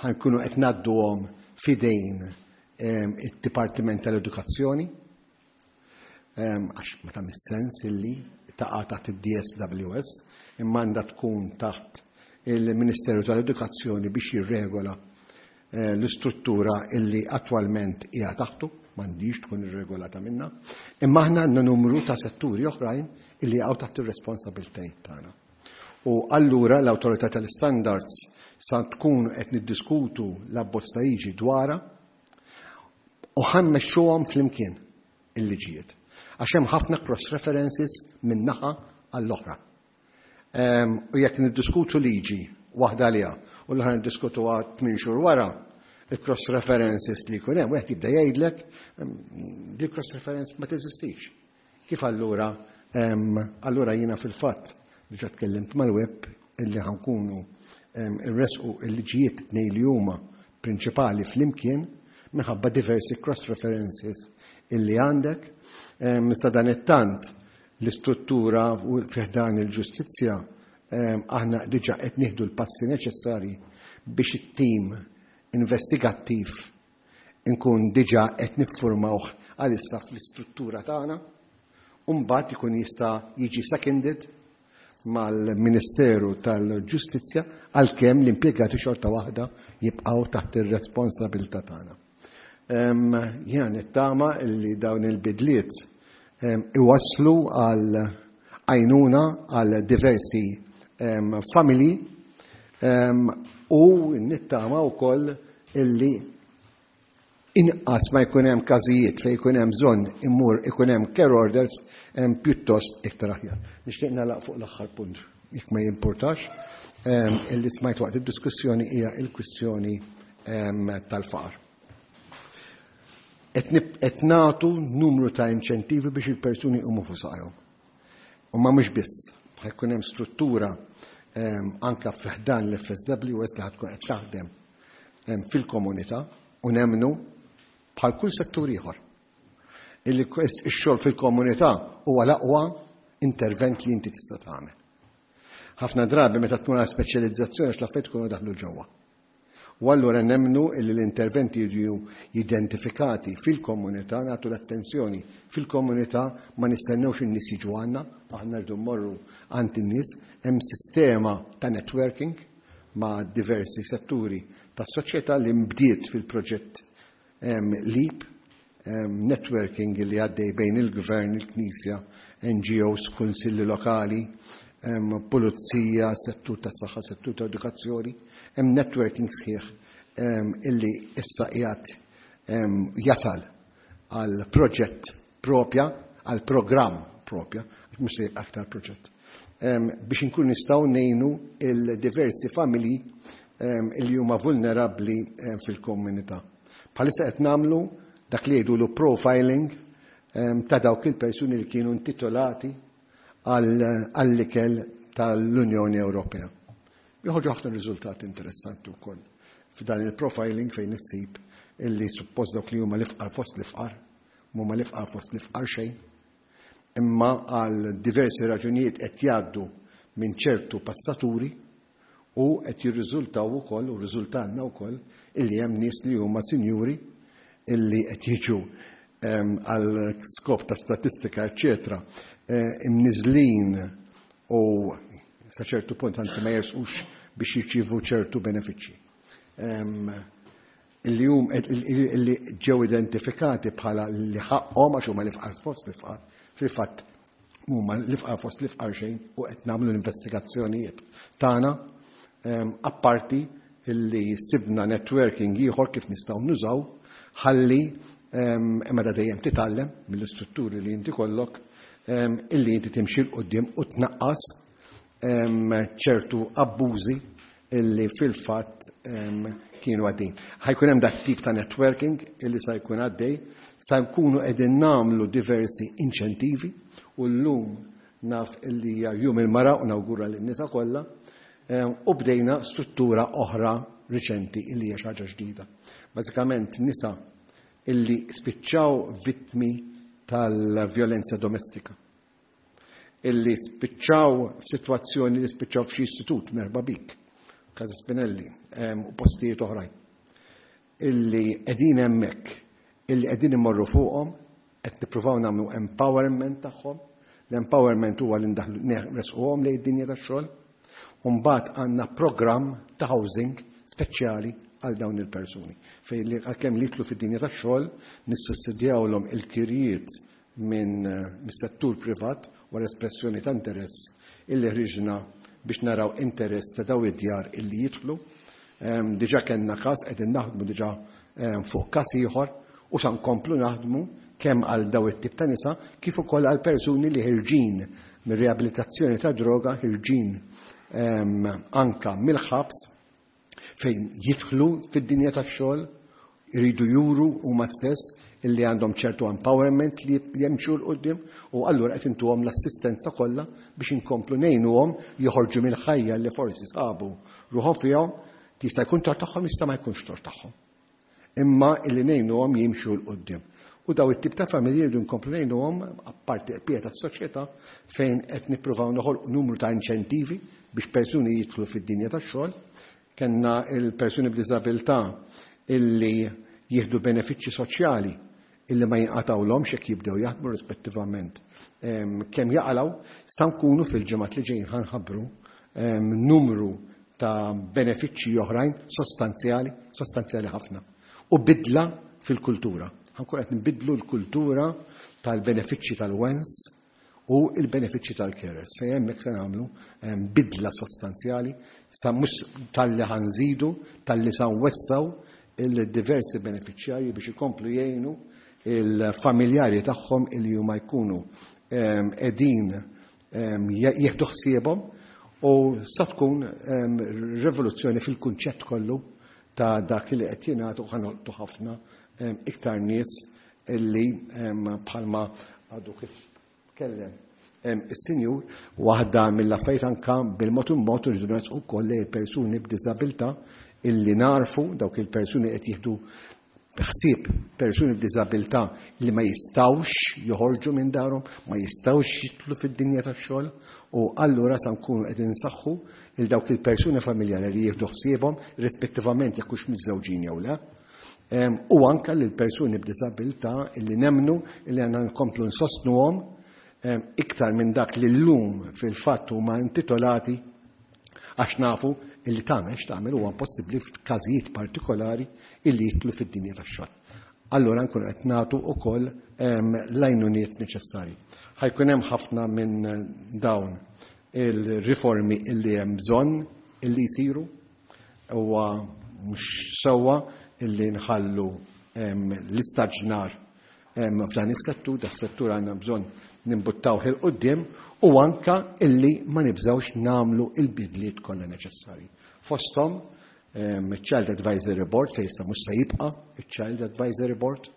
Ħa nkunu qed ngħadduhom f'idejn id-Dipartiment tal-Edukazzjoni, għax ma tagħmel sens illi taqa' taħt id-DSWS, imma għandha tkun taħt il-Ministeru tal-Edukazzjoni biex jirregola l-istruttura illi attwalment hija taħtu, m'għandix tkun irregolata minna, imma aħna għandna numru ta' setturi oħrajn illi jaqgħu taħt ir-responsabbiltajiet tagħna. U allura l-Awtorità tal-Istandards sa tkun qed niddiskutu l-abbozz ta' liġi dwarha u ħa mmexxuhom flimkien il-liġijiet. Għax hemm ħafna cross references minn naħa għall-oħra. U jekk niddiskutu liġi waħda għaliha u l-oħra niddiskutuha 8 xhur wara, il-cross references li jkun hemm, wieħed jibda jgħidlek di cross reference ma teżistix. Kif allura allura jiena fil-fatt diġà tkellimt mal-web illi ħa nkunu irresqu il-liġijiet tnejn li huma prinċipali flimkien minħabba diversi cross references illi għandek. Sa dan it-tant l-istruttura u fi ħdan il-ġustizzja aħna diġà qed nieħdu l-passi neċessarji biex it-tim investigattiv inkun diġà qed niffurmawh għalissa fl-istruttura tagħna u mbagħad ikun jista' jiġi seconded mal-Ministeru tal-Ġustizzja, għalkemm l-impjegati xorta waħda jibqgħu taħt ir-responsabilità tagħna. Jiena nittama li dawn il-bidliet iwasslu għal għajnuna għal diversi familji u nittama wkoll illi inqas ma jkun hemm każijiet fejn jkun hemm bżonn immur ikun hemm care orders pjuttost iktar aħjar. Nixtieq nagħlaq fuq l-aħħar punt, jekk ma jimpurtax, illi smajt waqt id-diskussjoni hija l-kwistjoni tal-faqar. Qed nagħtu numru ta' inċentivi biex il-persuni jqumu fuq saqajhom. U ma mhux biss, ħa jkun hemm struttura anka fi ħdan l-FSWS li ħa tkun qed taħdem fil-komunità u nemmnu bħal kull settur ieħor. Illi x-xogħol fil-komunità huwa l-aqwa intervent li inti tista' tagħmel. Ħafna drabi meta tkun għal speċjalizzazzjoni għax l-affarijiet ikunu daħlu ġewwa. U allura nemmnu illi l-interventi jiġu identifikati fil-komunità, nagħtu l-attenzjoni fil-komunità, ma nistennewx in-nies jiġu għandna, aħna rridu mmorru għand in-nies, hemm sistema ta' networking ma' diversi setturi tas-soċjetà li mbdiet fil-proġett LEAP, networking li għaddej bejn il-gvern, il-Knisja, NGOs, kunsilli lokali, pulizija, settur tas-saħħa, settur ta' edukazzjoni, hemm networking sħiħ illi issa qiegħed jasal għal proġett propja, għal programm propja, mhux se jibqa' aktar proġett, biex inkun nistgħu ngħinu il-diversi familji illi huma vulnerabbli fil-komunità. Bħalissa qed nagħmlu dak li jgħidulu profiling ta' dawk il-persuni li kienu intitolati għall-ikel tal-Unjoni Ewropea. Joħorġu ħafna riżultati interessanti wkoll f'dan il-profiling fejn issib illi suppost dawk li huma l-ifqar fost l-ifqar, huma l-ifqar fost l-ifqar xejn, imma għal diversi raġunijiet qed jgħaddu minn ċertu passaturi u qed jirriżultaw ukoll u riżultanna wkoll illi hemm nies li huma sinjuri illi qed jiġu għal skop ta' statistika, eċċetera, imniżlin u sa ċertu punt anzi ma jersqux biex jirċievu ċertu benefiċċji. Illi hum illi ġew identifikati bħala li ħaqhom għax huma l-ifqar fost l-ifqar, fil-fatt huma l-ifqar fost l-ifqar xejn u qed nagħmlu l-investigazzjonijiet tagħna, apparti illi sibna networking ieħor kif nistgħu nużaw ħalli imma da dejjem titgħallem mill-istrutturi li inti kollok illi inti timxi 'l quddiem u tnaqqas ċertu abbużi illi fil-fatt kienu għaddejn. Ħa jkun hemm dak tip ta' networking illi sa jkun għaddej, sa nkunu qegħdin nagħmlu diversi inċentivi u llum naf illi hija jum il-mara u nawgura lin-nisa kollha, u bdejna struttura oħra riċenti illi hija xi ħaġa ġdida. Bażikament nisa illi spiċċaw vittmi tal-vjolenza domestika, illi spiċċaw f'sitwazzjoni li spiċċaw f'xi istitut, merħba bik. Casa Spinelli u postijiet oħrajn illi qegħdin hemmhekk, illi qegħdin immorru fuqhom, qed nippruvaw nagħmlu empowerment tagħhom. L-empowerment huwa li ndaħlu nresquhom lejn id-dinja tax-xogħol. U mbagħad għandna programm ta' housing speċjali għal dawn il-persuni. Fejn li għalkemm li jidħlu fid-dinja tax-xogħol nissussidjawlhom il-kirjiet minn mis-settur privat wara espressjoni ta' interess illi ħriġna biex naraw interess ta' daw id-djar illi jidħlu. Diġà kellna każ, qegħdin naħdmu diġà fuq każ ieħor u sa nkomplu naħdmu kemm għal daw it-tip ta' nisa kif ukoll għal persuni li ħirġin mir-riabilitazzjoni ta' droga, ħirġin anka mill-ħabs fejn jidħlu fid-dinja tax-xogħol, iridu juru huma stess illi għandhom ċertu empowerment li jemxu 'l quddiem u allura qed intuhom l-assistenza kollha biex inkomplu ngħinuhom joħorġu mill-ħajja li forsi sabu ruħhom fiha. Jista' jkun tort tagħhom, jista' ma jkunx tort tagħhom. Imma illi ngħinuhom jimxu 'l quddiem. U daw it-tip ta' familji rridu nkomplu ngħinuhom apparti qpieta tas-soċjetà fejn qed nippruvaw noħolqu numru ta' inċentivi biex persuni jidħlu fid-dinja tax-xogħol. Kellna il-persuni b'diżabilità illi jieħdu benefiċċji soċjali illi ma jinqatawlhomx jekk jibdew jaħdmu rispettivament kemm jaqalgħu. Sa nkunu fil-ġimgħat li ġejjin ħa nħabbru numru ta' benefiċċji oħrajn sostanzjali, sostanzjali ħafna. U bidla fil-kultura. Ħa nkun qed nbidlu l-kultura tal-benefiċċji tal-wens u il-benefiċċji tal-carers. Fejn hemmhekk se nagħmlu bidla sostanzjali, sa mhux talli ħa nżidu, talli sa nwessaw il-diversi benefiċjarji biex ikomplu jgħinu il-familjari tagħhom illi huma jkunu qegħdin jieħdu ħsiebhom u sa tkun rivoluzzjoni fil-kunċett kollu ta' dak li qed jingħad u ħa nolqtu ħafna iktar nies illi bħalma għadu kif tkellem is-sinjur. Waħda mill-affarijiet anka bil-mod il-mod irridu nersqu wkoll lejn persuni b'diżabilità illi narfu dawk il-persuni qed jieħdu ħsieb persuni b'diżabilità li ma jistgħux joħorġu minn darhom, ma jistgħux jidħlu fid-dinja tax-xogħol u allura sa nkunu qed insaħħu il dawk il-persuni familjari li jieħdu ħsiebhom rispettivament jekk hux miżżewġin jew le. U anka lil persuni b'diżabilità li nemmnu li għandna nkomplu nsostnuhom iktar minn dak li llum fil-fatt huma intitolati għax nafu illi tagħmel x'tagħmel huwa impossibbli f'każijiet partikolari illi jidħlu fid-dinja tax-xogħol. Allura nkunu qed nagħtu wkoll l-għajnuniet neċessarji. Ħa jkun hemm ħafna minn dawn il-riformi illi hemm bżonn illi jsiru. Huwa mhux sewwa illi nħallu l-istaġnar f'dan is-settur, da settur għandna bżonn nimbuttawh 'il quddiem u anka illi ma nibżgħux nagħmlu il-bidliet kollha neċessarji. Fosthom Child Advisory Board fejn issa mhux se jibqa' il-Child Advisory Board.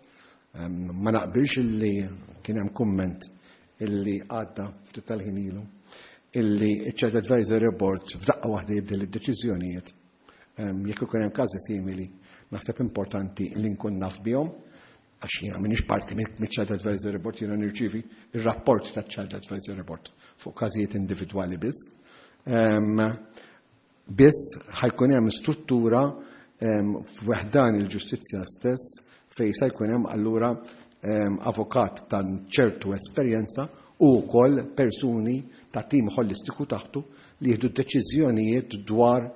Ma naqbilx illi kien hemm kumment illi għadda ftit tal-ħin ilu illi il-Child Advisory Board f'daqqa waħda jibdel id-deċiżjonijiet. Jekk ikun hemm każi simili, naħseb importanti li nkun naf bihom għax jiena m'iniex parti mill-Child Advisory Board, jiena nirċievi ir-rapport ta' Child Advisory Board fuq każijiet individwali biss. Biss ħa jkun hemm struttura f'ħdan il-ġustizzja stess fejn se jkun hemm allura avukat ta' ċertu esperjenza u wkoll persuni ta' tim holistiku taħtu li jieħdu deċiżjonijiet dwar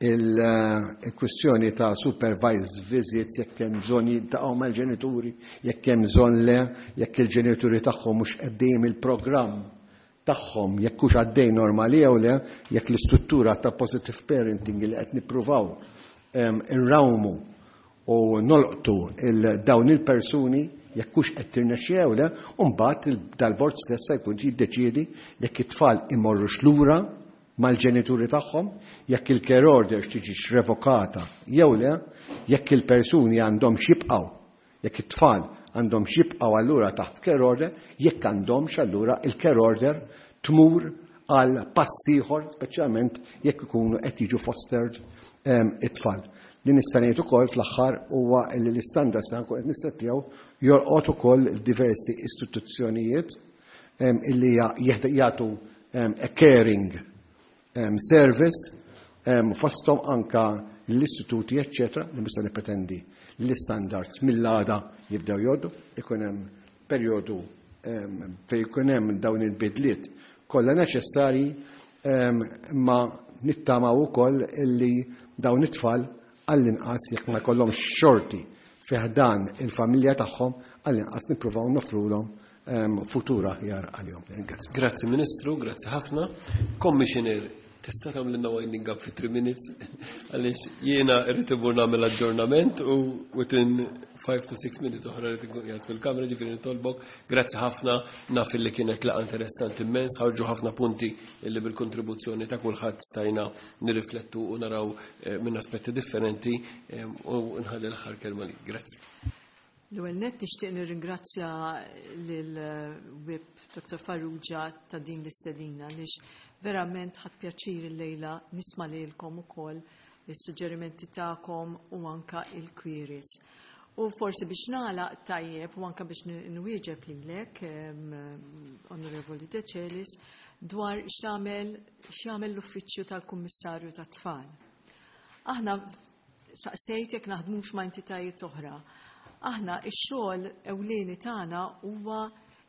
il-kwistjoni ta' supervised visits, jekk hemm bżonn jiltaqgħu mal-ġenituri, jekk hemm bżonn le, jekk il-ġenituri tagħhom mhux qegħdin il-programm tagħhom, jekk hux għaddej normali jew le, jekk l-istruttura ta' positive parenting li qed nippruvaw irrawmu u nolqtu il dawn il-persuni jekk hux qed tirnexxi jew le, u mbagħad dal-bord stess se jkun jiddeċiedi jekk it-tfal imorrux lura mal-ġenituri tagħhom, jekk il-care order tiġix revokata jew le, jekk il-persuni għandhom jibqgħu, jekk it-tfal għandhom jibqgħu allura taħt care order, jekk għandhomx allura il-care order tmur għal pass ieħor, speċjalment jekk ikunu qed jiġu fostered it-tfal. Li nista' ngħid ukoll fl-aħħar huwa li l-istandards li nkun qed nissettjaw jolqot ukoll diversi istituzzjonijiet illi jagħtu a caring. service, fosthom anka l-istituti, eccetera, li mista nippretendi l-istandards mill-għada jibdew jgħoddu, ikun hemm perjodu fejn ikun hemm dawn il-bidliet kollha neċessarji, imma nittamaw ukoll illi dawn it-tfal għall-inqas jekk ma jkollhomx xorti fi ħdan il-familja tagħhom, għall-inqas nippruvaw noffrulhom futur aħjar għalihom. Grazzi. Grazzi Ministru, grazzi ħafna. Commissioner, tista' tagħmlilna winding up fi 3 minutes għaliex jiena rrid imur nagħmel aġġornament u within 5 to 6 minutes oħra rrid inkun qiegħed fil-kamra, ġifieri nitolbok. Grazzi ħafna, naf li kienet laqgħa interessanti immens, ħarġu ħafna punti li bil-kontribuzzjoni ta' kulħadd stajna nirriflettu u naraw minn aspetti differenti, u nħalli l-aħħar kelma li. Grazzi. L-ewwel nett nixtieq nirringrazzja lil Whip Dr. Farrugia ta' din l-istedina għaliex verament ħadt pjaċir illejla nisma' lilkom ukoll is-suġġerimenti tagħkom u anka il-queries. U forsi biex nagħlaq tajjeb u anka biex nwieġeb lilek, Onorevoli Decelis, dwar x'jagħmel l-Uffiċċju tal-Kummissarju tat-Tfal. Aħna saqsejt jekk naħdmux ma' entitajiet oħra. Aħna x-xogħol ewlieni tagħna huwa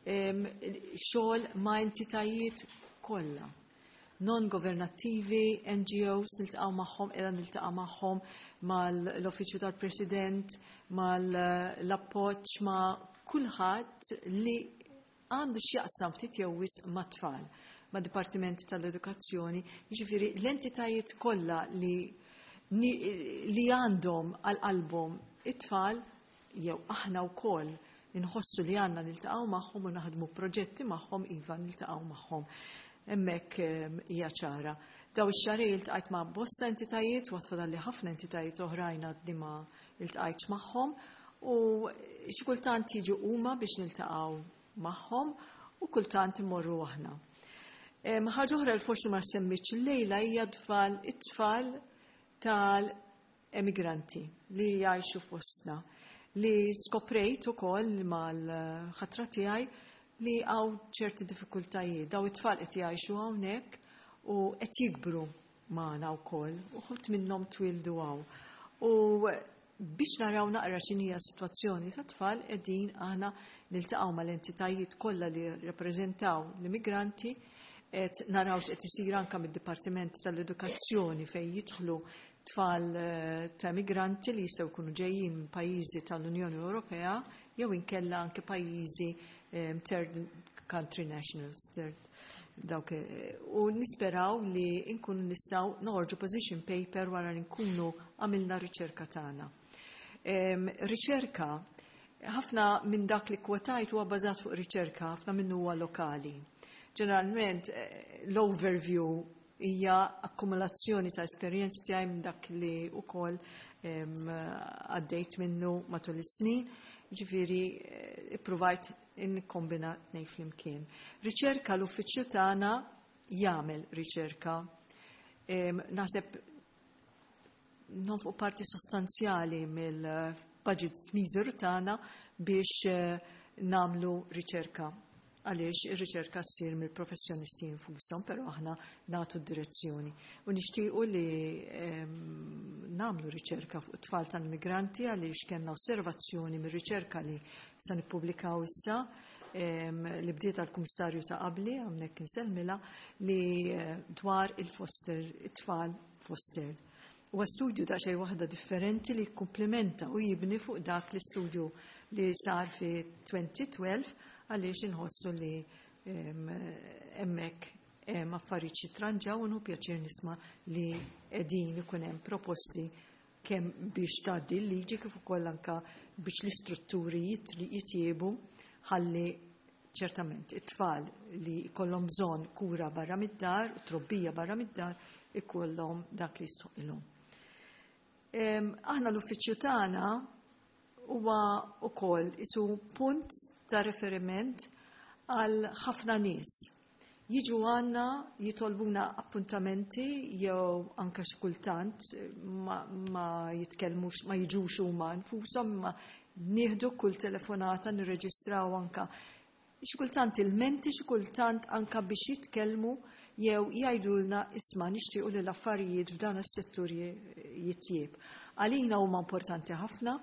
xogħol ma' entitajiet kollha. Non-governattivi, NGOs, niltaqgħu magħhom, qiegħda niltaqa' magħhom mal-Uffiċċju tal-President, mal-appoġġ, ma' kulħadd li għandu x'jaqsam ftit jew wisq mat-tfal, ma' Dipartimenti tal-Edukazzjoni, jiġifieri l-entitajiet kollha li għandhom għal qalbhom it-tfal, jew aħna wkoll inħossu li għandna niltaqgħu magħhom u naħdmu proġetti magħhom, iva niltaqgħu magħhom. Hemmhekk hija ċara. Daw ix-xahrejn iltqajt ma' bosta entitajiet, u għatfadal li ħafna entitajiet oħrajn għadni ma iltqajtx magħhom, u xi kultant jiġu huma biex niltaqgħu magħhom u kultant imorru aħna. Ħaġa oħra li forsi ma semmitx illejla hija it-tfal tal-emigranti li jgħixu fostna, li skoprejt ukoll mal-ħatra tiegħi li hawn ċerti diffikultajiet. Daw it-tfal qed jgħixu hawnhekk u qed jikbru magħna wkoll, u ħut minnhom twildu hawn. U biex naraw naqra x'inhija s-sitwazzjoni ta' tfal, qegħdin aħna niltaqgħu mal-entitajiet kollha li rappreżentaw l-immigranti, qed naraw x'qed isir anke mid-Dipartiment tal-Edukazzjoni fejn jidħlu tfal ta' immigranti li jistgħu jkunu ġejjin minn pajjiżi tal-Unjoni Ewropea jew inkella anke pajjiżi third country nationals, third, dawk, u nisperaw li nkunu nistgħu noħorġu position paper wara li nkunu għamilna riċerka tagħna. Riċerka, ħafna minn dak li kwotajt huwa bbażat fuq riċerka, ħafna minnu huwa lokali. Ġeneralment l-overview hija akkumulazzjoni ta' esperjenzi tiegħi minn dak li wkoll għaddejt minnu matul is-snin, ġifieri ippruvajt nikkombina tnejn flimkien. Riċerka, l-uffiċċju tagħna jagħmel riċerka. Naħseb nonfqu parti sostanzjali mill-budget miżur tagħna biex nagħmlu riċerka. Għaliex ir-riċerka ssir mill-professjonisti infushom, però aħna nagħtu d-direzzjoni. U nixtiequ li nagħmlu riċerka fuq it-tfal tal-immigranti għaliex kellna osservazzjoni mir-riċerka li se nippubblikaw issa, li bdiet għall-Kummissarju ta' qabli, hawnhekk insellmilha, li dwar il-foster, it-tfal foster. Huwa studju ta' xejn waħda differenti li jikkumplementa u jibni fuq dak l-istudju li sar fi 2012, għaliex inħossu li hemmhekk hemm affarijiet xi tranġaw, u nħu pjaċir nisma' li qegħdin ikun hemm proposti kemm biex tgħaddi l-liġi kif ukoll anka biex l-istrutturi jitjiebu ħalli ċertament it-tfal li jkollhom bżonn kura barra mid-dar, trobbija barra mid-dar, ikollhom dak li jistħoqilhom. Aħna l-uffiċċju tagħna huwa wkoll isu punt ta' riferiment għal ħafna nies. Jiġu għandna jitolbuna appuntamenti jew anke xi kultant ma jitkellmux, ma jiġux huma nfushom, imma nieħdu kull telefonata, nirreġistraw anke xi kultant il-menti, xi kultant anke biex jitkellmu jew jgħidulna isma' nixtiequ li l-affarijiet f'dan is-settur jitjieb. Għalina huma importanti ħafna,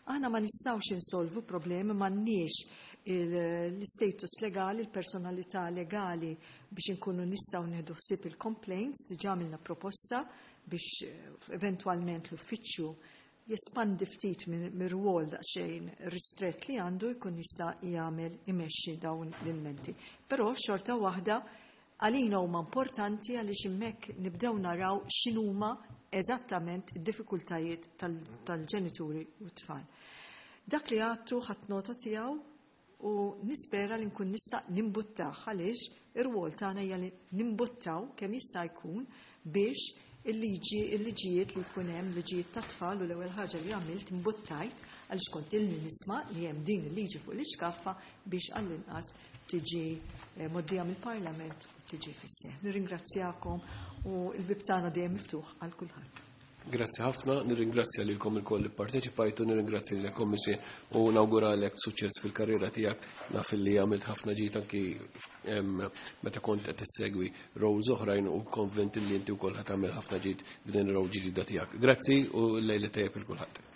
aħna ma nistgħux insolvu problemi, m'għandniex l-status legali, il-personalità legali biex inkunu nistgħu nieħdu ħsieb il-complaints, diġà għamilna proposta biex eventwalment l-uffiċċju jespandi ftit mir-rwol daqsxejn ristrett li għandu jkun jista' jagħmel imexxi dawn l-ilmenti. Però xorta waħda għalina huma importanti għaliex hemmhekk nibdew naraw x'inhuma eżattament id-diffikultajiet tal-ġenituri u t-tfal. Dak li għadtu ħadt nota tiegħu u nispera li nkun nista' nimbuttah għaliex ir-rwol tagħna hija li nimbuttaw kemm jista' jkun biex il-liġi il-liġijiet li jkun hemm liġijiet ta' tfal u l-ewwel ħaġa li għamilt imbuttajt għaliex kont ilni nisma' li hemm din il-liġi fuq l-iskaffa biex għall-inqas tiġi mgħoddija mill-Parlament u tiġi fis-seħħ. Nirringrazzjakom u l-bieb tagħna dejjem miftuħ għal kulħadd. Grazzi ħafna, nirringrazzja lilkom ilkoll li pparteċipajtu, nirringrazzja lilek Kommissju u nawguralek suċċess fil-karriera tiegħek. Naf li għamilt ħafna ġid anki meta kont qed tissegwi roles oħrajn u konvint li inti wkoll ħa tagħmel ħafna ġid b'din ir-role ġdida tiegħek. Grazzi u l-lejla tajjeb il kulħadd.